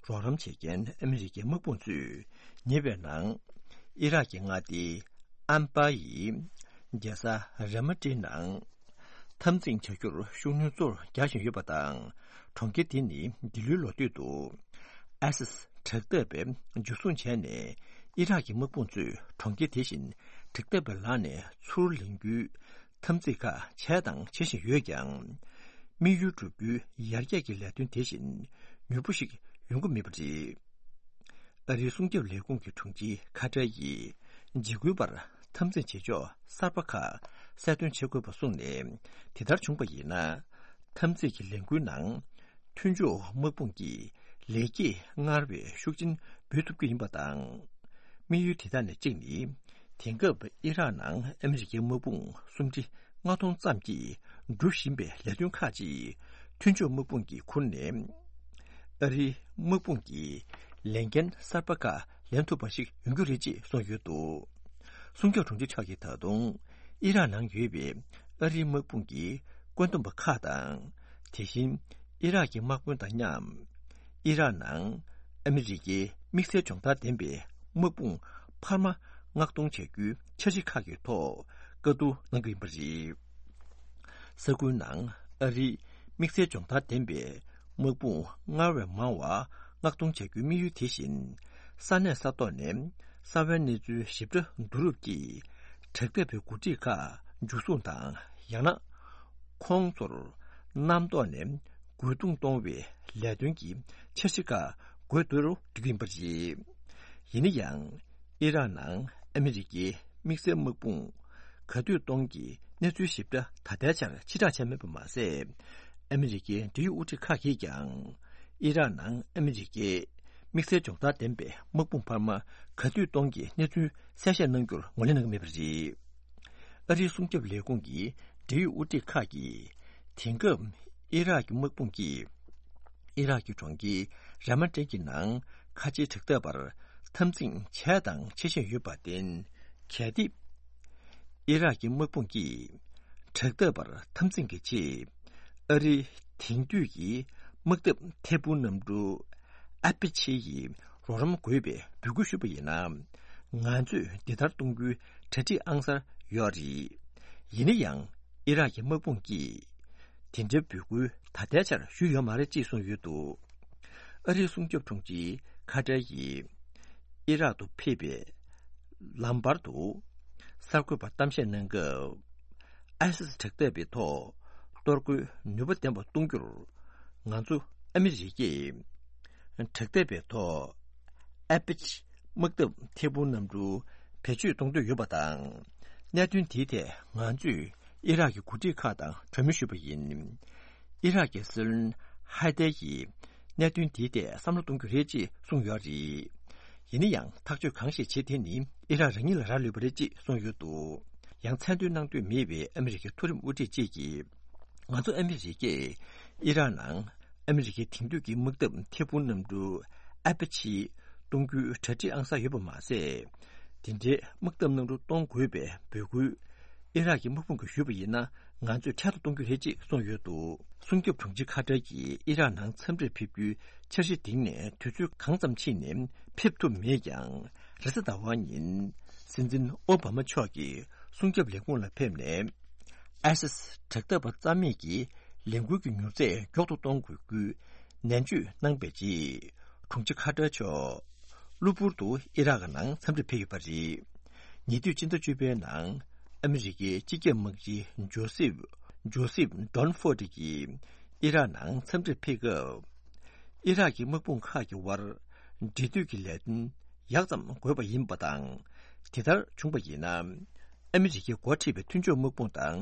རོགས་རམ་བྱེད་མཁན་ཨ་མི་རི་ཀའི་དམག་དཔུང་ཚོས་ཉེ་བའི་ནང་། ཨི་རག་གི་མངའ་སྡེ་ཨན་པ་ཡི་རྒྱལ་ས་ར་མ་ཏིའི་ནང་། འཐབ་འཛིང་བྱ་རྒྱུར་ཤུགས་སྣོན་གཙོ་བོར་རྒྱག་བཞིན་ཡོད་པ་དང་། གྲོང་ཁྱེར་དེ་ནི་འདི་ལོའི་ལོ་སྟོད་དུ་ཨའི་སིས་དྲག་འཐབ་པས་འཇུ་བཟུང་བྱས་ནས། ཨི་རག་གི་དམག་དཔུང་ཚོས་གྲོང་ཁྱེར་དེ་བཞིན་དྲག་འཐབ་པའི་ལག་ནས་ཚུར་ལེན་རྒྱུའི་འཐབ་འཛིང་ཁག་བྱས་དང་བྱེད་བཞིན་ཡོད་ཀྱང་། དམིགས་ཡུལ་བསྒྲུབ་རྒྱུའི་ཡར་རྒྱས་ཀྱི་ལས་དོན་དེ་བཞིན་མྱུར་པོ་ཞིག་ཡོང་གི་མེད་པ་རེད། ཨ་རིའི་སྲུང་སྐྱོབ་ལས་ཁུངས་ཀྱི་དྲུང་ཆེ་ཁ་ཏར་ཡིས་འཇིགས་སྐུལ་པར་འཐབ་འཛིང་བྱེད་ཕྱོགས་གསར་པ་ཁག་གསལ་སྟོན་བྱེད་དགོས་པ་གསུངས་ནས། དེ་ལྟར་བྱུང་བ་ཡིན་ན། འཐབ་འཛིང་གི་ལས་འགུལ་ནང་མཐུན་ཕྱོགས་དམག་དཔུང་གི་ལེགས་སྐྱེས་སྔར་བས་ཤུགས་ཆེན་འབུལ་ཐུབ་རྒྱུ་ཡིན་པ་དང་། དམིགས་ཡུལ་དེ་དག་ནས་གཅིག་ནི། དེང་སྐབས་ཨི་རག་ནང་ཨ་མི་རི་ཀའི་དམག་དཔུང་སུམ་ཁྲི་ལྔ་སྟོང་ཙམ་གྱིས་སྒྲུབ་བཞིན་པའི་ལས་དོན་ཁག་ཅིག་མཐུན་ཕྱོགས་དམག་དཔུང་གིས་ཁུར་ནས། ཨ་རིའི་དམག་དཔུང་གི་ལས་འགན་གསར་པ་ཁག་ལེན་ཐུབ་པ་ཞིག་ཡོང་རྒྱུ་རེད་ཅེས་གསུངས་ཡོད་འདུག། སྲུང་སྐྱོབ་དྲུང་ཆེ་མཆོག་གིས་ད་དུང་ཨི་རག་ནང་ཡོད་པའི་ཨ་རིའི་དམག་དཔུང་གི་བཀོད་འདོམས་པ་ཁག་དང་། དེ་བཞིན་ཨི་རག་གི་དམག་དཔོན་དང་མཉམ། ཨི་རག་ནང་ཨ་མི་རི་ཀའི་དམིགས་བསལ་སྦྱོང་བརྡར་ལྡན་པའི་དམག་དཔུང་འཕར་མ་མངགས་གཏོང་བྱ་རྒྱུའི་འཆར་གཞི་ཁག་གི་ཐོག་བཀའ་བསྡུར་གནང་རྒྱུ་ཡིན་པ་རེད། ས་ཁུལ་ནང་ཨ་རིའི་དམིགས་བསལ་སྦྱོང་བརྡར་ལྡན་པའི་དམག་དཔུང་སྔར་བས་མང་བ་མངགས་གཏོང་བྱ་རྒྱུའི་དམིགས་ཡུལ་དེ་བཞིན། ས་གནས་ས་ཐོག་ནས་གསང་བའི་གནས་ཚུལ་ཞིབ་ཕྲ་བསྡུ་རུབ་ཀྱིས། དྲག་འཐབ་པའི་འགོ་ཁྲིད་ཁག་འཇུ་བཟུང་དང་། ཡང་ན། ཁོང་ཚོར་གནམ་ཐོག་ནས་རྒོལ་རྡུང་གཏོང་བའི་ལས་དོན་གྱི་འཆར་གཞི་ཁག་འགོད་འདོད་རུ་འགྲོ་གི་ཡིན་པ་རེད། ཡིན་ན་ཡང་། ཨི་རག་ནང་ཨ་མི་རི་ཀའི་དམིགས་བསལ་དམག་དཔུང་ག་དུས་གཏོང་གི་གནས་ཚུལ་ཞིབ་ཕྲ་ད་ལྟའི་ཆར་ཕྱིར་བསྒྲགས་བྱས་མེད་པ་མ་ཟད། ཨ་མི་རི་ཀའི་འབྲེལ་ཡོད་དབུ་ཁྲིད་ཁག་གིས་ཀྱང་། ཨི་རག་ནང་ཨ་མི་རི་ཀའི་དམིགས་བསལ་སྦྱོང་བརྡར་ལྡན་པའི་དམག་དཔུང་འཕར་མ་ག་དུས་གཏོང་གི་གནས་ཚུལ་གསལ་བཤད་གནང་རྒྱུར་ངོས་ལེན་གནང་གི་མེད་པ་རེད། ཨ་རིའི་སྲུང་སྐྱོབ་ལས་ཁུངས་ཀྱི་འབྲེལ་ཡོད་དབུ་ཁྲིད་ཁག་གིས། དེང་སྐབས་ཨི་རག་གི་དམག་དཔུང་གིས་ཨི་རག་གི་གྲོང་ཁྱེར་ར་མ་ཏེ་གི་ནང་ ཁ་ཆེའི་དྲག་འཐབ་པར་འཐབ་འཛིང་བྱས་དང་བྱེད་བཞིན་ཡོད་པར་བརྟེན། གལ་ཏེ་ཨི་རག་གི་དམག་དཔུང་གིས་དྲག་འཐབ་པར་འཐབ་འཛིང་གི་ཆེད་ཨ་རིའི་དེང་དུས་ཀྱི་དམག་འཐབ་ཐད་འཕུར་གནམ་གྲུ་ཨ་པ་ཆེ་ཡི་རོགས་རམ་དགོས་པའི་འབོད་སྐུལ་ཞུས་པ་ཡིན་ན། ང་ཚོས་འདི་ལྟར་གཏོང་རྒྱུའི་གྲ་སྒྲིག་ཨང་གསར་ཡོད་རེད། ཡིན་ན་ཡང་ཨི་རག་གི་དམག་དཔུང་གིས་དེ་འདྲའི་འབོད་སྐུལ་ད་ལྟའི་ཆར་ཞུས་ཡོད་མ་རེད་ཅེས་གསུངས་ཡོད་འདུག་ཨ་རིའི་སྲུང་སྐྱོབ་དྲུང་ཆེ་ཁ་ཏར་གྱིས་ཨི་རག་ཏུ་ཕེབས་པའི་ལམ་བར་དུ་གསར་འགོད་པར་གཏམ་བཤད་གནང་སྐབས། ཨའི་སིས་དྲག་འཐབ་པའི་ཐོག་གཏོར་རྒོལ་ནུས་པ་ལྡན་པ་གཏོང་རྒྱུར་ང་ཚོ་ཨ་མི་རི་ཀས་དྲག་འཐབ་པའི་ཐོག་ཨ་པ་ཆེ་དམག་འཐབ་ཐད་འཕུར་གནམ་གྲུ་བེད་སྤྱོད་གཏོང་འདོད་ཡོད་པ་དང་། གནད་དོན་དེའི་ཐད་ང་ཚོས་ཨི་རག་གི་འགོ་ཁྲིད་ཁག་དང་གྲོས་མོལ་ཞུས་པ་ཡིན། ཨི་རག་གི་སྲིད་བློན་ཧ་དེ་ཡིས་གནད་དོན་དེའི་ཐད་བསམ་བློ་གཏོང་རྒྱུ་རེད་ཅེས་གསུངས་ཡོད་རེད། ཡིན་ན་ཡང་ཐག་གཅོད་གང་ཞིག་བྱེད་དེ་ནི་ཨི་རག་རང་ཉིད་ལ་རག་ལུས་པ་རེད་ཅེས་གསུངས་ཡོད་འདུག་ཡང་མཚན་འདོན་གནང་འདོད་མེད་པའི་ཨ་མི་རི་ཀའི་མཐོ་རིམ་དབུ་ཁྲིད་ཅིག་གིས། ང་ཚོ་ཨ་མི་རི་ཀས་ཨི་རག་ནང་ཨ་མི་རི་ཀའི་དེང་དུས་ཀྱི་དམག་འཐབ་ཐད་འཕུར་གནམ་གྲུ་ཨ་པ་ཆེ་གཏོང་རྒྱུའི་གྲ་སྒྲིག་ཨང་གསར་ཡོད་པ་མ་ཟད། དེ་འདྲའི་དམག་འཐབ་གནམ་གྲུ་གཏོང་དགོས་པའི་འབོད་སྐུལ་ཨི་རག་གི་དམག་དཔུང་གིས་ཞུས་པ་ཡིན་ན། ང་ཚོས་འཕྲལ་དུ་གཏོང་རྒྱུ་རེད་ཅེས་གསུངས་ཡོད་འདུག་སྲུང་སྐྱོབ་དྲུང་ཆེ་ཁ་ཏར་གྱིས་ཨི་རག་ནང་འཚམས་འདྲིར་ཕེབས་རྒྱུའི་འཆར་གཞི་འདིང་ནས་དུས་ཚོད་གང་ཙམ་ཕྱིན་ནས་ཕེབས་ཐུབ་མེད་ཀྱང་། རེས་གཟའ་ཟླ་བ་ཉིན་སྲིད་འཛིན་ཨོ་བྷ་མ་མཆོག་གིས་སྲུང་སྐྱོབ་ལས་ཁུངས་ལ་ཕེབས་ནས། ཨའི་སིས་དྲག་འཐབ་པ་རྩ་མེད་ཀྱི་ལས་འགུལ་གྱི་མྱུར་ཚད་མགྱོགས་སུ་གཏོང་དགོས་རྒྱུའི་ནན་བརྗོད་གནང་པའི་རྗེས། དྲུང་ཆེ་ཁ་ཏར་མཆོག་གློ་བུར་དུ་ཨི་རག་ནང་འཚམས་འདྲིར་ཕེབས་ཡོད་པ་རེད། ཉེ་དུས་སྤྱི་ཟླ་བཅུ་པའི་ནང་ཨ་མི་རི་ཀའི་སྤྱི་ཁྱབ་དམག་སྤྱི་ཇོ་སེབ་ཇོ་སེབ་ཌོན་ཧྥོར་ཌི་གིས་ཨི་རག་ནང་འཚམས་འདྲིར་ཕེབས་སྐབས། ཨི་རག་གི་དམག་དཔུང་ཁག་གི་དབར་འབྲེལ་མཐུད་ཀྱི་ལས་དོན་ཡག་ཙམ་དགོས་པ་ཡིན་པ་དང་། དེ་ལྟར་བྱུང་པ་ཡིན་ན། ཨ་མི་རི་ཀས་འགོ་ཁྲིད་པའི་མཐུན་ཕྱོགས་དམག་དཔུང་དང་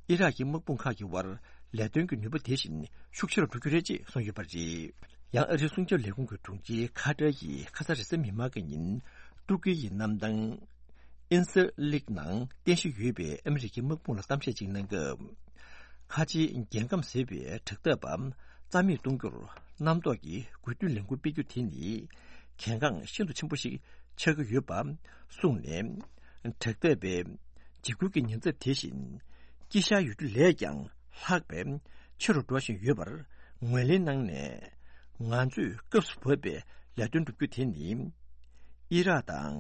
ཨི་རག་གི་དམག་དཔུང་ཁག་གི་དབར་ལས་དོན་གྱི་ནུས་པ་དེ་བཞིན་ཤུགས་ཆེ་རུ་འགྲོ་རྒྱུ་རེད་ཅེས་གསུངས་ཡོད་པ་རེད། ཡང་ཨ་རིའི་སྲུང་སྐྱོབ་ལས་ཁུངས་ཀྱི་དྲུང་ཆེ་ཁ་ཏར་གྱིས་ཁ་ས་རེས་གཟའ་མིག་དམར་གྱི་ཉིན་ཏུར་ཀི་ཡི་གནམ་ཐང་ཨིན་སེར་ལིག་ནང་རྟེན་གཞི་ཡོད་པའི་ཨ་མི་རི་ཀའི་དམག་དཔུང་ལ་གཏམ་བཤད་ཅིག་གནང་སྐབས། ཁ་ཆེའི་རྒྱལ་ཁམས་ཟེར་བའི་དྲག་འཐབ་པ་རྩ་མེད་གཏོང་རྒྱུར་རྣམ་རྟོག་གི་དགོས་འདུན་ལས་འགུལ་སྤེལ་རྒྱུ་དེ་ནི་གལ་འགངས་ཤིན་ཏུ་ཆེན་པོ་ཞིག་ཆགས་ཀྱི་ཡོད་པ་གསུངས་ནས། དྲག་འཐབ་པའི་འཇིགས་སྐུལ་གྱི་ཉེན་ཚབས་དེ་བཞིན་སྐྱེ་ཤར་ཡོད་རྒྱུ་ལས་ཀྱང་ལྷག་པའི་ཆེ་རུ་འགྲོ་བཞིན་ཡོད་པར་ངོས་ལེན་གནང་ནས། ང་ཚོས་སྐབས་སུ་བབས་པའི་ལས་དོན་བསྒྲུབ་རྒྱུ་དེ་ནི། ཨི་རག་དང་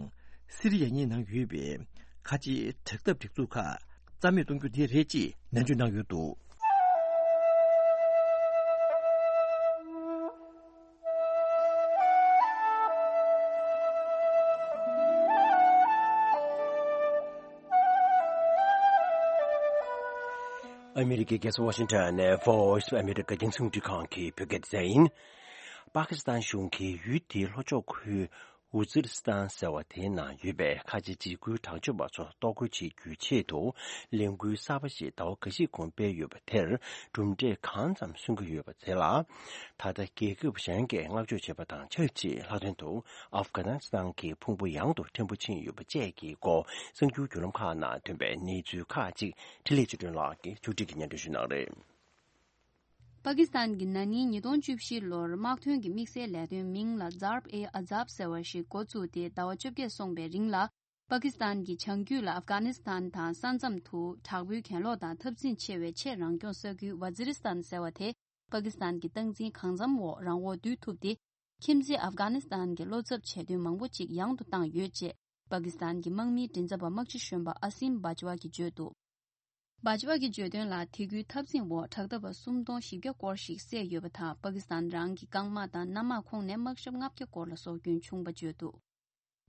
སི་རི་ཡ་གཉིས་ནང་ཡོད་པའི་ཁ་ཆེའི་དྲག་འཐབ་སྒྲིག་འཛུགས་ཁག་རྩ་མེད་གཏོང་རྒྱུ་དེ་རེད་ཅེས་ནན་བརྗོད་གནང་ཡོད་འདུག་ཨ་མི་རི་ཀའི་རྒྱལ་ས་ཝ་ཤིང་ཊོན་ནས་Voice of America རྒྱང་སྲིང་རླུང་འཕྲིན་ཁང་གི་བོད་སྐད་སྡེ་ཚན་ཡིན། པ་ཀི་སི་ཐན་གཞུང་གིས་ཡུལ་དེའི་ལྷོ་ཕྱོགས་ཁུལ་ཝུ་ཛི་རི་སི་ཐན་ཟེར་བ་དེའི་ནང་ཡོད་པའི་ཁ་ཆེ་འཇིགས་སྐུལ་དྲག་སྤྱོད་པ་ཚོ་གཏོར་རྒོལ་བྱེད་རྒྱུའི་ཆེད་དུ་ལས་འགུལ་གསར་པ་ཞིག་ཟླ་བ་འགའ་ཞིག་གོང་སྤེལ་ཡོད་པ་དེར་གྲུབ་འབྲས་གང་ཙམ་སོན་གྱི་ཡོད་པ་དེ་ལ། ད་ལྟ་རྒྱལ་ཁབ་གཞན་གྱིས་བསྔགས་བརྗོད་བྱས་པ་དང་ཆབས་ཅིག་ལྷག་དོན་དུ་ཨབ་གྷ་ནི་སི་ཐན་གྱི་ཕུང་པོ་ཡང་དུ་ཕྲན་བུ་ཕྱིན་ཡོད་པ་བཅས་ཀྱི་སྐོར་གསར་འགྱུར་བརྒྱུད་ལམ་ཁག་ནང་ཐོན་པའི་གནས་ཚུལ་ཁག་ཅིག་འཕྲིན་ལས་ཆོས་སྒྲོན་ལགས་ཀྱིས་ཕྱོགས་སྒྲིག་གིས་སྙན་སྒྲོན་ཞུ་གནང་རེད། པ་ཀི་སི་ཐན་གྱིས་ན་ནིང་ཉིས་སྟོང་བཅུ་བཞི་ལོར་དམག་དོན་གྱི་དམིགས་བསལ་ལས་དོན་མིང་ལ་Zarb-e-Azab ཟེར་བ་ཞིག་འགོ་བཙུགས་ཏེ་ཟླ་བ་བཅོ་བརྒྱད་སོང་བའི་རིང་ལ། པ་ཀི་སི་ཐན་གྱི་བྱང་རྒྱུད་ལ་ཨབ་གྷ་ནི་སི་ཐན་དང་ས་མཚམས་དུ་དྲག་པོའི་གྱེན་ལོག་དང་འཐབ་འཛིང་ཆེ་བའི་ཆེས་རང་སྐྱོང་ས་ཁུལ་ཝ་ཛི་རི་སི་ཐན་ཟེར་བ་དེ། པ་ཀི་སི་ཐན་གྱི་སྟངས་འཛིན་གང་འཚམ་འོག་རང་དབང་བསྡུས་ཐུབ་སྟེ། ཁྱིམ་མཚེས་ཨབ་གྷ་ནི་སི་ཐན་གྱི་བློ་འཚབ་བྱེད་དོན་མང་པོ་ཅིག་ཡང་དུ་བཏང་ཡོད་ཅེས། པ་ཀི་སི་ཐན་གྱི་དམག་མིའི་མགྲིན་ཚབ་པ་དམག་སྤྱི་གཞོན་པ་ཨ་སིམ་བྷ་ཇ་ཝ་གིས་བརྗོད་འདུག་བྷ་ཇ་ཝ་གིས་བརྗོད་དོན་ལ། དེ་ཁུལ་འཐབ་འཛིང་འོག་དྲག་འཐབ་པ་སུམ་སྟོང་བཞི་བརྒྱ་སྐོར་ཞིག་བསད་ཡོད་པ་དང་། པ་ཀི་སི་ཐན་རང་གི་རྐང་དམག་དང་གནམ་དམག་ཁོངས་ནས་དམག་ཞབས་ལྔ་བརྒྱ་སྐོར་ལ་སྲོག་སྐྱོན་བྱུང་བ་བརྗོད་འདུག་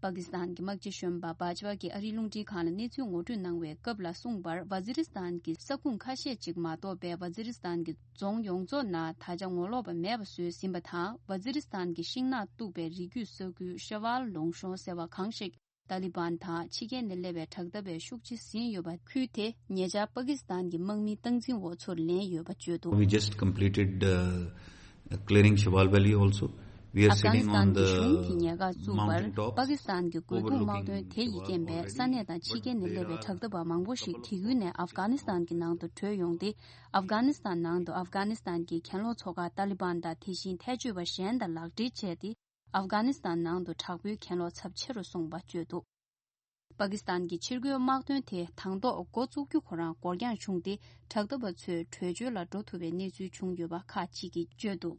པ་ཀི་སི་ཐན་གྱི་དམག་སྤྱི་གཞོན་པ་བྷ་ཇ་ཝ་གིས་ཨ་རིའི་རླུང་འཕྲིན་ཁང་ལ་གནས་ཚུལ་ངོ་སྤྲོད་གནང་བའི་སྐབས་ལ་གསུངས་པར། ཝ་ཛི་རི་སི་ཐན་གྱི་ས་ཁུངས་ཁ་ཤས་ཅིག་མ་གཏོགས་པའི་ཝ་ཛི་རི་སི་ཐན་གྱི་རྫོང་ཡོངས་རྫོགས་ནང་ད་ཆ་ངོ་ལོག་པ་མེད་པ་བཟོས་ཟིན་པ་དང་། ཝ་ཛི་རི་སི་ཐན་གྱི་ཤིང་ནགས་གཏུགས་པའི་རི་རྒྱུད་ས་ཁུལ་ཤ་ཝལ་ལུང་གཤོང་ཟེར་བ་གང་ཞིག་ཏཱ་ལི་བན་དང་ཕྱི་རྒྱལ་ནས་སླེབས་པའི་དྲག་འཐབ་པས་ཤུགས་ཆེ་ཟིན་ཡོད་པ། ཁུལ་དེ་ཉེ་ཆར་པ་ཀི་སི་ཐན་གྱི་དམག་མིའི་སྟངས་འཛིན་འོག་ཚུར་ལེན་ཡོད་པ་བརྗོད་འདུག We just completed, uh, clearing Shawal Valley also. We are ཨབ་གྷ་ནི་sitting སི་ཐན་on གྱི་གཞུང་གིས་the ཉེན་ཁ་བཙུགས་པར། mountain top པ་ཀི་སི་ཐན་གྱི་རྒོལ་རྡུང་དམག་དོན་དེ་ཡིས་རྐྱེན་པས་ས་གནས་དང་ཕྱི་རྒྱལ་ནས་སླེབས་པའི་དྲག་འཐབ་པ་མང་པོ་ཞིག་དེ་ཡུལ་ནས་ཨབ་གྷ་ནི་སི་ཐན་གྱི་ནང་དུ་བྲོས་ཡོང་སྟེ། ཨབ་གྷ་ནི་སི་ཐན་ནང་དུ་ཨབ་གྷ་ནི་སི་ཐན་གྱི་གྱེན་ལོག་ཚོགས་ཁག་ཏཱ་ལི་བན་དང་དེ་བཞིན་ཐལ་སྤྱོད་པ་གཞན་དང་ལག་འབྲེལ་བྱས་ཏེ། ཨབ་གྷ་ནི་སི་ཐན་ནང་དུ་དྲག་པོའི་གྱེན་ལོག་ཚབས་ཆེ་རུ་སོང་བ་བརྗོད་འདུག་པ་ཀི་སི་ཐན་གྱི་ཕྱིར་རྒོལ་དམག་དོན་དེ་དང་ཐོག་འགོ་བཙུགས་རྒྱུ་ཁོ་རང་འགོར་འགྱངས་བྱུང་སྟེ། དྲག་འཐབ་པ་ཚོས་བྲོས་བྱོལ་ལ་འགྲོ་ཐུབ་པའི་གནས་ཚུལ་བྱུང་ཡོད་པ་ཁག་ཅིག་གིས་བརྗོད་འདུག་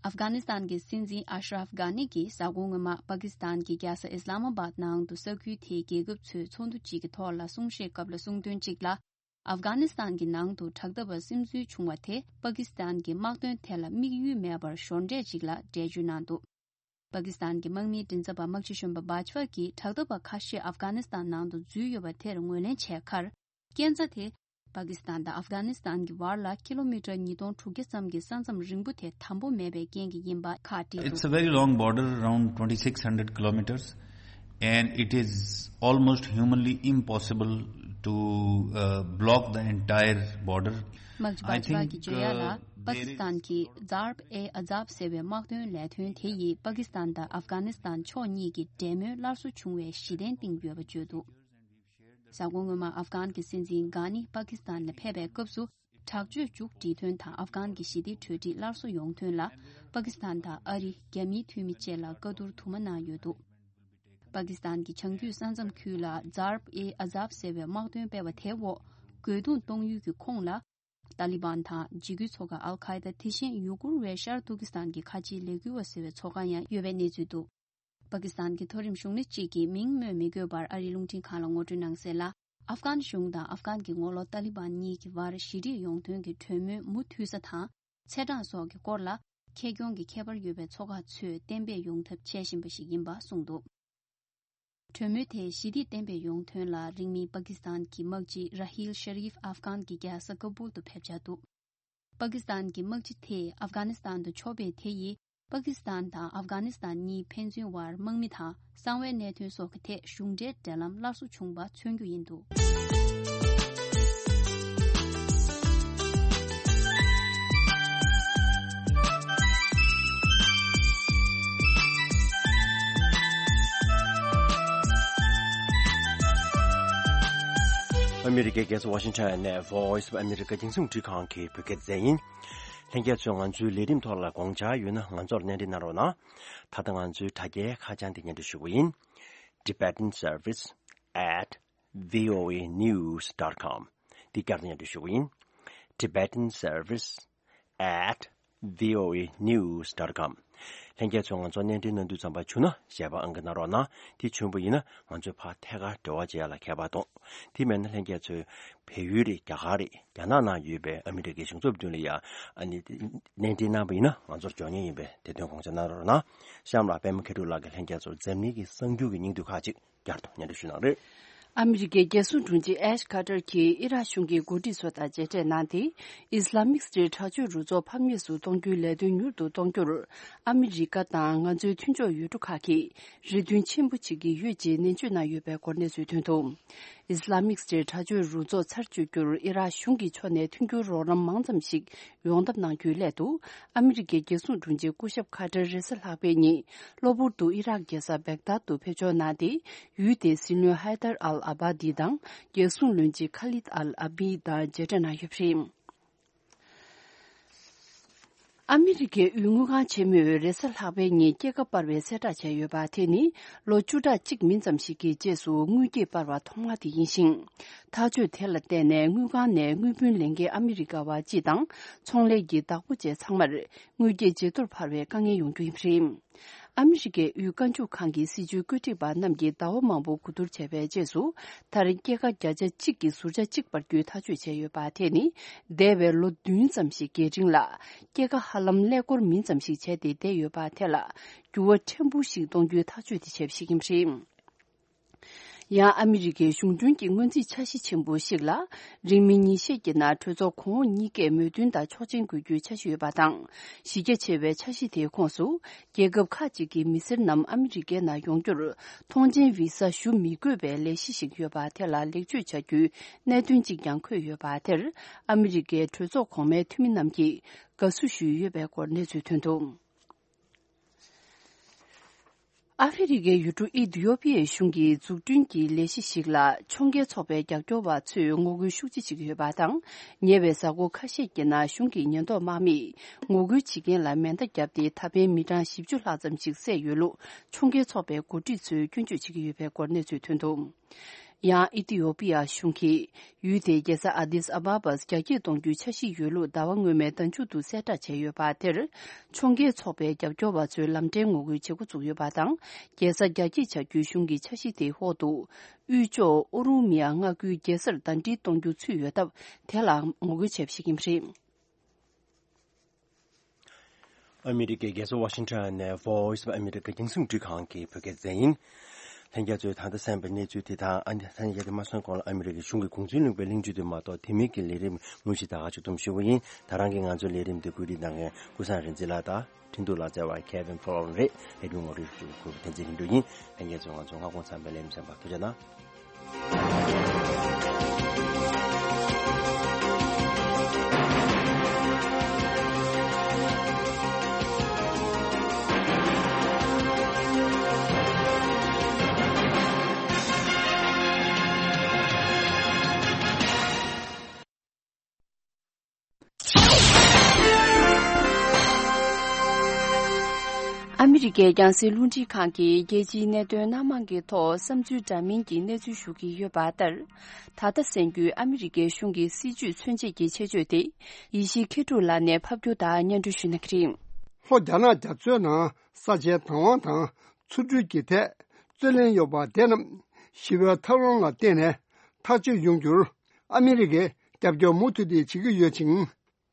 ཨབ་གྷ་ནི་སི་ཐན་གྱི་སྲིད་འཛིན་ཨ་ཤ་རབ་གྷ་ནི་གིས་གཟའ་འཁོར་སྔོན་མ་པ་ཀི་སི་ཐན་གྱི་རྒྱལ་ས་ཨི་སི་ལ་མ་བཱད་ནང་དུ་ས་ཁུལ་དེའི་རྒྱལ་ཁབ་ཚོའི་ཚོགས་འདུ་གཅིག་གི་ཐོག་ལ་གསུང་བཤད་སྐབས་ལ་གསུངས་དོན་གཅིག་ལ། ཨབ་གྷ་ནི་སི་ཐན་གྱི་ནང་དུ་དྲག་འཐབ་པ་སིམ་འཛུལ་བྱུང་བ་དེ་པ་ཀི་སི་ཐན་གྱི་དམག་དོན་ཐད་ལ་དམིགས་ཡུལ་མེད་པར་ཞོར་འབྲེལ་ཅིག་ལ་འགྲེལ་བརྗོད་གནང་འདུག་པ་ཀི་སི་ཐན་གྱི་དམག་མིའི་མགྲིན་ཚབ་པ་དམག་སྤྱི་གཞོན་པ་བཱཇ་པ་གིས་དྲག་འཐབ་པ་ཁ་ཤས་ཨབ་གྷ་ནི་སི་ཐན་ནང་དུ་འཛུལ་ཡོད་པ་དེར་ངོས་ལེན་བྱས་ཁར། རྐྱེན་རྩ་དེ་པ་ཀི་སི་ཐན་དང་ཨབ་གྷ་ནི་སི་ཐན་གྱི་བར་ལ་ཀི་ལོ་མི་ཊར་ཉིས་སྟོང་དྲུག་བརྒྱ་ཙམ་གྱི་ས་མཚམས་རིང་པོ་དེ་དམ་པོ་མེད་པའི་རྐྱེན་གྱིས་ཡིན་པ་ཁག་བྲིས་འདུག It's a very long border, around twenty-six hundred kilometers, and it is almost humanly impossible to uh, block the entire border. དམག་སྤྱི་I བཱཇ་པ་གིས་think, བརྗོད་ཡ་ལ། uh, པ་ཀི་སི་ཐན་གྱི་ཛརབ་ཨེ་ཨ་ཛབ་ཟེར་བའི་དམག་དོན་ལས་དོན་དེ་ཡིས་པ་ཀི་སི་ཐན་དང་ཨབ་གྷ་ནི་སི་ཐན་ཕྱོགས་གཉིས་ཀྱི་འབྲེལ་མོལ་སླར་གསོ་བྱུང་བའི་གཞི་རྟེན་བཏིང་ཡོད་པ་བརྗོད་འདུག་གཟའ་འཁོར་སྔོན་མ་ཨབ་གྷན་གྱི་སྲིད་འཛིན་གྷ་ནི་པ་ཀི་སི་ཐན་ལ་ཕེབས་པའི་སྐབས་སུ། དྲག་སྤྱོད་མཇུག་སྒྲིལ་དོན་དང་ཨབ་གྷན་གྱི་ཞི་བདེ་གྲོས་འགྲིག་སླར་གསོ་ཡོང་དོན་ལ། པ་ཀི་སི་ཐན་དང་ཨ་རི། རྒྱ་མིའི་འཐུས་མི་བཅས་ལ་བཀའ་བསྡུར་དུ་མ་གནང་ཡོད་འདུག་པ་ཀི་སི་ཐན་གྱི་བྱང་རྒྱུད་ས་མཚམས་ཁུལ་ལ་ཛརབ་ཨེ་ཨ་ཛབ་ཟེར་བའི་དམག་དོན་སྤེལ་བ་དེའི་འོག་རྒོལ་རྡུང་གཏོང་ཡུལ་གྱི་ཁོངས་ལ། ཏཱ་ལི་བན་དང་འཇིགས་སྐུལ་ཚོགས་ཁག་ཨལ་ཁ་ཡེ་ད། དེ་བཞིན་ཡུ་གུར་བའི་ཤར་ཏུར་ཀི་སི་ཐན་གྱི་ཁ་ཆེའི་ལས་འགུལ་བ་ཟེར་བའི་ཚོགས་ཁག་ཡང་ཡོད་པའི་གནས་ཚུལ་འདུག་པ་ཀི་སི་ཐན་གྱི་མཐོ་རིམ་གཞུང་སྣེ་གཅིག་གིས་མིང་སྨོས་མི་དགོས་པར་ཨ་རིའི་རླུང་འཕྲིན་ཁང་ལ་ངོ་སྤྲོད་གནང་གསལ་ལ། ཨབ་གྷན་གཞུང་དང་ཨབ་གྷན་གྱི་ངོ་ལོག་ཏཱ་ལི་བན་གཉིས་ཀྱི་བར་ཞི་འགྲིག་ཡོང་དོན་གྱི་གྲོས་མོལ་མུ་མཐུད་ས་དང་། ཚེས་གྲངས་སོགས་ཀྱི་སྐོར་ལ། ཁེ་གྱོང་གི་ཁྱད་པར་ཡོད་པའི་ཚོགས་ཁག་ཚོས་གཏན་འབེབས་ཡོང་ཐབས་བྱེད་བཞིན་པ་ཞིག་ཡིན་པ་གསུངས་འདུག་གྲོས་མོལ་དེ་ཞི་བདེ་གཏན་འབེབས་ཡོང་དོན་ལ་རིང་མིན་པ་ཀི་སི་ཐན་གྱི་དམག་སྤྱི་ར་ཧིལ་ཤ་རིབ་ཨབ་གྷན་གྱི་རྒྱལ་ས་ཀ་བུལ་དུ་ཕེབས་འཆར་འདུག་པ་ཀི་སི་ཐན་གྱི་དམག་སྤྱི་དེས་ཨབ་གྷ་ནི་སི་ཐན་དུ་ཕྱོགས་ཕེབས་དེ་ཡིས། པ་ཀི་སི་ཐན་དང་ཨབ་གྷ་ནི་སི་ཐན་གཉིས་ཕན་ཚུན་བར་དམག་མི་དང་གསང་བའི་གནད་དོན་སོགས་ཀྱི་ཐད་གཞུང་འབྲེལ་འབྲེལ་ལམ་སླར་གསོ་བྱུང་བ་མཚོན་རྒྱུ་ཡིན་འདུག་ཨ་མི་རི་ཀའི་རྒྱལ་ས་ཝ་ཤིང་ཊོན་ནས་Voice of America་རྒྱང་སྲིང་རླུང་འཕྲིན་ཁང་གི་བོད་སྐད་སྡེ་ཚན་ཡིན། ལྷན་རྒྱས་ཚོས་ང་ཚོའི་ལས་རིམ་ཐོག་ལ་དགོངས་འཆར་ཡོད་ན་ང་ཚོར་སྣེ་འདྲེན་གནང་རོགས་གནང་། ད་ལྟ་ང་ཚོའི་དྲ་རྒྱའི་ཁ་བྱང་འདི་སྙན་སྒྲོན་ཞུ་གི་ཡིན། Tibetan Service at voanews dot com། འདི་བསྐྱར་དུ་སྙན་སྒྲོན་ཞུ་གི་ཡིན། Tibetan Service at voanews dot com། ལྷན་རྒྱས་ཚོས་ང་ཚོར་སྣེ་འདྲེན་གནང་དུས་ཙམ་པ་བྱུང་ན་ཞལ་པར་ཨང་ཀི་གནང་རོགས་གནང་། དེ་བྱུང་བ་ཡིན་ན་ང་ཚོས་ཕར་ཐད་ཀར་འབྲེལ་བ་བྱེད་ཡ་ལ་ཁྱད་པར་གཏོང་། དེ་མེད་ན་ལྷན་རྒྱས་ཚོས་བལ་ཡུལ་རེད། རྒྱ་གར་རེད། རྒྱ་ནག་ནང་ཡོད་པའི་ཨ་མི་རི་ཀའི་གཞུང་ཚབ་མདུན་ལ་ཡ་ཨ་ནི་སྣེ་འདྲེན་གནང་བ་ཡིན་ན་ང་ཚོར་འབྱོར་ཉེན་ཡིན་པས་དེ་དོན་དགོངས་འཇགས་གནང་རོགས་གནང་། གཤམ་ལ་པད་མ་མཁས་གྲུབ་ལགས་ཀྱིས་ལྷན་རྒྱས་ཚོར་འཛམ་གླིང་གི་གསར་འགྱུར་གྱི་སྙིང་བསྡུས་ཁག་ཅིག་བསྐྱར་དུ་སྙན་སྒྲོན་ཞུ་གནང་རེད། ཨ་མི་རི་ཀའི་རྒྱལ་སྲུང་དྲུང་ཆེ་ཨེཤ་ཁ་ཏར་གྱིས་ཨི་རག་གཞུང་གི་འགོ་ཁྲིད་ཚོ་དང་མཇལ་འཕྲད་གནང་སྟེ། ཨིས་ལ་མིག་སི་ཊེཊ་དྲག་སྤྱོད་རུ་ཚོགས་ཕམ་ཉེས་སུ་གཏོང་རྒྱུའི་ལས་དོན་མྱུར་དུ་གཏོང་རྒྱུར། ཨ་མི་རི་ཀ་དང་ང་ཚོའི་མཐུན་ཕྱོགས་ཡུལ་གྲུ་ཁག་གིས་རེ་འདུན་ཆེན་པོ་བྱེད་ཀྱི་ཡོད་ཅེས་ནན་བརྗོད་གནང་ཡོད་པའི་སྐོར་གནས་ཚུལ་ཐོན་འདུག་ཨིས་ལ་མིག་སི་ཊེཊ་དྲག་སྤྱོད་རུ་ཚོགས་ཚར་གཅོད་རྒྱུར་ཨི་རག་གཞུང་གི་ཕྱོགས་ནས་མཐུན་འགྱུར་རོགས་རམ་མང་ཙམ་ཞིག་ཡོང་ཐབས་གནང་རྒྱུའི་སླད་དུ། ཨ་མི་རི་ཀའི་རྒྱལ་སྲུང་དྲུང་ཆེ་སྐུ་ཞབས་ཁ་ཏར་རེས་གཟའ་ལྷག་པའི་ཉིན་གློ་བུར་དུ་ཨི་རག་རྒྱལ་ས་བེག་དཱད་དུ་ཕེབས་འབྱོར་གནང་སྟེ། ཡུལ་དེའི་སྲིད་བློན་ཧའི་དར་ཨལ་ཨ་བྷ་དི་དང་རྒྱལ་སྲུང་བློན་ཆེན་ཁ་ལིད་ཨལ་ཨ་བྷི་དང་མཇལ་འཕྲད་གནང་ཡོད་པ་རེད། ཨ་མི་རི་ཀའི་དབུས་དངུལ་ཁང་ཆེན་མོས་རེས་གཟའ་ལྷག་པའི་ཉིན་སྐྱེད་ཀ་སྤར་བའི་གསལ་བསྒྲགས་བྱས་ཡོད་པ། དེ་ནི་ལོ་བཅུ་ཕྲག་གཅིག་མིན་ཙམ་ཞིག་གི་རྗེས་སུ་དངུལ་སྐྱེད་སྤར་བ་ཐོག་མ་དེ་ཡིན་ཞིང་། ཐག་གཅོད་དེ་ལ་བརྟེན་ནས་དངུལ་ཁང་ནས་དངུལ་བུན་ལེན་མཁན་ཨ་མི་རི་ཀ་བ་སྤྱི་དང་ཚོང་ལས་ཀྱི་བདག་པོ་བཅས་ཚང་མར་དངུལ་སྐྱེད་ཇེ་མཐོར་འཕར་བའི་དཀའ་ངལ་ཡོང་རྒྱུ་ཡིན་པ་རེད། ཨ་མི་རི་ཀའི་དབུས་དཀར་ཕྱོགས་ཁང་གི་སྲིད་བྱུས་བཀོད་སྒྲིག་པ་རྣམས་ཀྱིས་ཟླ་བ་མང་པོ་གོ་བསྡུར་བྱས་པའི་རྗེས་སུ། མཐར་སྐྱེད་ཀ་བརྒྱ་ཆ་གཅིག་གི་ཟུར་ཆ་གཅིག་སྤར་རྒྱུའི་ཐག་གཅོད་བྱས་ཡོད་པ། དེ་ནི་འདས་པའི་ལོ་བདུན་ཙམ་ཞིག་གི་རིང་ལ་སྐྱེད་ཀ་ཧ་ལམ་ཀླད་ཀོར་མིན་ཙམ་ཞིག་བྱས་ཏེ་བསྡད་ཡོད་པ་དེ་ལ་འགྱུར་བ་ཕྲན་བུ་ཞིག་གཏོང་རྒྱུའི་ཐག་གཅོད་དེ་བྱས་པ་ཞིག་ཡིན་པ་རེད། ཡང་ཨ་མི་རི་ཀའི་གཞུང་འབྲེལ་གྱི་སྔོན་རྩིས་འཆར་གཞི་ཆེན་པོ་ཞིག་ལ། རིང་མིན་ཉིན་ཤས་ཀྱི་ནང་གྲོས་ཚོགས་གོང་འོག་གཉིས་ཀས་མོས་མཐུན་དང་ཆོག་མཆན་འགོད་རྒྱུའི་འཆར་གཞི་ཡོད་པ་དང་། གཞི་རྒྱ་ཆེ་བའི་འཆར་གཞི་དེའི་ཁོངས་སུ། རྒྱལ་ཁབ་ཁག་ཅིག་གི་མི་སེར་རྣམས་ཨ་མི་རི་ཀའི་ནང་ཡོང་རྒྱུར། ཐོངས་མཆན་བི་ས་ཞུ་མི་དགོས་པའི་ལས་གཞི་ཞིག་ཡོད་པ་དེ་ལ་ལེགས་བཅོས་བྱ་རྒྱུའི་གནད་དོན་གཅིག་ཀྱང་འཁོད་ཡོད་པ་དེར། ཨ་མི་རི་ཀའི་གྲོས་ཚོགས་གོང་མའི་འཐུས་མི་རྣམས་ཀྱིས་དགའ་བསུ་ཞུས་ཡོད་པའི་སྐོར་གནས་ཚུལ་ཐོན་འདུག་ཨ་ཧྥེ་རི་ཁའི་ཡུལ་གྲུ་ཨི་ཐི་ཡོ་པི་ཡའི་གཞུང་གིས་འཛུགས་སྐྲུན་གྱི་ལས་གཞི་ཞིག་ལ་ཕྱོགས་འགལ་ཚོགས་པའི་རྒྱབ་སྐྱོར་བ་ཚོས་ངོ་རྒོལ་ཤུགས་ཆེ་བྱེད་ཀྱི་ཡོད་པ་དང་། ཉེ་བའི་གཟའ་འཁོར་ཁ་ཤས་ཀྱི་ནང་གཞུང་གི་ཉེན་རྟོག་དམག་མིས་ངོ་རྒོལ་བྱེད་མཁན་ལ་མེ་མདའ་བརྒྱབ་སྟེ། ད་ཕན་མི་གྲངས་བཞི་བཅུ་ལྷག་ཙམ་ཞིག་བསད་ཡོད་ལུགས་ཕྱོགས་འགལ་ཚོགས་པའི་འགོ་ཁྲིད་ཚོས་སྐྱོན་བརྗོད་བྱེད་ཀྱི་ཡོད་པའི་སྐོར་གནས་ཚུལ་ཐོན་འདུག་ཡང་ཨི་ཐི་ཡོ་པི་ཡ་གཞུང་གིས་ཡུལ་དེའི་རྒྱལ་ས་ཨ་དིས་ཨ་བ་བས་རྒྱ་སྐྱེད་གཏོང་རྒྱུའི་འཆར་གཞི་ཡོད་ལུགས་ཟླ་བ་སྔོན་མའི་ཟླ་མཇུག་ཏུ་གསལ་བསྒྲགས་བྱས་ཡོད་པ་དེར། ཕྱོགས་འགལ་ཚོགས་པའི་རྒྱབ་སྐྱོར་བ་ཚོས་ལམ་འབྲས་ངོ་རྒོལ་བྱེད་འགོ་བཙུགས་ཡོད་པ་དང་། རྒྱལ་ས་རྒྱ་སྐྱེད་བྱ་རྒྱུའི་གཞུང་གི་འཆར་གཞི་དེའི་འོག་ཏུ། དབུས་ཕྱོགས་ཨོ་རུ་མི་ཡ་མངའ་ཁུལ་རྒྱལ་སར་ཟླ་སྒྲིལ་གཏོང་རྒྱུ་ཚུད་ཡོད་སྟབས། དེ་ལ་ངོ་རྒོལ་བྱས་པ་ཞིག་ཡིན་པ་རེད། ཨ་མི་རི་ཀའི་རྒྱལ་ས་ཝ་ཤིང་ཊོན་ནས་Voice of America རྒྱང་སྲིང་འཕྲིན་ཁང་གི་བོད་སྐད་སྡེ་ཚན་ཡིན། ལྷན་རྒྱས་ཚོས་ད་ལྟ་གསན་པའི་གནས་ཚུལ་དེ་དང་། ཨ་ནི་ཐ་སྙད་དེ་མ་སོན་གོང་ལ་ཨ་མི་རི་ཀའི་གཞུང་གི་གུང་སེང་ལུང་པའི་གླེང་བརྗོད་དུ་མ་གཏོགས། དེ་མིན་གྱི་ལས་རིམ་དངོས་གཞི་ད་ག་ཅིག་སྡོམ་ཞུ་བ་ཡིན། ད་རང་གི་ང་ཚོའི་ལས་རིམ་དེ་བཀོད་སྒྲིག་གནང་མཁན་ཀུན་བཟང་རིག་འཛིན་ལགས་དང་། འཕྲིན་གཏོང་ལག་རྩལ་བ་Kevin Fallon རེད། ལས་རིམ་ངོ་སྤྲོད་ཞུ་དགོས་པ་བསྟན་འཛིན་ལྷུན་གྲུབ་ཡིན། ལྷན་རྒྱས་ཚོས་ང་ཚོ་སྔ་དགོང་ཚང་མའི་ལས་རིམ་གསན་པར་ཐུགས་རྗེ་གནང་། ཨ་མི་རི་ཀའི་རྒྱང་སྲིང་རླུང་འཕྲིན་ཁང་གིས་རྒྱལ་སྤྱིའི་གནད་དོན་སྣ་མང་གི་ཐོག་བསམ་ཚུལ་འདྲ་མིན་གྱི་གནས་ཚུལ་ཞུ་གི་ཡོད་པ་ལྟར། ད་ལྟ་གསན་རྒྱུའི་ཨ་མི་རི་ཀའི་གཞུང་གི་སྲིད་བྱུས་མཚོན་བྱེད་ཀྱི་ཆེད་བརྗོད་དེ། ཡེ་ཤེས་མཁས་གྲུབ་ལགས་ནས་ཕབ་སྒྱུར་དང་སྙན་སྒྲོན་ཞུ་གནང་གི་རེད། ལྷོ་རྒྱ་ནག་རྒྱ་མཚོའི་ནང་ས་ཆའི་བདག་དབང་དང་། འཚོ་སྡོད་ཀྱི་ཐད་རྩོད་གླེང་ཡོད་པ་དེ་རྣམས་ཞི་བའི་ཐབས་ལམ་ལ་བརྟེན་ནས་ཐག་གཅོད་ཡོང་རྒྱུར་ཨ་མི་རི་ཀས་རྒྱབ་སྐྱོར་མུ་མཐུད་དེ་བྱེད་ཀྱི་ཡོད་ཅིང་།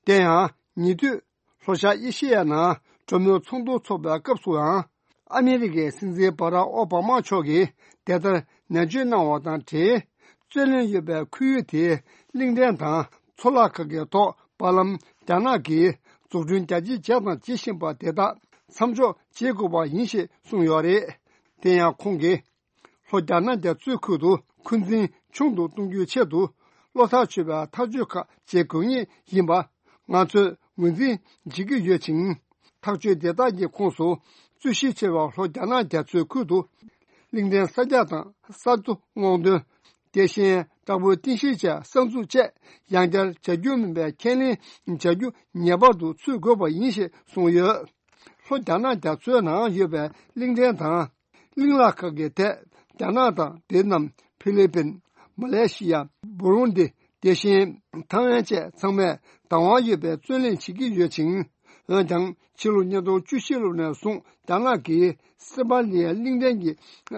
དེ་ཡང་ཉེ་དུས་ལྷོ་ཤར་ཨེ་ཤེ་ཡའི་ནང་གྲོས་མོལ་ཚོགས་འདུ་འཚོགས་པའི་སྐབས་སུའང་། ཨ་མི་རི་ཀའི་སྲིད་འཛིན་བྷ་རག་ཨོ་བྷ་མ་མཆོག་གིས་དེ་ལྟར་ནན་བརྗོད་གནང་བ་དང་འབྲེལ། རྩོད་གླེང་ཡོད་པའི་ཁོར་ཡུག་དེའི་གླེང་ཕྲན་དང་ཚོར་བརླག་ཁག་གི་ཐོག་བར་ལམ་རྒྱ་ནག་གིས་འཛུགས་སྐྲུན་རྒྱ་ཆེ་བྱས་དང་བྱེད་བཞིན་པ་དེ་དག་མཚམས་འཇོག་བྱེད་དགོས་པ་ཡིན་ཞེས་གསུངས་ཡོད་རེད། དེ་ཡང་ཁོང་གིས། ལྷོ་རྒྱ་ནག་རྒྱ་མཚོའི་ཁུལ་དུ་འཁོན་འཛིན་ཆུང་དུ་གཏོང་རྒྱུའི་ཆེད་དུ། བློ་ཐག་ཆོད་པའི་ཐག་གཅོད་ཁག་བྱེད་དགོས་ངེས་ཡིན་པ་ང་ཚོས་ངོས་འཛིན་བྱེད་ཀྱི་ཡོད་ཅིང་། ཐག་གཅོད་དེ་དག་གི་ཁོངས་སུ། རྩོད་གཞི་ཆེ་བའི་ལྷོ་རྒྱ་ནག་རྒྱ་མཚོའི་ཁུལ་དུ། གླིང་ཕྲན་གསར་རྒྱག་དང་གསར་བཟོ་སྔོག་འདོན། དེ་བཞིན་བྲག་ཕུག་རྟེན་གཞིར་བྱས་གསར་འཛུགས་བཅས་ཡང་བསྐྱར་བྱ་རྒྱུ་མིན་པའི་ཁས་ལེན་བྱ་རྒྱུ་ངེས་པར་དུ་ཚུད་དགོས་པ་ཡིན་ཞེས་གསུངས་ཡོད། ལྷོ་རྒྱ་ནག་རྒྱ་མཚོའི་ནང་ཡོད་པའི་གླིང་ཕྲན་དང་། གླིང་ལ་ཁག་གི་ཐད་རྒྱ་ནག་དང་ཝེ་ཏི་ནམ། ཧྥི་ལི་པིན། མ་ལེ་ཤི་ཡ། བུ་རུན་དི། དེ་བཞིན་ཐའེ་ཝན་བཅས་ཚང་མས་བདག་དབང་ཡོད་པའི་རྩོད་གླེང་བྱེད་ཀྱི་ཡོད་ཅིང་། འོན་ཀྱང་ཕྱི་ལོ་ཉིས་སྟོང་བཅུ་བཞི་ལོ་ནས་བཟུང་རྒྱ་ནག་གིས་སི་པ་ལི་ཡའི་གླིང་ཕྲན་གྱི་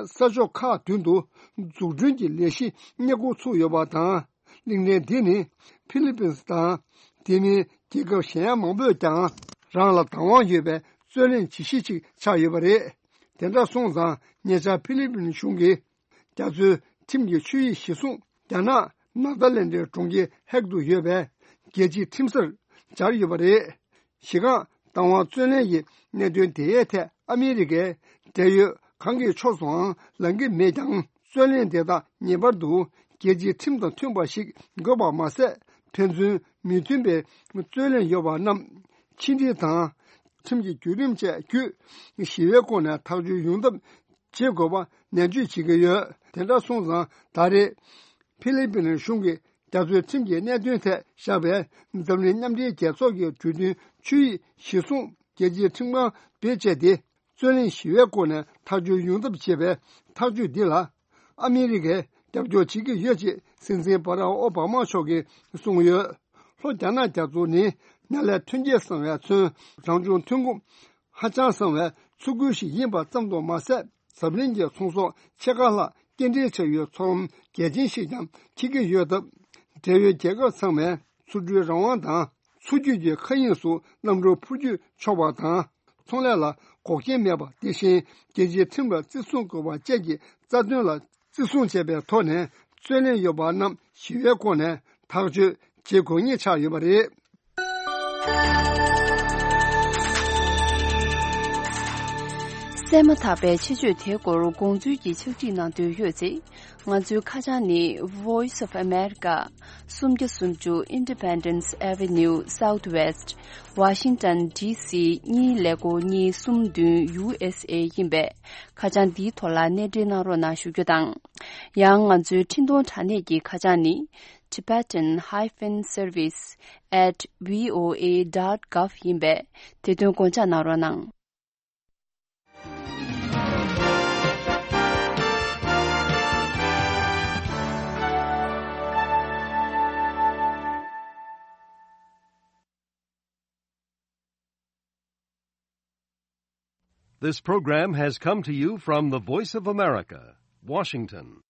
ས་ཕྱོགས་ཁག་མདུན་དུ་འཛུགས་སྐྲུན་གྱི་ལས་གཞི་སྙད་ཁུར་ཚུགས་ཡོད་པ་དང་། གླིང་ཕྲན་འདི་ནི་ཧྥི་ལི་པིན་དང་དེ་མིན་རྒྱལ་ཁབ་གཞན་ཡང་མང་པོས་ཀྱང་རང་ལ་བདག་དབང་ཡོད་པའི་རྩོད་གླེང་བྱེད་གཞི་ཅིག་ཆགས་ཡོད་པ་རེད། དེ་འདྲ་སོང་ཙང་ཉེ་ཆར་ཧྥི་ལི་པིན་གཞུང་གིས་རྒྱ་མཚོའི་ཁྲིམས་ཀྱི་ཆོད་ཡིག་གཞིར་བཟུང་རྒྱ་ནག་ནཱ་ཐ་ལན་ཌའི་གྲོང་ཁྱེར་ཧེག་ཏུ་ཡོད་པའི་རྒྱལ་སྤྱིའི་ཁྲིམས་སར་སྦྱར་ཡོད་པ་རེད། གཞི་རྐང་བདག་དབང་རྩོད་གླེང་གི་གནད་དོན་དེའི་ཐད་ཨ་མི་རི་ཀས་འབྲེལ་ཡོད་གང་གི་ཕྱོགས་སུའང་ལངས་ཀྱི་མེད་ཀྱང་། རྩོད་གླེང་དེ་དག་ངེས་པར་དུ་རྒྱལ་སྤྱིའི་ཁྲིམས་དང་མཐུན་པ་ཞིག་དགོས་པ་མ་ཟད། ཕན་ཚུན་མོས་མཐུན་པའི་རྩོད་གླེང་ཡོད་པ་རྣམས་ཕྱི་འབྲེལ་དང་། ཁྲིམས་ཀྱི་བརྒྱུད་རིམ་བཅས་བརྒྱུད་ཞི་བའི་སྒོ་ནས་ཐག་གཅོད་ཡོང་ཐབས་བྱེད་དགོས་པ་ནན་བརྗོད་བྱེད་ཀྱི་ཡོད། དེ་འདྲ་སོང་ཙང་ད་རེས་ཧྥི་ལི་པིན་གཞུང་གིས་རྒྱ་མཚོའི་ཁྲིམས་ཀྱི་གནད་དོན་ཐད་བཞག་པའི་འཛམ་གླིང་མཉམ་འབྲེལ་རྒྱལ་ཚོགས་ཀྱི་གྲོས་མཐུན་ཆོད་ཡིག་གཞིར་བཟུང་རྒྱལ་སྤྱིའི་ཁྲིམས་ཁང་བེད་སྤྱད་དེ། རྩོད་གླེང་ཞི་བའི་སྒོ་ནས་ཐག་གཅོད་ཡོང་ཐབས་བྱེད་པའི་ཐག་གཅོད་འདི་ལ་ཨ་མི་རི་ཀས་རྒྱབ་སྐྱོར་བྱེད་ཀྱི་ཡོད་ཅེས་སྲིད་འཛིན་བྷ་རག་ཨོ་བྷ་མ་མཆོག་གིས་གསུངས་ཡོད། ལྷོ་རྒྱ་ནག་རྒྱ་མཚོ་ནི་ནཱ་ལས་ཐོན་སྐྱེད་བཟང་བས་མཚོན། རང་བྱུང་ཐོན་ཁུངས་ཧ་ཅང་བཟང་བའི་མཚོ་ཁུལ་ཞིག་ཡིན་པ་ཙམ་དུ་མ་ཟད། འཛམ་གླིང་གི་ཚོང་ཟོག་ཕྱེད་ཀ་ལྷག་སྐྱེལ་འདྲེན་བྱ་ཡུལ་མཚོ་ལམ་གལ་ཆེན་ཞིག་ཀྱང་འཁེལ་གྱི་ཡོད་སྟབས། འབྲེལ་ཡོད་རྒྱལ་ཁབ་ཚང་མས་མཚོ་གྲུའི་རང་དབང་དང་། མཚོ་རྒྱུད་ཀྱི་མཁའ་དབྱིངས་སུ་གནམ་གྲུ་འཕུར་སྐྱོད་ཆོག་པ་དང་། ཚོང་ལས་ལ་འགོག་རྐྱེན་མེད་པ། དེ་བཞིན་རྒྱལ་སྤྱིའི་ཁྲིམས་ལ་བརྩི་སྲུང་དགོས་པ་བཅས་ཀྱི་རྩ་དོན་ལ་བརྩི་སྲུང་བྱས་པའི་ཐོག་ནས། རྩོད་གླེང་ཡོད་པ་རྣམས་ཞི་བའི་སྒོ་ནས་ཐག་གཅོད་བྱེད་དགོས་ངེས་ཆགས་ཡོད་པ་རེད། གསན་མ་ཐག་པའི་ཆེད་བརྗོད་དེའི་སྐོར་དགོངས་ཚུལ་གྱི་ཕྱག་བྲིས་གནང་འདོད་ཡོད་ཚེ། ང་ཚོའི་ཁ་བྱང་ནི། Voice of America། སུམ་བརྒྱ་སུམ་ཅུ་Independence Avenue Southwest། Washington D C གཉིས་ཀླད་ཀོར་གཉིས་གསུམ་བདུན། U S A ཡིན་པས། ཁ་བྱང་འདིའི་ཐོག་ལ་གནས་འབྲེལ་གནང་རོགས་གནང་ཞུ་རྒྱུ་དང་། ཡང་ང་ཚོའི་འཕྲིན་གཏོང་དྲ་གནས་ཀྱི་ཁ་བྱང་ནི། Tibetan hyphen service at V O A dot gov ཡིན་པས། དེ་དོན་དགོངས་འཇགས་གནང་རོགས་གནང་། This program has come to you from the Voice of America, Washington.